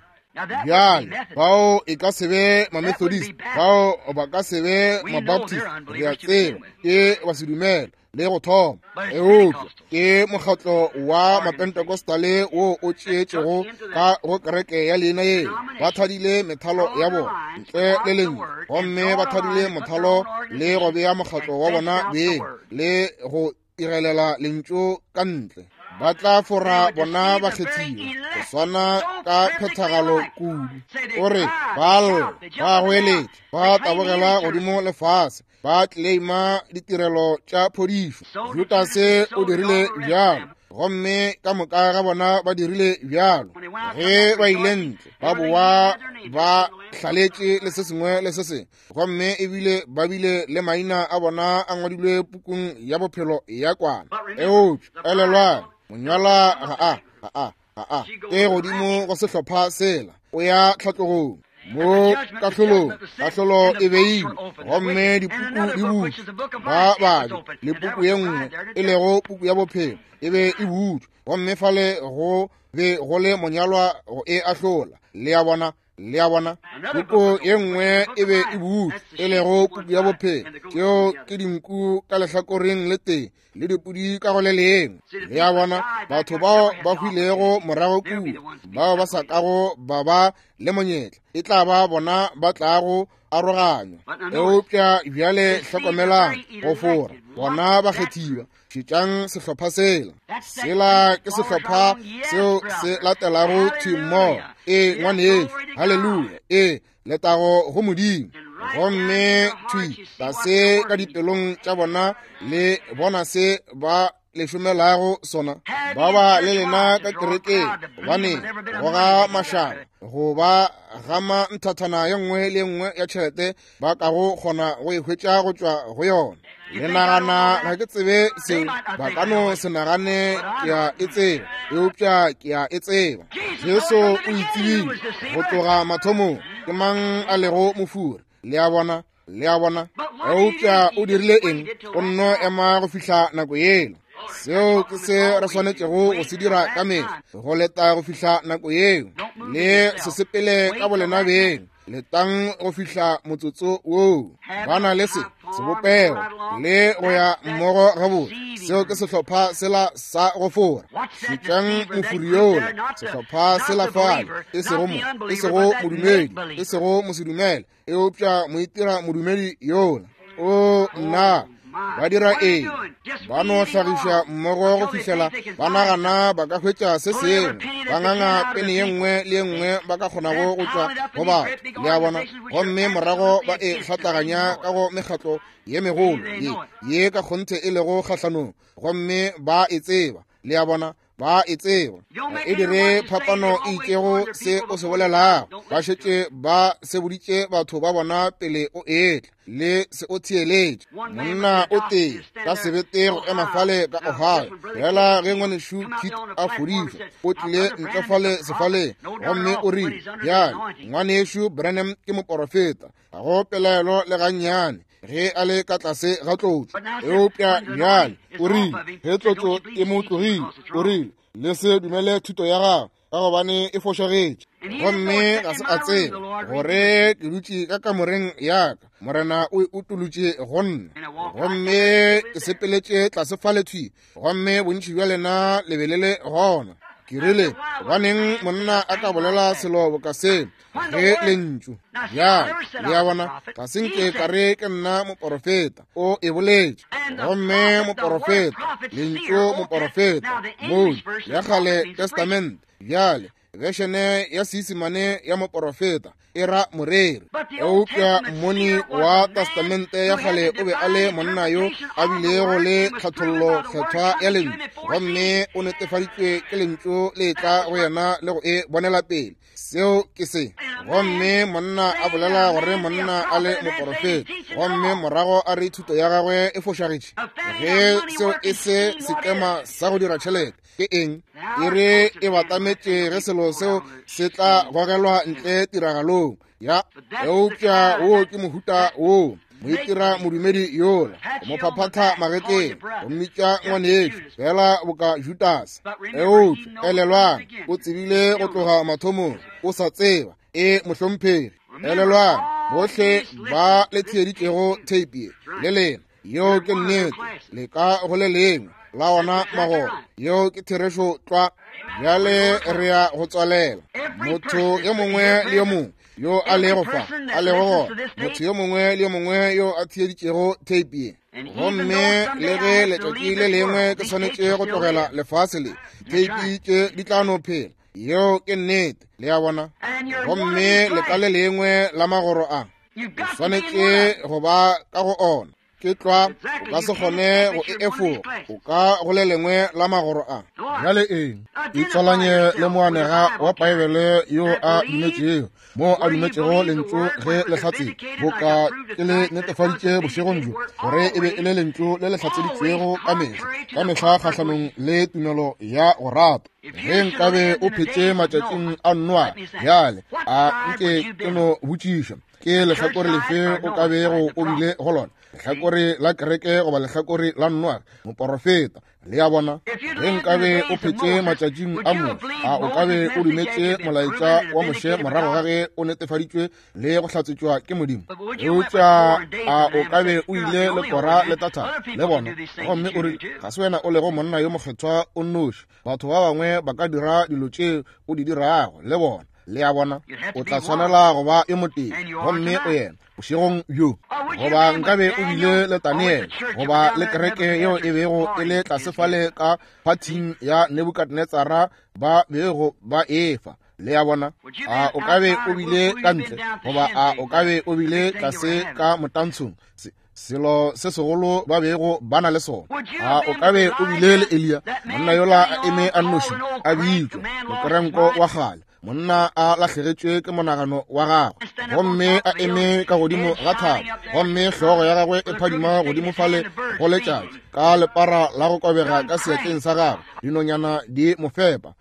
Bjale bao e ka se be ma-Methodist, bao ba ka se be ma-Baptist, re a tseba ke ba se dumela le go thoma, eupša ke mokgatlo wa Mapentecostale wo o tšeetšego ka go kereke ya leina yeo. Ba thadile methalo ya bona ntle le lentšu, gomme ba thadile mothalo le go bea mokgatlo wa bona beng le go irelela lentšu ka ntle. Ba tla fora bona bakgethiwa go swana ka phethagalo kudu. O re ba lla, ba goeletša, ba tabogela godimo lefase, ba tleleima ditirelo tša phodišo. Judase o dirile bjalo, gomme ka moka ga bona ba dirile bjalo. Ge ba ile ntle, ba boa ba hlaletše le se sengwe le se sengwe, gomme ebile ba bile le maina a bona a ngwadilwe pukung ya bophelo ya kwana. Eupša elelwang, monyalwa ga a, ga a, ga a e godimo go sehlopha sela, o ya tlhatlogong. Mo kahlolong, kahlolo e beilwe, gomme dipuku di butšwe. Ba babe le puku ye nngwe e lego puku ya bophelo e be e butšwe, gomme fale go be go le monyalwa go e ahlola. Le a bona? Le a bona? Puku ye nngwe e be e butšwe, e lego puku ya bophelo. Tšeo ke dinku ka lehlakoreng le tee le dipudi ka go le lengwe. Le a bona? Batho bao ba hwilego morago kua, bao ba sa kago ba ba le monyetla, e tla ba bona ba tlago aroganywa. Eupša bjale hlokomelang, go fora bona bakgethiwa. Šetšang sehlopha sela. Sela ke sehlopha seo se latelago thwi mmogo. Ee, ngwanešu, haleluya. Ee, letago go Modimo. Gomme thwi tlase ka dipelong tša bona le bona se ba le šomelago sona? Ba ba le lena ka kerekeng, gobane go ga mašaba go ba gama nthathana ye nngwe le ye nngwe ya tšhelete ba kago kgona go e hwetša go tšwa go yona. Le nagana ga ke tsebe seo? Ba ka no se nagane ke a e tseba, eupša ke a e tseba. Jesu o itsebile go tloga mathomong ke mang a lego mofuri. Le a bona? Le a bona? Eupša o dirile eng? O nno ema go fihla nako yela. Seo ke se re swanetšego go se dira ka mehla, go leta go fihla nako yeo. Le se sepele ka bolena beng. Letang go fihla motsotso woo. Ba na le se sebopego le go ya mmogo gabotse. Seo ke sehlopha sela sa go fora. Šetšang mofuri yola, sehlopha sela fale, e sego mo, e sego modumedi, e sego mosedumele, eupša moitira modumedi yola. O nna, ba dira eng? Ba no hlagiša mmogo go fihlela ba nagana ba ka hwetša se sengwe, ba nganga pene ye nngwe le ye nngwe ba ka kgonago go tšwa go batho, le a bona, gomme morago ba e hlatlaganya ka go mekgatlo ye megolo ye ye ka kgonthe e lego kgahlanong, gomme ba e tseba, le a bona, ba e tseba. E dire phapano e itšego se o se bolelago. Ba šetše ba seboditše batho ba bona pele o etla, le se o theeletše. Monna o tee ka sebete go ema fale ka Ohio, fela ge ngwanešu Kit a fodišwa, o tlile ntle fale sefaleng gomme o rile, bjale ngwanešu Branham ke moporofeta, ga go pelaelo le gannyane ge a le ka tlase ga tlotso. Eupša bjale o rile ge tlotso e mo tlogile, o rile le se dumele thuto ya gagwe ka gobane e fošagetše. Gomme ga se a tseba gore ke dutše ka kamoreng ya ka, Morena o e utolotše go nna, gomme ke sepeletše tlase fale thwi, gomme bontši bja lena le be le le gona. Ke rile, gobaneng monna a ka bolela selo boka se ge lentšu? Bjale, le a bona, ga se nke ka re ke nna moporofeta, o e boletše. Gomme moporofeta, lentšu moporofeta, moo ya Kgale Testamente, bjale bešene ya Seisemane ya moporofeta e ra moreri. Eupša mmoni wa Testamente ya Kgale o be a le monna yo a bilego le tlhathollo kgethwa ya lentšu, gomme o netefaditšwe ke lentšu le etla go yena le go e bonela pele. Seo ke se. Gomme monna a bolela gore monna a le moporofeta, gomme morago a re thuto ya gagwe e fošagetše. Ge seo e se sekema sa go dira tšhelete, ke eng? E re e batametše ge selo seo se tla gogelwa ntle tiragalong ya. Eupša wo ke mohuta wo moitira modumedi yola, go mo phaphatha magetleng, go mmitša ngwanešu, fela boka Judase. Eupša elelwang, o tsebile go tloga mathomong, o sa tseba e mohlomphegi. Elelwang, bohle ba le theeditšego theipi ye le lena, yeo ke nnete, le ka go le lengwe la ona magoro, yeo ke therešo tlwa. Bjale re ya go tswalela. Motho yo mongwe le yo mongwe yo a lego fa, a lego gona, motho yo mongwe le yo mongwe yo a theeditšego theipi ye, gomme le ge letšatši le lengwe ke swanetše go tlogela lefase le, theipi tše di tla no phela. Yeo ke nnete, le a bona. Gomme le ka le lengwe la magoro a, o swanetše go ba ka go ona. Ke tlwa, o ka se kgone go e efoga, o ka go le lengwe la magoro a. Bjale eng? Itswalanye le moanega wa Paebele yo a dumetšego, mo a dumetšego lentšu ge le hlatsetšwe, boka ke le netefaditše bošegong bjo, gore e be e le lentšu le le hlatseditšwego ka mehla, ka mehla kgahlanong le tumelo ya go rata. Ge nkabe o phetše matšatšing a Noa, bjale a nke ke no botšiša, ke lehlakore lefe o ka bego o bile go lona, lehlakore la kereke goba lehlakore la Noa moporofeta? Le a bona? Ge nkabe o phetše matšatšing a Moshe, a o ka be o dumetše molaetša wa Moshe morago ga ge o netefaditšwe le go hlatsetšwa ke Modimo? Eupša a o ka be o ile le Kora le Tathana le bona, gomme o rile, ga se wena o lego monna yo mokgethwa o nnoši, batho ba bangwe ba ka dira dilo tše o di dirago le bona. Le a bona? O tla swanela go ba yo motee, gomme o yena bošegong bjo. Goba nkabe o bile le Daniele, goba le kereke yeo e bego e le tlase fale ka phathing ya Nebukadnetsara ba bego ba efa. Le a bona? A o ka be o bile ka ntle, goba a o ka be o bile tlase ka motantshong? Selo se segolo ba bego ba na le sona. A o ka be o bile le Eliya, monna yola a eme a nnoši, a bitšwa mokerenko wa kgale, monna a lahlegetšwe ke monagano wa gagwe, gomme a eme ka godimo ga thaba, gomme hlogo ya gagwe e phadima godimo fale go letšatši, ka lepara la go kobega ka seatleng sa gagwe, dinonyana di mo fepa.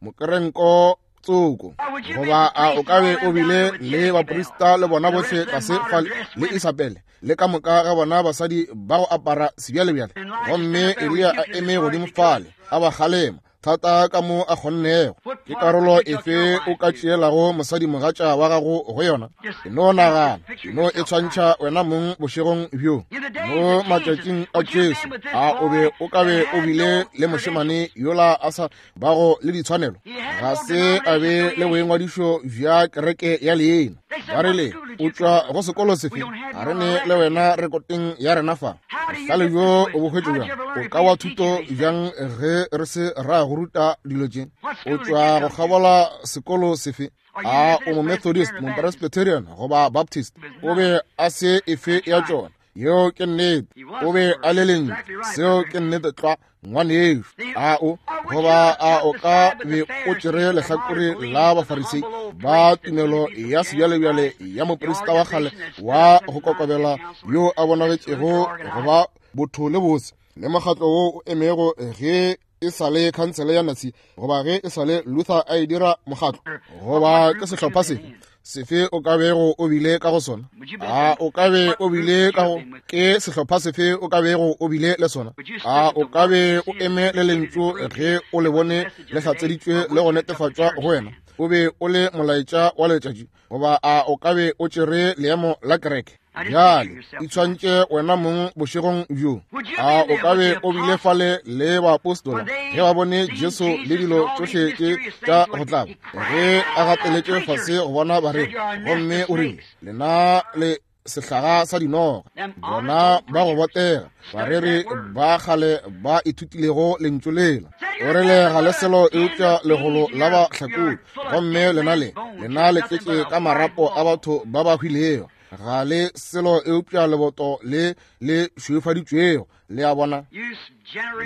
Mokerenko tsoko. Goba a o ka be o bile le baprista le bona bohle tlase fale, le Isabele le ka moka ga bona basadi ba go apara sebjalebjale, gomme Eliya a eme godimo fale a ba kgalema thata ka mo a kgonnego. Ke karolo efe o ka tšeelago mosadimogatša wa gago go yona? E no nagana, e no e tshwantšha wena mong bošegong bjo. Mo matšatšing a Jesu, a o be o ka be o bile le mošemane yola a sa bago le ditshwanelo? Ga se a be le boingwadišo bja kereke ya leina. Ba rile, o tšwa go sekolo sefe? Ga re ne le wena rekoteng ya rena fa. Bohlale bjo o bo hwetše bjang? O ka wa thuto bjang ge re se ra go ruta dilo tše? O tšwa go kgabola sekolo sefe? A o mo Methodist, mo Presbyterian goba Baptist? O be a se efe ya tšona. Yeo ke nnete. O be a le lentšu. Seo ke nnete tlwa, ngwanešu. A o, goba a o ka be o tšere lehlakore la Bafarisei ba tumelo ya sebjalebjale ya moprista wa kgale wa go kokobela yo a bonagetšego go ba botho le bose, le mokgatlo wo o emego ge e sa le khansele ya Nazi, goba ge e sa le Luther a e dira mokgatlo, goba ke sehlopha sefe sefe o ka bego o bile ka go sona? A o ka be o bile ka go ke sehlopha sefe o ka bego o bile le sona? A o ka be o eme le lentšu ge o le bone le hlatseditšwe le go netefatšwa go wena? O be o le molaetša wa letšatši, goba a o ka be o tšere leemo la kereke? Bjale itshwantše wena mong bošegong bjo. A o ka be o bile fale le baapostola ge ba bone Jesu le dilo tšohle tše tša go tlaba, ge a gateletše fase go bona bareri, gomme o rile, lena le sehlaga sa dinoga, bona ba go botega, bareri ba kgale ba ithutilego lentšu lela. O rile, ga le selo eupša legolo la bahlakodi, gomme lena le lena le tletše ka marapo a batho ba ba hwilego. Ga le selo eupša leboto le le šweufaditšwego. Le a bona?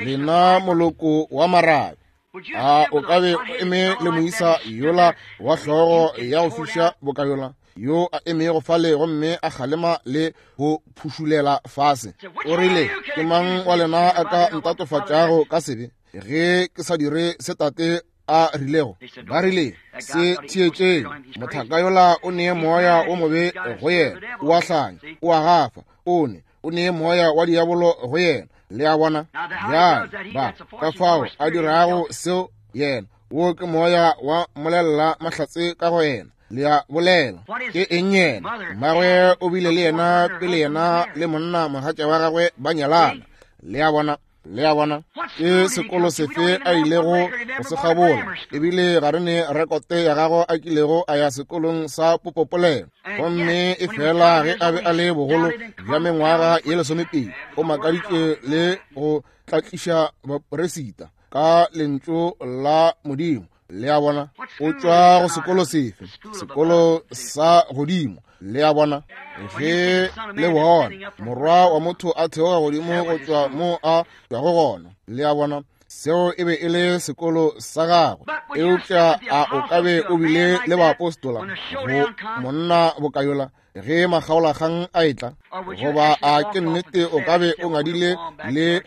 Lena moloko wa marabe. A o ka be o eme le moisa yola wa hlogo ya go fiša boka yola, yo a emego fale gomme a kgalema le go phušulela fase? O rile, ke mang wa lena a ka ntatofatšago ka sebe ge ke sa dire se Tate a rilego? Ba rile, se theetšeng, mothaka yola o nee moya o mobe go yena, o a hlanya, o a gafa, o ne o nee moya wa diabolo go yena. Le a bona? Bjale ba ka fao a dirago seo yena, wo ke moya wa molelela mahlatse ka go yena. Le a bolela, ke eng yena? Mmagwe o bile le yena pele yena le monna mogatša wa gagwe ba nyalana. Le a bona? Le a bona? Ke sekolo sefe a ilego go se kgabola? Ebile ga re ne rekote ya gagwe a kilego a ya sekolong sa popopolelo. Gomme e fela ge a be a le bogolo bja mengwaga ye 12, o makaditše le go tlatliša bapresita ka lentšu la Modimo. Le a bona? O tšwa go sekolo sefe? Sekolo sa godimo. Le a bona? Ge le bona Morwa wa motho a theoga godimo go tšwa mo a tšwago gona. Le a bona? Seo e be e le sekolo sa gagwe. Eupša a o ka be o bile le baapostola go monna bokayola ge makgaolakgang a etla? Goba a ke nnete o ka be o ngadile le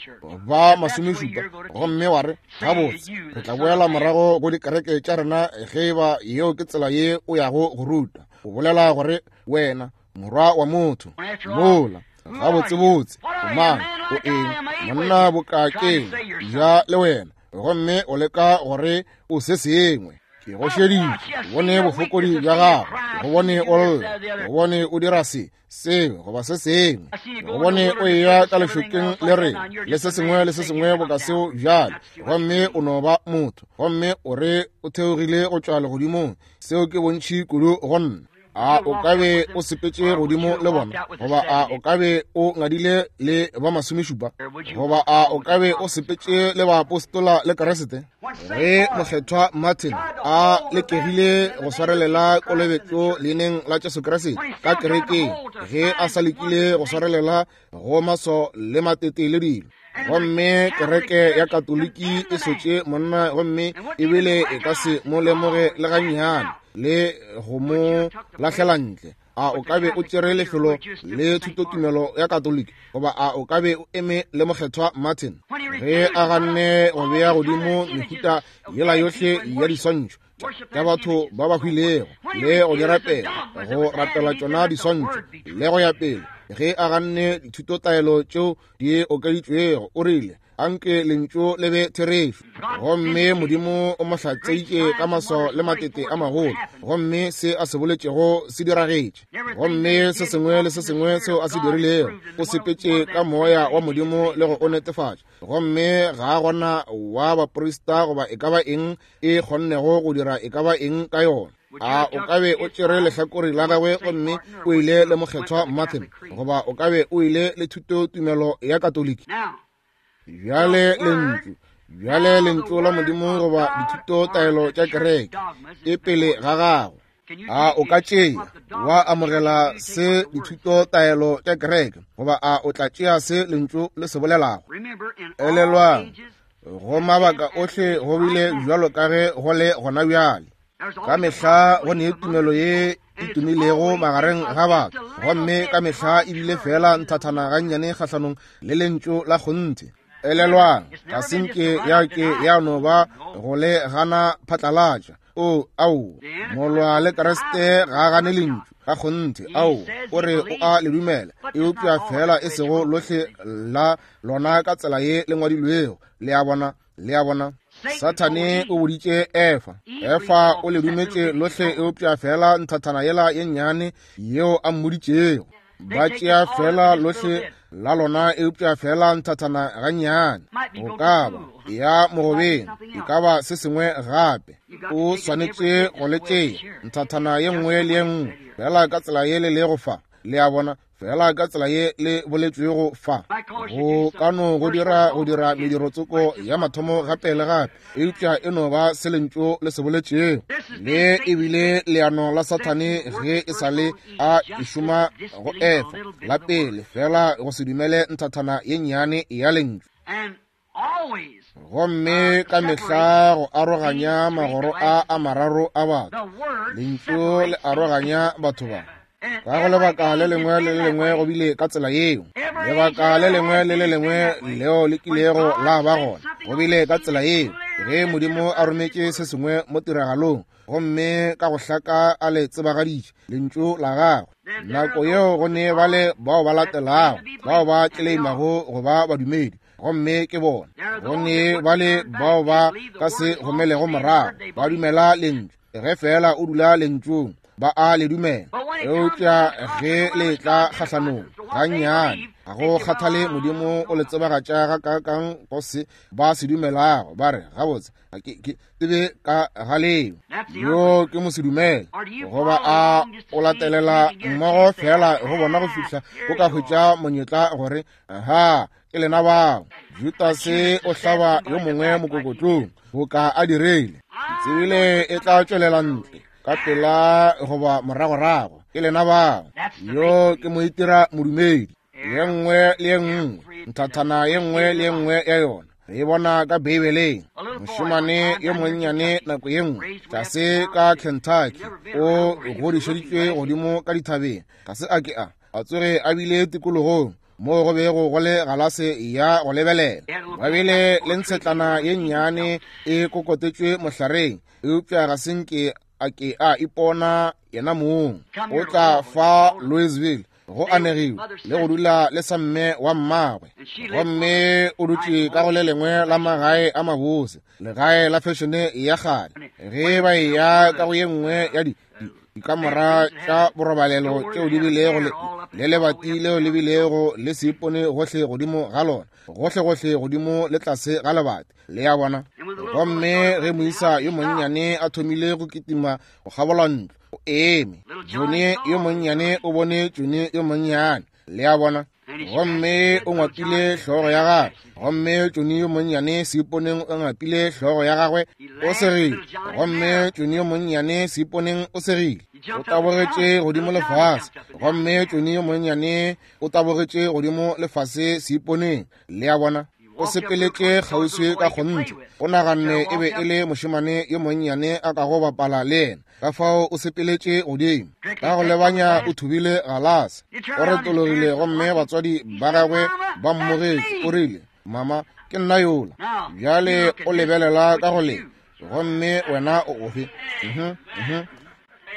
ba 70 gomme wa re, gabotse, re tla boela morago go dikereke tša rena ge eba yeo ke tsela ye o yago go ruta? O bolela gore wena morwa wa motho mola gabotsebotse o mang, o eng, monna bokakeng ja le wena, gomme o leka gore o se sengwe. Ke go šeditše, ke bone bofokodi bja gago, ke go bone o lla, ke go bone o dira se, seo goba se sengwe, ke go bone o eya ka lešokeng le rena le se sengwe le se sengwe boka seo bjale, gomme o no ba motho, gomme o re o theogile go tšwa legodimong. Seo ke bontši kudu go nna. A o ka be o sepetše godimo le bona? Goba a o ka be o ngadile le ba 70? Goba a o ka be o sepetše le baapostola le Kriste? Ge mokgethwa Martin A lekegile go swarelela kolobetšo leineng la Jesu Kriste ka kerekeng, ge a sa lekile go swarelela go maso le matete le dilo. Gomme kereke ya Katoliki e sotše monna, gomme ebile e ka se mo lemoge le gannyane le go mo lahlela ntle. A o ka be o tšere lefelo le thutotumelo ya Katoliki, goba a o ka be o eme le Mokgethwa Martin ge a ganne go bea godimo mehuta yela yohle ya diswantšho tša batho ba ba hwilego le go di rapela, go rapela tšona diswantšho le go ya pele, ge a ganne dithutotaelo tšeo di okeditšwego, o rile, Anke lentšu le be therešo. Gomme Modimo o mo hlatseitše ka maswao le matete a magolo, gomme se a se boletšego se diragetše. Gomme se sengwe le se sengwe seo a se dirilego, o sepetše ka moya wa Modimo le go o netefatša. Gomme ga a gona wa baprista goba e ka ba eng e kgonnego go dira e ka ba eng ka yona. A o ka be o tšere lehlakore la gagwe gomme o ile le Mokgethwa Martin, goba o ka be o ile le thutotumelo ya Katoliki? Bjale lentšu, bjale lentšu la Modimo goba dithutotaelo tša kereke e pele ga gago. A o ka tšea wa amogela se dithutotaelo tša kereke, goba a o tla tšea se lentšu le se bolelago? Elelwang, go mabaka ohle go bile bjalo ka ge go le gona bjale. Ka mehla go ne tumelo ye e tumilego magareng ga batho, gomme ka mehla e bile fela nthathana gannyane kgahlanong le lentšu la kgonthe. Elelwang, ga se nke ya ke ya no ba go le gana phatlalatša. O, ao, molwa le Kriste ga a gane lentšu ga kgonthe. Ao, o re o a le dumela, eupša fela e sego lohle la lona ka tsela ye le ngwadilwego. Le a bona? Le a bona? Sathane o boditše Efa. Efa o le dumetše lohle eupša fela nthathana yela ye nnyane yeo a mmoditšego. Ba tšea fela lohle la lona eupša fela nthathana gannyane. Go ka ba ya mogobeng, e ka ba se sengwe gape. O swanetše go le tšea nthathana ye nngwe le ye nngwe fela ka tsela ye le lego fa. Le a bona? Fela ka tsela ye le boletšwego fa. Go ka no go dira go dira mediro tsoko ya mathomo gape le gape, eupša e no ba se lentšu le se boletšego. Le ebile leano la Sathane ge e sa le a e šoma go Efa la pele, fela go se dumele nthathana ye nnyane ya lentšu. Gomme ka mehla go aroganya magoro a a mararo a batho, lentšu le aroganya batho ba. Ka go lebaka le lengwe le le lengwe go bile ka tsela yeo. Lebaka le lengwe le le lengwe leo le kilego la ba gona go bile ka tsela yeo. Ge Modimo a rometše se sengwe mo tiragalong, gomme ka go hlaka a le tsebagaditše lentšu la gagwe, nako yeo go ne bale bao ba latelago bao ba tleleimago go ba badumedi, gomme ke bona. Go ne bale bao ba ka se gomelego morago, ba dumela lentšu. Ge fela o dula lentšung, ba a le dumela. Eupša ge le tla kgahlanong gannyane, ga go kgathale Modimo o le tsebagatša gakaakang go se ba se dumelago, ba re, gabotse, ga ke tsebe ka ga leo. Yo ke mosedumele. Goba a o latelela mmogo fela go bona go fihla o ka hwetša monyetla gore, aha, ke lena bao. Judase o hlaba yo mongwe mokokotlong boka a dirile. Ke tsebile e tla tšwelela ntle ka pela goba moragorago. Ke lena bao. Yo ke moitira modumedi. Ye nngwe le ye nngwe, nthathana ye nngwe le ye nngwe ya yona re e bona ka Beibeleng. Mošemane yo monnyane nako ye nngwe tlase ka Kentucky, o godišeditšwe godimo ka dithabeng, ga se a ke a tsoge a bile tikologong moo go bego go le galase ya go lebelela. Ba bile le ntshetlana ye nnyane e kokotetšwe mohlareng, eupša ga se nke a ke a ipona yena mong. O tla fa Louisville go anegiwe le go dula le sa mme wa mmagwe, gomme o dutše ka go le lengwe la magae a mabose, legae la fešene ya kgale. Ge ba eya ka go ye nngwe ya dikamora tša borobalelo tšeo di bilego le lebati leo le bilego le seipone gohle godimo ga lona, gohlegohle godimo le tlase ga lebati, le a bona. Gomme ge moisa yo monnyane a thomile go kitima go kgabola ntlo, o eme. Johnny yo monnyane o bone Johnny yo monnyane, le a bona. Gomme o ngwapile hlogo ya gagwe. Gomme Johnny yo monnyane seiponeng o ngapile hlogo ya gagwe, o segile. Gomme Johnny yo monnyane seiponeng o segile. O tabogetše godimo lefase. Gomme Johnny yo monnyane o tabogetše godimo lefase seiponeng. Le a bona? O sepeletše kgauswi ka kgonthe. O naganne e be e le mošemane yo monnyane a kago bapala le yena. Ka fao o sepeletše godimo. Ka go lebanya o thubile galase. O retologile gomme batswadi ba gagwe ba mmogetše. O rile, Mama, ke nna yola. Bjale o lebelela ka go le. Gomme wena o ofe?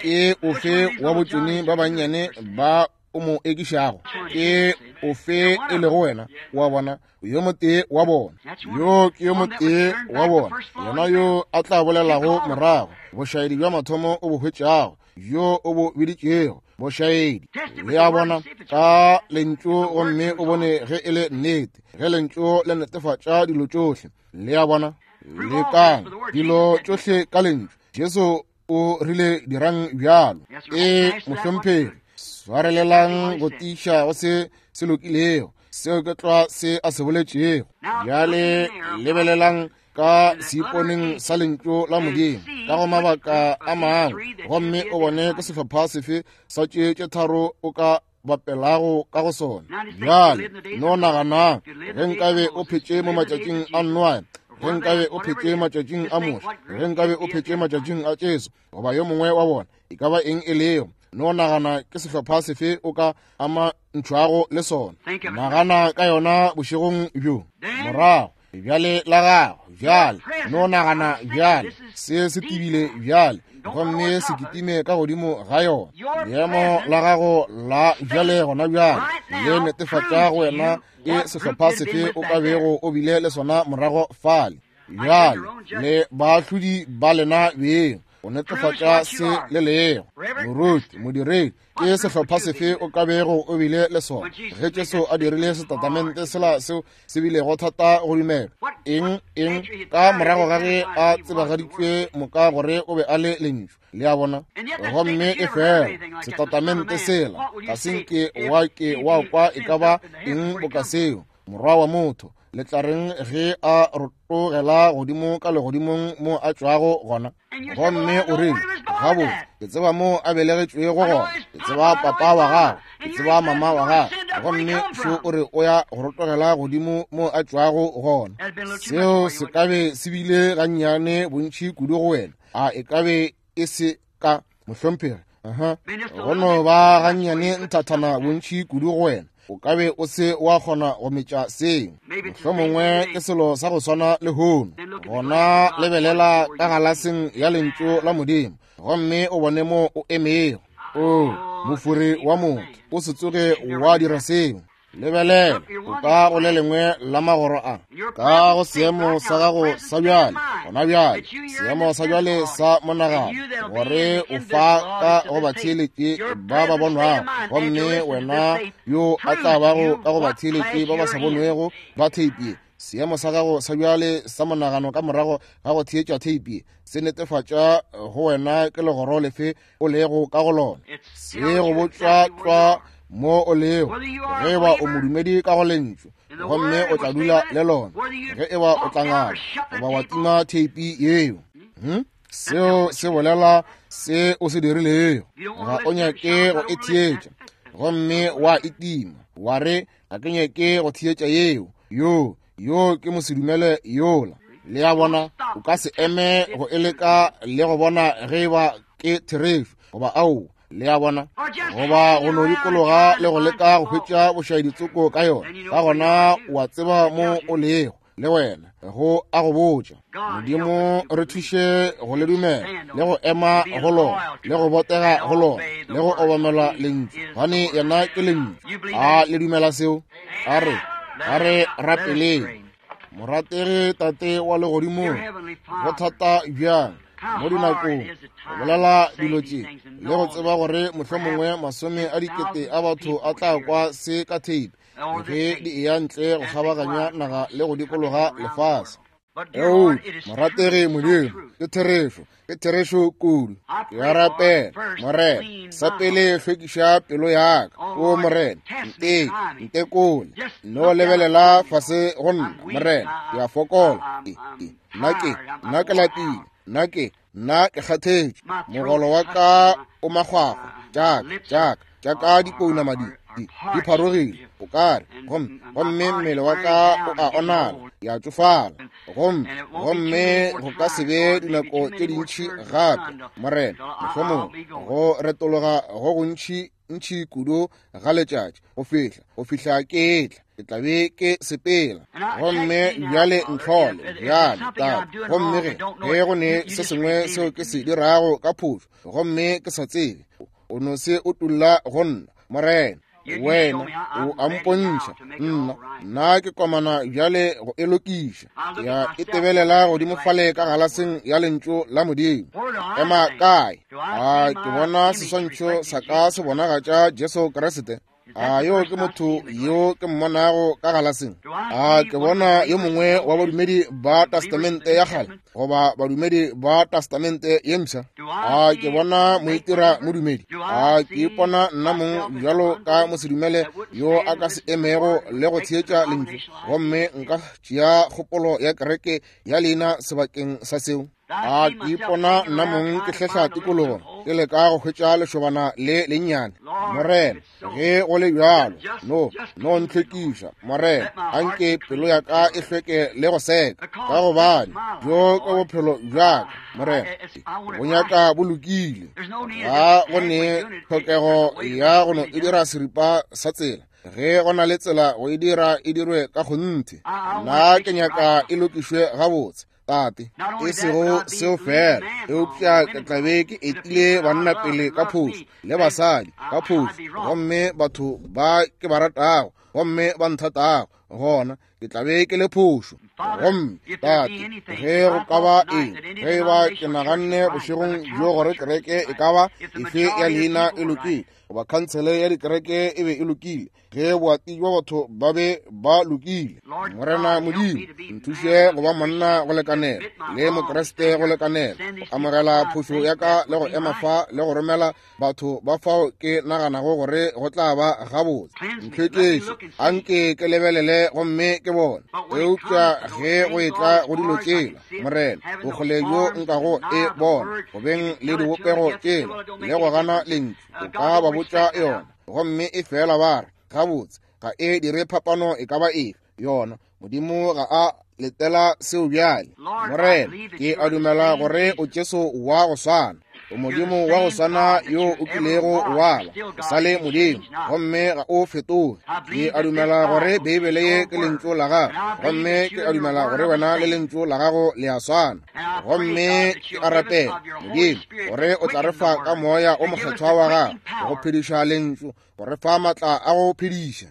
Ke ofe wa botšoni ba bannyane ba o mo ekišago? Ke ofe e lego wena? Wa bona, yo motee wa bona. Yo ke yo motee wa bona, yena yo a tla bolelago morago bošaedi bja mathomo o bo hwetšago, yo o bo biditšego bošaedi. Le a bona, ka lentšu, gomme o bone ge e le nnete, ge lentšu le netefatša dilo tšohle. Le a bona, lekang dilo tšohle ka lentšu. Jesu o rile dirang bjalo. E mohlomphegi, swarelelang go tiiša go se se lokilego. Seo ke tlwa se a se boletšego. Bjale lebelelang ka seiponeng sa lentšu la Modimo ka go mabaka a mangwe, gomme o bone ke sehlopha sefe sa tše tše tharo o ka bapelago ka go sona. Bjale no naganang, ge nkabe o phetše mo matšatšing a Noa, ge nkabe o phetše matšatšing a Moshe, ge nkabe o phetše matšatšing a Jesu, goba yo mongwe wa bona, e ka ba eng e lego, no nagana ke sehlopha sefe o ka ama ntšhwago le sona. Nagana ka yona bošegong bjo. Morago bjale la gago bjale, no nagana bjale, se se tibile bjale, gomme se kitime ka godimo ga yona. Leemo la gago la bjale gona bjale le netefatša go wena ke sehlopha sefe o ka bego o bile le sona morago fale. Bjale le baahlodi ba lena beng go netefatša se le lego. Moruti, modiredi, ke sehlopha sefe o ka bego o bile le sona ge Jesu a dirile setatamente sela seo se bilego thata go dumela? Eng, eng, ka morago ga ge a tsebagaditšwe moka gore o be a le lentšu. Le a bona? Gomme e fela setatamente sela ga se nke wa ke wa kwa e ka ba eng boka seo. Morwa wa motho, le tla reng ge a rotogela godimo ka legodimong mo a tšwago gona? Gomme o rile, gabotse, ke tseba mo a belegetšwego gona, ke tseba papa wa gagwe, ke tseba mama wa gagwe, gomme šo o re o ya go rotogela godimo mo a tšwago gona. Seo se ka be se bile gannyane bontši kudu go wena, a e ka be e se ka, mohlomphegi? Go no ba gannyane nthathana bontši kudu go wena, o ka be o se wa kgona go metša seo. Mohlomongwe ke selo sa go swana le hono. Gona lebelela ka galaseng ya lentšu la Modimo gomme o bone mo o emego. O mofuri wa motho, o se tsoge wa dira seo. Lebelela, o ka go le lengwe la magoro a, ka go seemo sa gago sa bjale, gona bjale, seemo sa bjale sa monagano, gore o fa ka go batheeletši ba ba bonwago, gomme wena yo a tla bago ka go batheeletši ba ba sa bonwego ba theipi ye. Seemo sa gago sa bjale sa monagano ka morago ga go theetša theipi ye se netefatša go wena ke legoro lefe o lego ka go lona. Se go botšwa tlwa mo o lego, ge eba o modumedi ka go lentšu, gomme o tla dula le lona, ge eba o tla ngala goba wa tima theipi yeo. Seo se bolela se o se dirilego. Ga o nyake go e theetša, gomme wa e tima, wa re, ga ke nyake go theetša yeo, yo, yo ke mosedumele yola. Le a bona, o ka se eme go e leka le go bona ge eba ke therešo goba aowa. Le a bona, goba go no dikologa le go leka go hwetša bošaeditsoko ka yona. Ka gona o a tseba mo o lego, le wena, go a go botša. Modimo re thuše go le dumela le go ema go lona le go botega go lona le go obamela lentšu, gobane yena ke lentšu. A le dumela seo? A re, a re rapeleng. Morategi Tate wa legodimong, go thata bjang mo dinakong go bolela dilo tše le go tseba gore mohlomongwe masome a dikete a batho a tla kwa se ka tape ge di eya ntle go kgabaganya naga le go dikologa lefase. Eupša morategi Modimo, ke therešo, ke therešo kudu. Ke a rapela, Morena, sa pele hlwekiša pelo ya ka. O Morena, nteke, ntekole, no lebelela fase go nna, Morena, ke a fokola. Nna ke lapile, nna ke kgathetše, mogolo wa ka o makgwakgwa, tša ka dipounama di pharogile, o kare, gomme mmele wa ka o a onala, ya tšofala, gomme go ka se be dinako tše dintši gape, Morena, mohlomongwe go retologa go gontši ntši kudu ga letšatši go fihla ke etla, ke tla be ke sepela. Gomme bjale ntlhole bjale, Tate, gomme ge go ne se sengwe seo ke se dirago ka phošo, gomme ke sa tsebe, o no se utulla go nna, Morena. Wena o a mpontšha, nna ke komana bjale go e lokiša. Ya e tebelela godimo fale ka galaseng ya lentšu la Modimo. Ema kae? A ke bona seswantšho sa ka se bonagatša Jesu Kriste? A yo ke motho yo ke mmonago ka galaseng? A ke bona yo mongwe wa badumedi ba Testamente ya kgale goba badumedi ba Testamente ye mpsha? A ke bona moitira modumedi? A ke ipona nna mong bjalo ka mosedumele yo a ka se emego le go theetša lentšu, gomme nka tšea kgopolo ya kereke ya leina sebakeng sa seo? A ke ipona nna mong ke hlehla tikologo ke leka go hwetša lešobana le lennyane? Morena, ge go le bjalo, no ntlhwekiša, Morena, anke pelo ya ka e hlweke le go seka, ka gobane bjo ke bophelo bja ka, Morena, bo nyaka bo lokile. Ga go ne tlhokego ya go no e dira seripa sa tsela. Ge go na le tsela go e dira, e dirwe ka kgonthe. Nna ke nyaka e lokišwe gabotse, Tate. E sego seo fela, eupša ke tla be ke etile banna pele ka phošo le basadi ka phošo, gomme batho ba ke ba ratago gomme ba nthatago, gona ke tla be ke le phošo. Gomme Tate, ge go ka ba eng, ge e ba ke naganne bošegong bjo gore kereke e ka ba efe ya leina e lokile, goba khansele ya dikereke e be e lokile, ge boati bja batho ba be ba lokile, Morena Modimo, nthuše go ba monna go lekanela le Mokriste go lekanela go amogela phošo ya ka le go ema fa le go romela batho ba fao ke naganago gore go tla ba gabotse. Ntlhwekiše, anke ke lebelele gomme ke bone. Eupša ge go etla go dilo tšela, Morena, bokgole bjo nkago e bona, go beng le dibopego tšela le go gana lentšu, o ka ba botša yona, gomme e fela ba re, gabotse, ga e dire phapano e ka ba efe yona. Modimo ga a letela seo bjale. Morena, ke a dumela gore o Jesu wa go swana, o Modimo wa go swana yo o kilego wa ba, o sa le Modimo, gomme ga o fetoge. Ke a dumela gore Beibele ye ke lentšu la gago, gomme ke a dumela gore wena le lentšu la gago le a swana. Gomme ke a rapela, Modimo, gore o tla re fa ka moya o mokgethwa wa gago go phediša lentšu, go re fa matla a go phediša,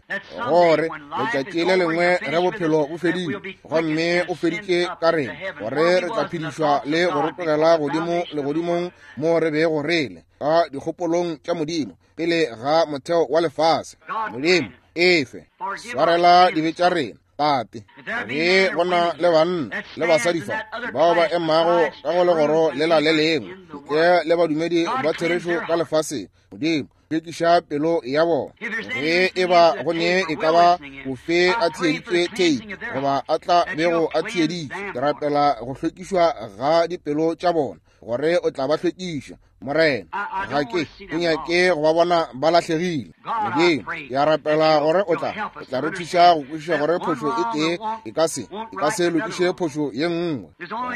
gore letšatši le lengwe ge bophelo bo fedile gomme o feditše ka rena, gore re tla phedišwa le go rotogela godimo legodimong mo re bego re le ka dikgopolong tša Modimo pele ga motheo wa lefase. Modimo, efe, swarela dibe tša rena, Tate. Ge go na le banna le basadi fa bao ba emago ka go legoro lela le lengwe ntle le badumedi ba therešo ka lefaseng, Modimo, hlwekiša pelo ya bona. Ge e ba go ne e ka ba ofe a theeditše theipi goba a tla bego a theeditše, ke rapela go hlwekišwa ga dipelo tša bona, gore o tla ba hlwekiša, Morena. Ga ke nyake go ba bona ba lahlegile. Modimo, ke a rapela gore o tla re thuša go kwešiša gore phošo e tee e ka se lokiše phošo ye nngwe.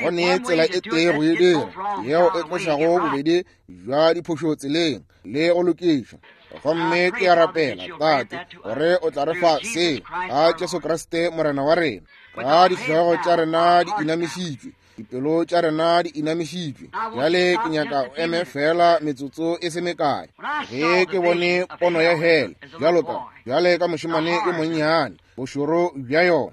Go ne tsela e tee go e dira, yeo e tlošago bobedi bja diphošo tseleng le go lokiša. Gomme ke a rapela, Tate, gore o tla re fa seo ka Jesu Kriste Morena wa rena. Ka dihlogo tša rena di inamišitšwe, dipelo tša rena di inamišitšwe. Bjale ke nyaka o eme fela metsotso e se mekae. Ge ke bone pono ya hele bjale ka mošemane yo monnyane, bošoro bja yona,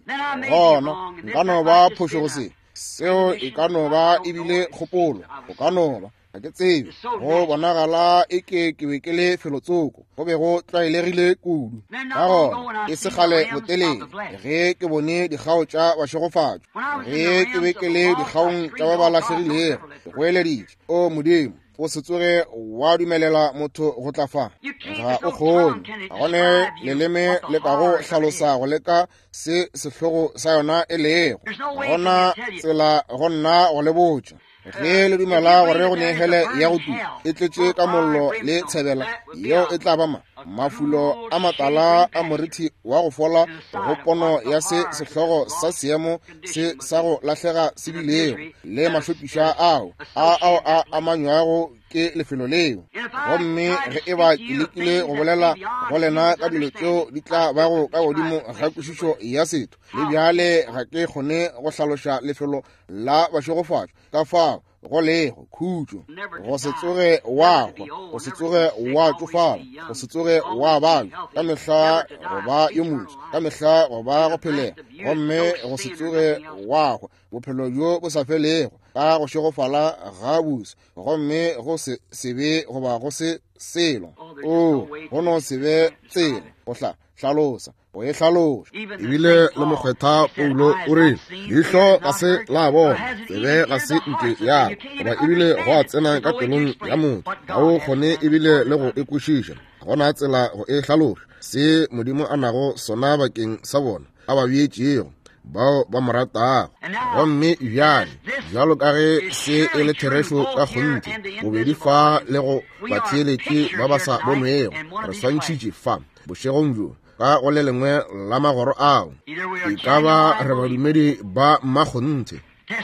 gona nka no ba phošo go se. Seo e ka no ba ebile kgopolo, go ka no ba. Ga ke tsebe, go bonagala eke ke be ke le felotsoko, go be go tlwaelegile kudu. Ka gona e se kgale botelele ge ke bone dikgao tša bašegofatšwa, ge ke be ke le dikgaong tša ba ba lahlegilego, ke goeleditše, O Modimo, o se tsoge wa dumelela motho go tla fa. Ga o kgone, ga gone leleme le ka go hlalosa go leka se sehlogo sa yona e lego. Gona tsela go nna go le botša. Ge le dumela gore go ne hele ya go tuka e tletše ka mollo le tshebela, yeo e tla ba ma mafulo a matala a morithi wa go fola go pono ya se sehlogo sa seemo se sa go lahlega se bilego le mahlopiša ao a ao a amanywago ke lefelo leo. Gomme ge e ba ke lekile go bolela go lena ka dilo tšeo di tla bago ka godimo ga kwešišo ya setho, le bjale ga ke kgone go hlaloša lefelo la bašegofatšwa ka fao go lego khutšo, go se tsoge wa hwa, go se tsoge wa tšofala, go se tsoge wa balwa, ka mehla go ba yo motho, ka mehla go ba go phelega, gomme go se tsoge wa hwa, bophelo bjo bo sa felego ka go šegofala ga bose, gomme go se sebe goba go se selo. O go no se be tsela go hlalosa go e hlaloša. Ebile le mokgwetha Paulo o rile, leihlo ga se la bona, tsebe ga se nke ya goba ebile go a tsena ka pelong ya motho, ga o kgone ebile le go e kwešiša. Ga gona tsela go e hlaloša se Modimo a nago sona bakeng sa bona a ba beetšego bao ba mo ratago. Gomme bjale, bjalo ka ge se e le therešo ka kgonthe, bobedi fa le go batheeletši ba ba sa bonwego, re swantšhitše fa bošegong bjo ka go le lengwe la magoro ao. E ka ba re badumedi ba mmakgonthe,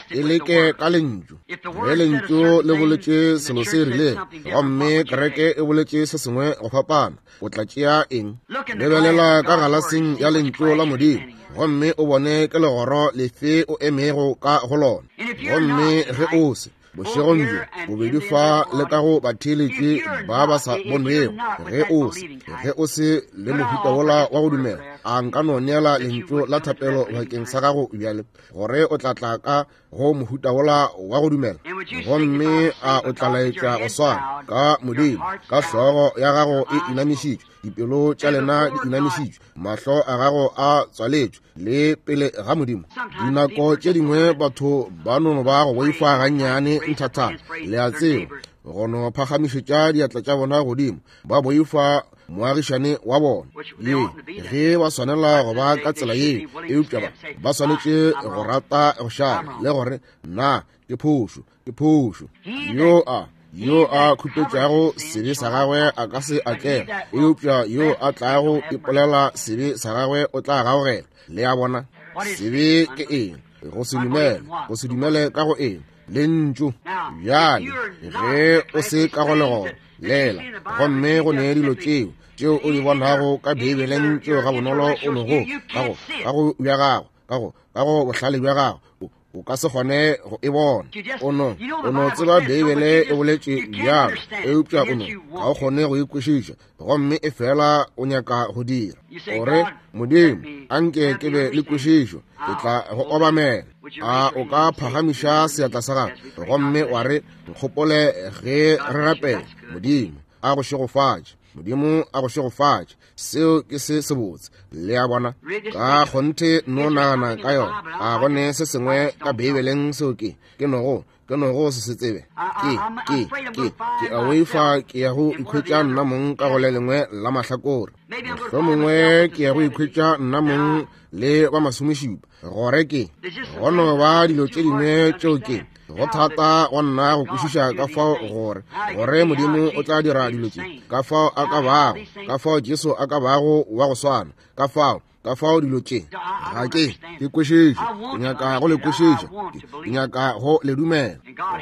e leke ka lentšu. Ge lentšu le boletše selo se rilego, gomme kereke e boletše se sengwe go fapana, o tla tšea eng? Lebelela ka galaseng ya lentšu la Modimo, gomme o bone ke legoro lefe o emego ka go lona. Gomme ge o se, bošegong bjo, bobedi fa le ka go batheeletši ba ba sa bonwego, ge o se, ge o se le mohuta wola wa go dumela, a nka no neela lentšu la thapelo bakeng sa gago bjale, gore o tla tla ka go mohuta wola wa go dumela, gomme a o tla laetša go swana ka Modimo, ka hlogo ya gago e inamišitšwe, dipelo tša lena di inamišitšwe, mahlo a gago a tswaletšwe, le pele ga Modimo. Dinako tše dingwe batho ba no ba go boifa gannyane nthathana, le a tseba, go no phagamišetša diatla tša bona godimo, ba boifa moagišane wa bona. Ye ge ba swanela go ba ka tsela ye, eupša ba ba swanetše go rata go šala le gore na ke phošo, ke phošo. Yo a yo a khupetšago sebe sa gagwe a ka se atlege, eupša yo a tlago ipolela sebe sa gagwe o tla gaogela. Le a bona, sebe ke eng? Go se dumele, go se dumele ka go eng? Lentšu. Bjale ge o se ka go legoro lela, gomme go ne dilo tšeo tšeo o di bonago ka Beibeleng tšeo ga bonolo o nogo ka go ka go bja gago ka go ka go bohlale bja gago o ka se kgone go e bona. O no o no tseba Beibele e boletše bjalo, eupša o no ga o kgone go e kwešiša, gomme e fela o nyaka go dira. O re, Modimo, anke ke be le kwešišo, ke tla go obamela. A o ka phagamiša seatla sa gago gomme wa re, nkgopole ge re rapela? Modimo a go šegofatše. Modimo a go šegofatše. Seo ke se sebotse. Le a bona, ka kgonthe no nagana ka yona. A go ne se sengwe ka Beibeleng seo ke ke nogo ke nogo se se tsebe? Ke ke ke ke a boifa ke ya go ikhwetša nna mong ka go le lengwe la mahlakore. Mohlomongwe ke ya go ikhwetša nna mong le ba masomešupa, gore ke go no ba dilo tše dingwe tšeo ke go thata go nna go kwešiša ka fao gore gore Modimo o tla dira dilo tše, ka fao a ka bago, ka fao Jesu a ka bago wa go swana, ka fao ka fao dilo tše ga ke ke kwešiše. Ke nyaka go le kwešiša, ke nyaka go le dumela,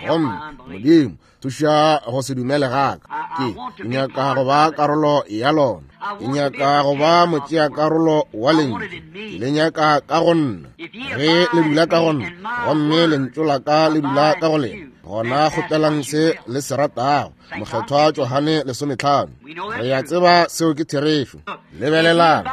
gomme Modimo thuša go se dumele gaka. Ke nyaka go ba karolo ya lona, ke nyaka go ba motšea karolo wa lentšu. Ke le nyaka ka go nna. Ge le dula ka go nna, gomme lentšu la ka le dula ka go lena, gona kgopelang se le se ratago. Mokgethwa Johane 15. Re a tseba seo ke therešo. Lebelelang,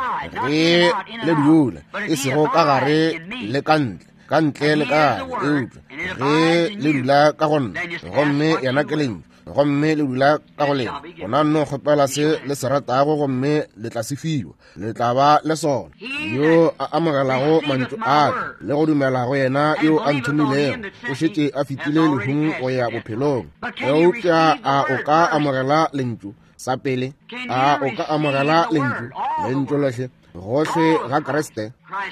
ge le dula, e sego ka gare le ka ntle. ka ntle le ka gare, eupša ge le dula ka go nna, gomme yena ke lentšu, gomme le dula ka go lena, gona nno kgopela se le se ratago gomme le tla se fiwa, le tla ba le sona. Yo a amogelago mantšu a ka le go dumela go yena yo a nthomilego, o šetše a fetile lehung go ya bophelong. Eupša a o ka amogela lentšu sa pele? A o ka amogela lentšu, lentšu lohle, gohle ga Kriste?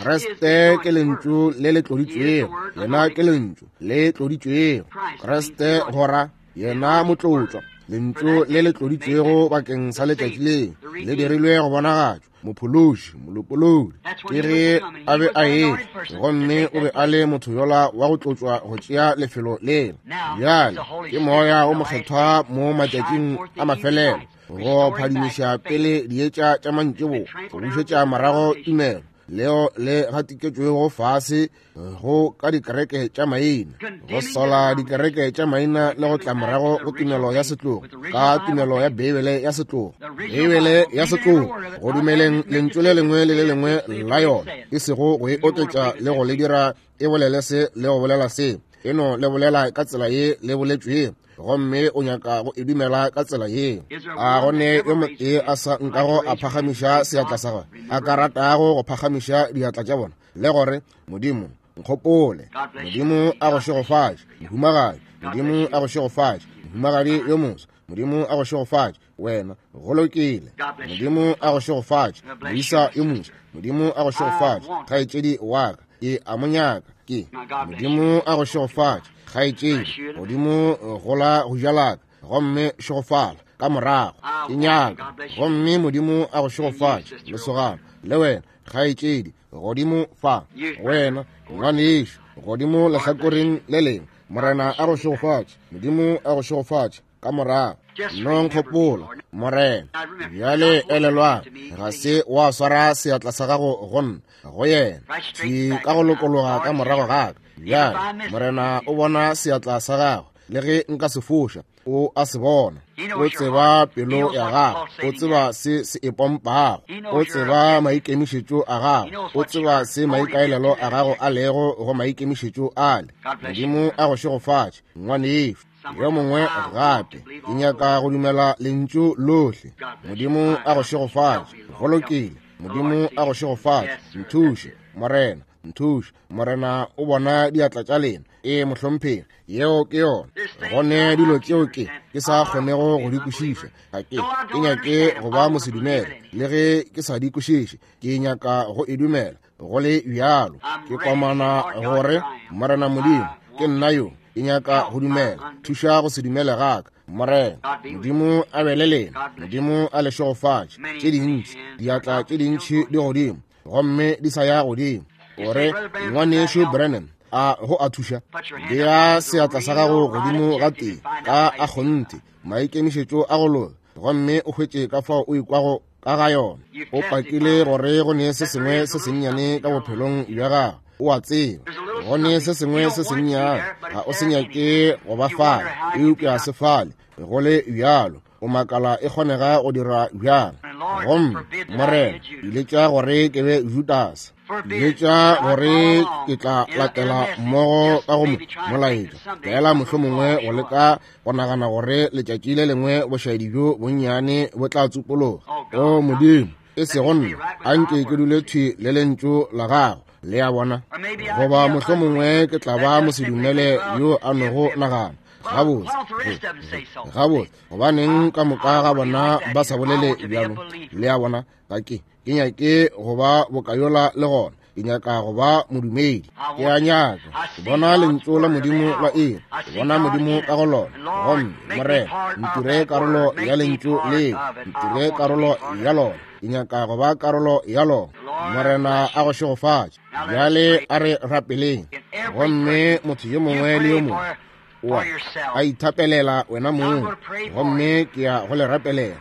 Kriste ke lentšu le le tloditšwego, yena ke lentšu le tloditšwego. Kriste gora yena motlotlwa, lentšu le le tloditšwego bakeng sa letšatši le le dirilwe go bonagatšwa, mophološi, molopolodi. Ke ge a be a etla, gomme o be a le motho yola wa go tlotšwa go tšea lefelo lela. Bjale ke Moya o Mokgethwa mo matšatšing a mafelelo go phadimiša pele dietša tša mantšiboa, go bušetša morago tumelo leo le gatiketšwego fase go ka dikereke tša maina, go sola dikereke tša maina le go tla morago go tumelo ya setlogo, ka tumelo ya Beibele ya setlogo, Beibele ya setlogo, go dumeleng lentšu le lengwe le le lengwe la yona, e sego go e oketša le go le dira e bolele se le go bolela se, e no le bolela ka tsela ye le boletšwego, gomme o nyaka go e dumela ka tsela ye. A go ne yo motee a sa nkago a phagamiša seatla sa gagwe, a ka ratago go phagamiša diatla tša bona le gore, Modimo, nkgopole. Modimo a go šegofatše, mohumagadi. Modimo a go šegofatše, mohumagadi yo moswa. Modimo a go šegofatše, wena. Go lokile. Modimo a go šegofatše, moisa yo moswa. Modimo a go šegofatše, kgaetšedi wa ka. Ke a mo nyaka. Ke Modimo a go šegofatše, kgaetšedi. Godimo gola go ja laka, gomme šegofala ka morago. Ke nyaka. Gomme Modimo a go šegofatše, lesogana. Le wena, kgaetšedi, godimo fa. Wena, ngwanešu, godimo lehlakoreng le lengwe. Morena a go šegofatše. Modimo a go šegofatše ka morago. Nno nkgopola, Morena. Bjale elelwang, ga se wa swara seatla sa gago go nna, go yena, thwi ka go lokologa ka morago ga ka. Bjale Morena o bona seatla sa gago, le ge nka se foša, o a se bona. O tseba pelo ya gago, o tseba se se e pompago, o tseba maikemišetšo a gago, o tseba se maikaelelo a gago a lego go maikemišetšo ale. Modimo a go šegofatše, ngwanešu. Yo mongwe gape, ke nyaka go dumela lentšu lohle. Modimo a go šegofatše. Go lokile. Modimo a go šegofatše. Nthuše, Morena, nthuše. Morena o bona diatla tša lena. Ee, mohlomphegi, yeo ke yona. Go ne dilo tšeo ke ke sa kgonego go di kwešiša. Ga ke ke nyake go ba mosedumele, le ge ke sa di kwešiše, ke nyaka go e dumela. Go le bjalo, ke komana gore Morena Modimo, ke nna yo, ke nyaka go dumela. Thuša go se dumele ga ka, Morena. Modimo a be le lena. Modimo a le šegofatše. Tše dintši, diatla tše dintši di godimo, gomme di sa ya godimo. O re, Ngwanešu Branham, a go a thuša? Bea seatla sa gago godimo ga tee ka a kgonthe, maikemišetšo a go loka, gomme o hwetše ka fao o ikwago ka ga yona. O pakile gore go ne se sengwe se sennyane ka bophelong bja gago. O a tseba go ne se sengwe se sennyane, ga o se nyake go ba fale, eupša se fale go le bjalo. O makala e kgonega go dira bjang. Gomme Morena, iletša gore ke be Judase, iletša gore ke tla latela mmogo ka go molaetša, fela mohlomongwe go leka go nagana gore letšatši le lengwe bošaedi bjo bonnyane bo tla tsupologa. O Modimo, e sego nna, a nke ke dule thwi le lentšu la gago. Le a bona? Goba mohlomongwe ke tla ba mosedumele yo a nogo nagana. Gabotse, gabotse, gobaneng ka moka ga bona ba sa bolele bjalo? Le a bona? Ga ke ke nyake go ba bokayola le gona. Ke nyaka go ba modumedi. Ke a nyaka go bona lentšu la Modimo la iri, go bona Modimo ka go lona. Gomme Morena, ntire karolo ya lentšu leo, ntire karolo ya lona. Ke nyaka go ba karolo ya lona. Morena a go šegofatše. Bjale a re rapeleng. Gomme motho yo mongwe le yo mongwe oa a ithapelela wena mong, gomme ke ya go le rapelela.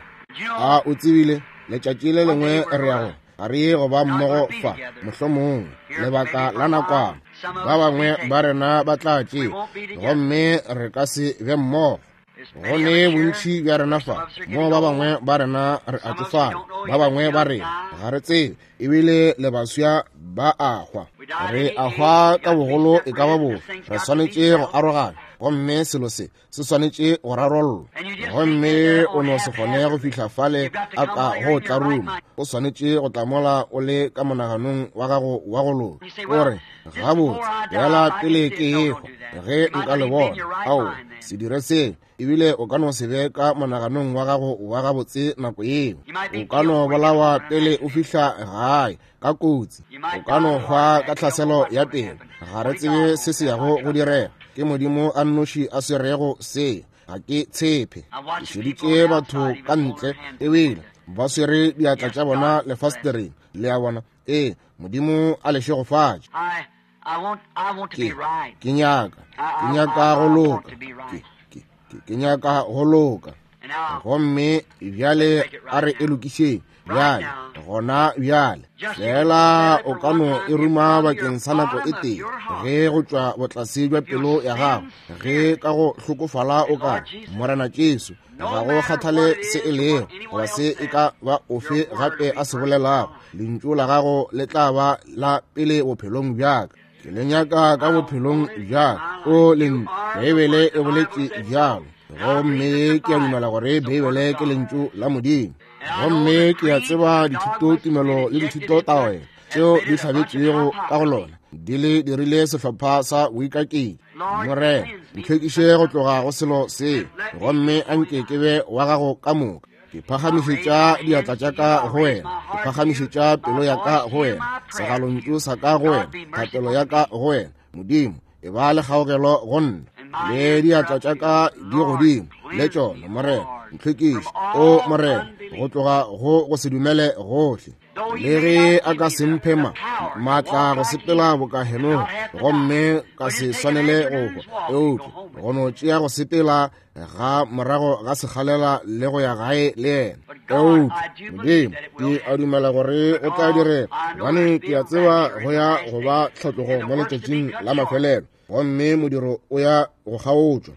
A o tsebile letšatši le lengwe re ya go ga re ye go ba mmogo fa, mohlomongwe lebaka la nakwana. Ba bangwe ba rena ba tla tšea, gomme re ka se be mmogo. Go ne bontši bja rena fa mo ba bangwe ba rena re a tšofala, ba bangwe ba rena ga re tsebe, ebile le baswa ba a hwa. Re a hwa ka bogolo e ka ba bofe, re swanetše go arogana, gomme selo se se swanetše go rarollwa. Gomme o no se kgone go fihla fale a ka go tlaruma, o swanetše go tla mola o le ka monaganong wa gago wa go loka. O re, gabotse, bjala pele ke ehwa, ge nka le bona. Ao, se dire seo. Ebile o ka no se be ka monaganong wa gago wa gabotse nako yeo. O ka no bolawa pele o fihla gae ka kotsi. O ka no hwa ka tlhaselo ya pelo. Ga re tsebe se se yago go direga. Ke Modimo a nnoši a swerego se. Ga ke tshepe. Ke šeditše batho ka ntle ebile ba swere diatla tša bona lefastereng. Le a bona? Ee, Modimo a le šegofatše. Ke nyaka, ke nyaka go loka. Ke nyaka go loka. Gomme bjale a re e lokišeng bjale, gona bjale. Fela o ka no e ruma bakeng sa nako e tee, ge go tšwa botlase bja pelo ya gago, ge ka go hlokofala o ka re, Morena Jesu, ga go kgathale se e lego goba se e ka ba ofe gape a se bolelago, lentšu la gago le tla ba la pele bophelong bjaka. Ke le nyaka ka bophelong bjaka. O lentšu, Beibele e boletše bjalo, gomme ke a dumela gore Beibele ke lentšu la Modimo. Gomme ke a tseba dithutotumelo le dithutotaelo tšeo di hlabetšwego ka go lona di le dirile sehlopha sa boikaketši. Morena, ntlhwekiše go tloga go selo se, gomme a nke ke be wa gago ka moka. Ke phagamišetša diatla tša ka go wena, ke phagamišetša pelo ya ka go wena, segalontšu sa ka go wena, thapelo ya ka go wena. Modimo, e ba le kgaogelo go nna, le diatla tša ka di godimo le tšona. Morena, ntlhwekiše, o Morena, go tloga go go se dumele gohle. Le ge a ka se mphe maatla go sepela boka Henoge, gomme ka se swanele go hwa, eupša go no tšea go sepela ga morago ga sekgalela le go ya gae le yena. Eupša Modimo, ke a dumela gore go tla direga, gobane ke a tseba go ya go ba tlhatlogo mo letšatšing la mafelelo, gomme modiro o ya go kgaotšwa.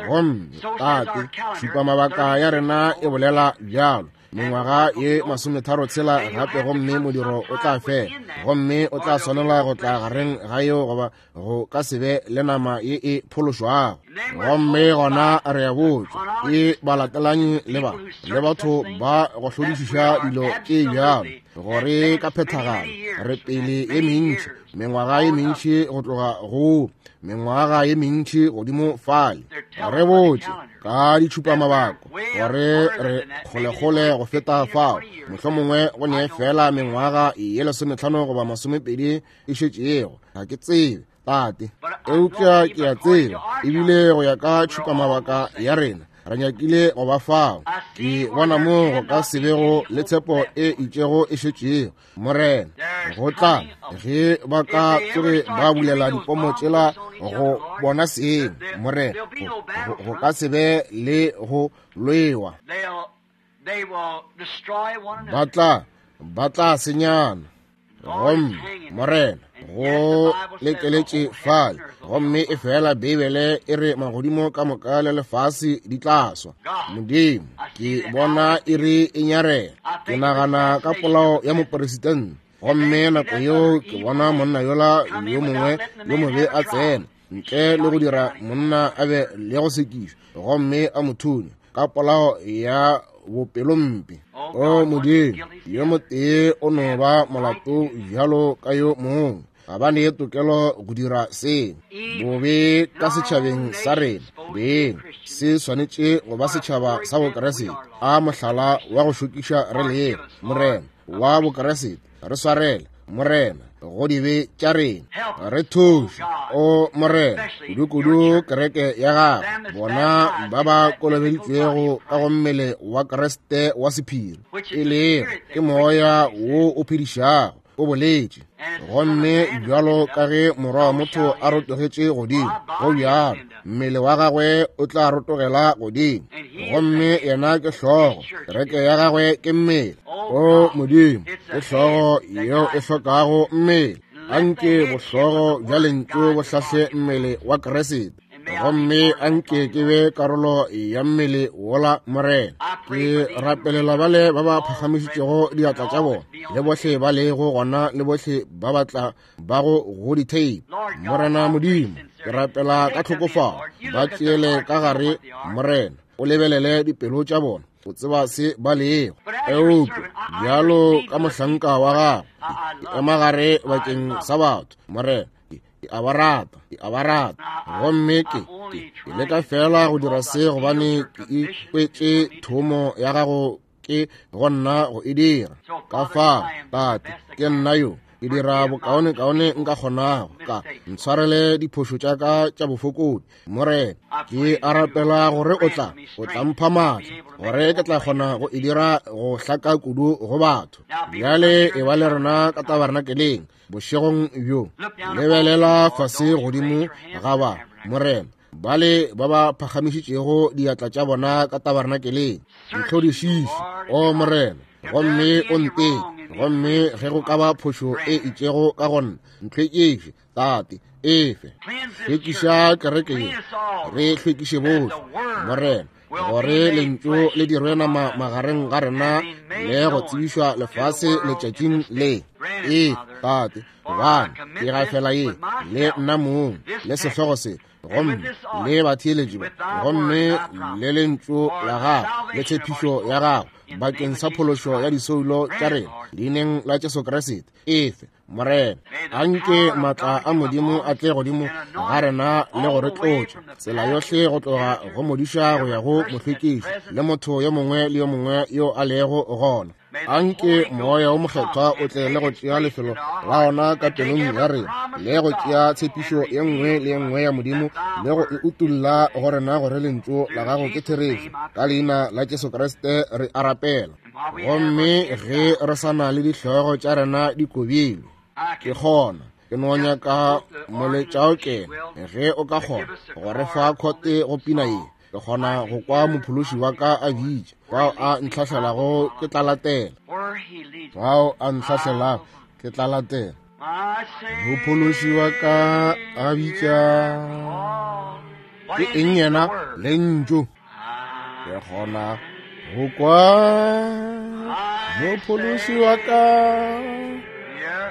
Gomme Tate, šupa mabaka ya rena e bolela bjalo, mengwaga ye 36 gape, gomme modiro o tla fela, gomme o tla swanela go tla gareng ga yeo goba go ka se be le nama ye e phološwago. Gomme gona re a botšwa ke balatelanyi le ba le batho ba go hlodišiša dilo tše bjalo, gore ka phethagalo re pele ye mentši, mengwaga ye mentši go tloga go mengwaga ye mentši godimo fale. Re botše ka ditšhupamabako gore re kgolekgole go feta fao, mohlomongwe go ne fela mengwaga ye 15 goba 20 e šetšego. Ga ke tsebe, Tate, eupša ke a tseba, ebile go ya ka tšhupamabaka ya rena re nyakile go ba fao. Ke bona mo go ka se bego le tshepo e itšego e šetšego, Morena, go tla ge ba ka tsoge ba bulela dipomo tšela go bona seng, Morena, go ka se be le go lwewa. Ba tla senyana. Gomme Morena, go lekeletše fale, gomme e fela Beibele e re magodimo ka moka le lefase di tla swa. Modimo, ke bona e re e nyarela. Ke nagana ka polao ya mopresidente, gomme nako yeo ke bona monna yola yo mongwe yo mobe a tsena ntle le go dira monna a be le go sekišwa, gomme a mo thunya ka polao ya bopelompe. O Modimo, yo motee o no ba molato bjalo ka yo mongwe, ga ba ne tokelo go dira se. Bobe ka setšhabeng sa rena beng se swanetše go ba setšhaba sa Bokeresete. A mohlala wa go šokiša re lego, Morena, wa Bokeresete. Re swarele, Morena, go dibe tša rena. Re thuše, o Morena, kudu-kudu kereke ya gago, bona ba ba kolobeditšwego ka go mmele wa Kriste wa sephiri, e lego ke moya wo o phedišago, o boletše. Gomme bjalo ka ge morwa wa motho a rotogetše godimo, go bjalo mmele wa gagwe o tla rotogela godimo. Gomme yena ke hlogo, kereke ya gagwe ke mmele. O Modimo, ke hlogo yeo e hlokago mmele. Anke bohlogo bja lentšu bo hlahle mmele wa Kriste. Gomme a nke ke be karolo ya mmele wola, Morena. Ke rapelela bale ba ba phagamišitšego diatla tša bona, le bohle ba lego gona, le bohle ba ba tla bago go ditheipi. Morena Modimo, ke rapela ka tlhokofalo, ba tšeele ka gare, Morena, o lebelele dipelo tša bona, o tseba se ba lego. Eupša bjalo ka mohlanka wa gago, ke ema gare bakeng sa batho, Morena. Ke a ba rata, ke a ba rata. Gomme ke leka fela go dira se gobane ke ikwetše thomo ya gago ke go nna go e dira. Ka fao, Tate, ke nna yo ke dira bokaonekaone nka kgonago, ka ntshwarele diphošo tša ka tša bofokodi, Morena. Ke a rapela gore o tla mpha maatla gore ke tla kgona go e dira go hlaka kudu go batho. Bjale e ba le rena ka tabernakeleng bošegong bjo. Lebelela fase godimo ga ba, Morena, bale ba ba phagamišitšego diatla tša bona ka tabernakeleng. Ntlhodišiše, o Morena, gomme o nteke, gomme ge go ka ba phošo e itšego ka go nna, ntlhwekiše, Tate, efe. Hlwekiša kereke ye, re hlwekiše bohle, Morena, gore lentšu le dirwe nama magareng ga rena le go tsebišwa lefase letšatšing le. Ee, Tate, gobane ke gafela ye le nna mong le sehlogo se, gomme le batheeletši ba, gomme le lentšu la gago le tshepišo ya gago bakeng sa phološo ya disoulo tša rena, leineng la Jesu Kriste. Efe, Morena. Anke maatla a Modimo a tle godimo ga rena le go re tlotša tsela yohle go tloga go modiša go ya go mohlwekiši le motho yo mongwe le yo mongwe yo a lego gona. Anke Moya wo Mokgethwa o tle le go tšea lefelo la ona ka pelong ya rena, le go tšea tshepišo ye nngwe le ye nngwe ya Modimo le go e utulla go rena gore lentšu la gago ke therešo. Ka leina la Jesu Kriste re a rapela. Gomme ge re sa na le dihlogo tša rena di kobilwe, ke kgona ke no nyaka moletšaokene, ge o ka kgona go re fa khote go pina ye. Ke kgona go kwa mophološi wa ka a bitša, fao a ntlhahlelago ke tla latela, fao a ntlhahlelago ke tla latela. Mophološi wa ka a bitša, ke eng yena? Lentšu. Ke kgona go kwa mophološi wa ka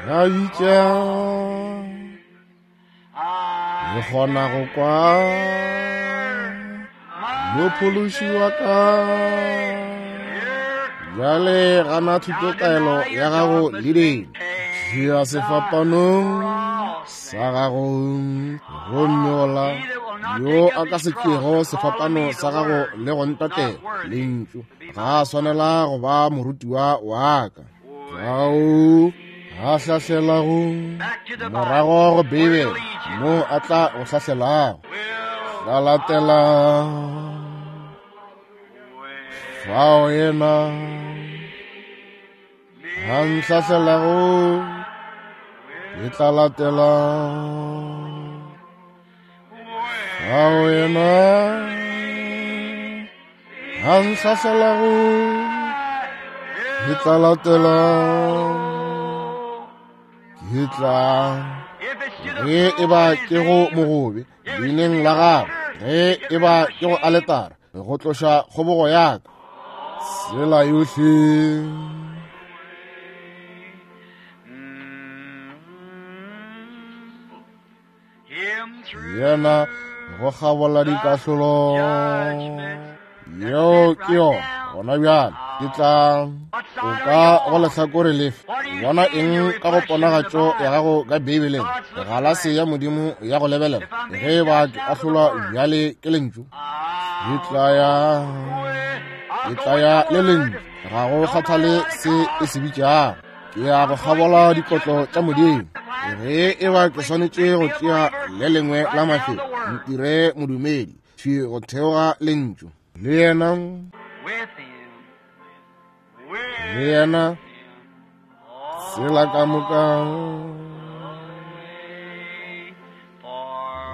a bitša, ke kgona go kwa mophološi wa ka. Bjale gana thutotaelo ya gago leading, tšea sefapanong sa gago, gomme ola yo a ka se tšeego sefapano sa gago le go ntatela lentšu, ga a swanela go ba morutiwa wa ka. Ao a hlahlelago morago go Beibele, mo a tla go hlahlelago, tla latela fao yena a ntlhahlelago, ke tla latela fao yena a ntlhahlelago, ke tla latela. Ke tla ge e ba ke go mogobe leineng la gago, ge e ba ke go aletara go tloša kgobogo ya ka, tsela yohle. Yena go kgabola dikahlolo, yeo ke yona gona bjale. Ke tla o ka go lehlakore lefe? Bona eng ka go ponagatšo ya gago ka Beibeleng, galase ya Modimo ya go lebelela, ge ba ke ahlolwa bjale ke lentšu? Ke tla ya le lentšu, ga go kgathale se e se bitšago. Ke ya go kgabola dikotlo tša Modimo. Ge e ba ke swanetše go tšea le lengwe la mafelo, ntire modumedi thwi go theoga lentšu. Le yena, le yena, tsela ka moka,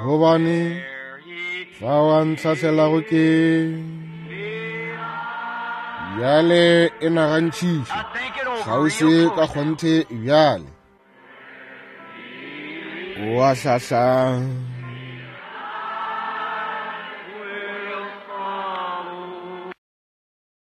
gobane fao a ntlhahlelago ke bjale e nagantšhiše kgauswi ka kgonthe bjale. O a hlahla.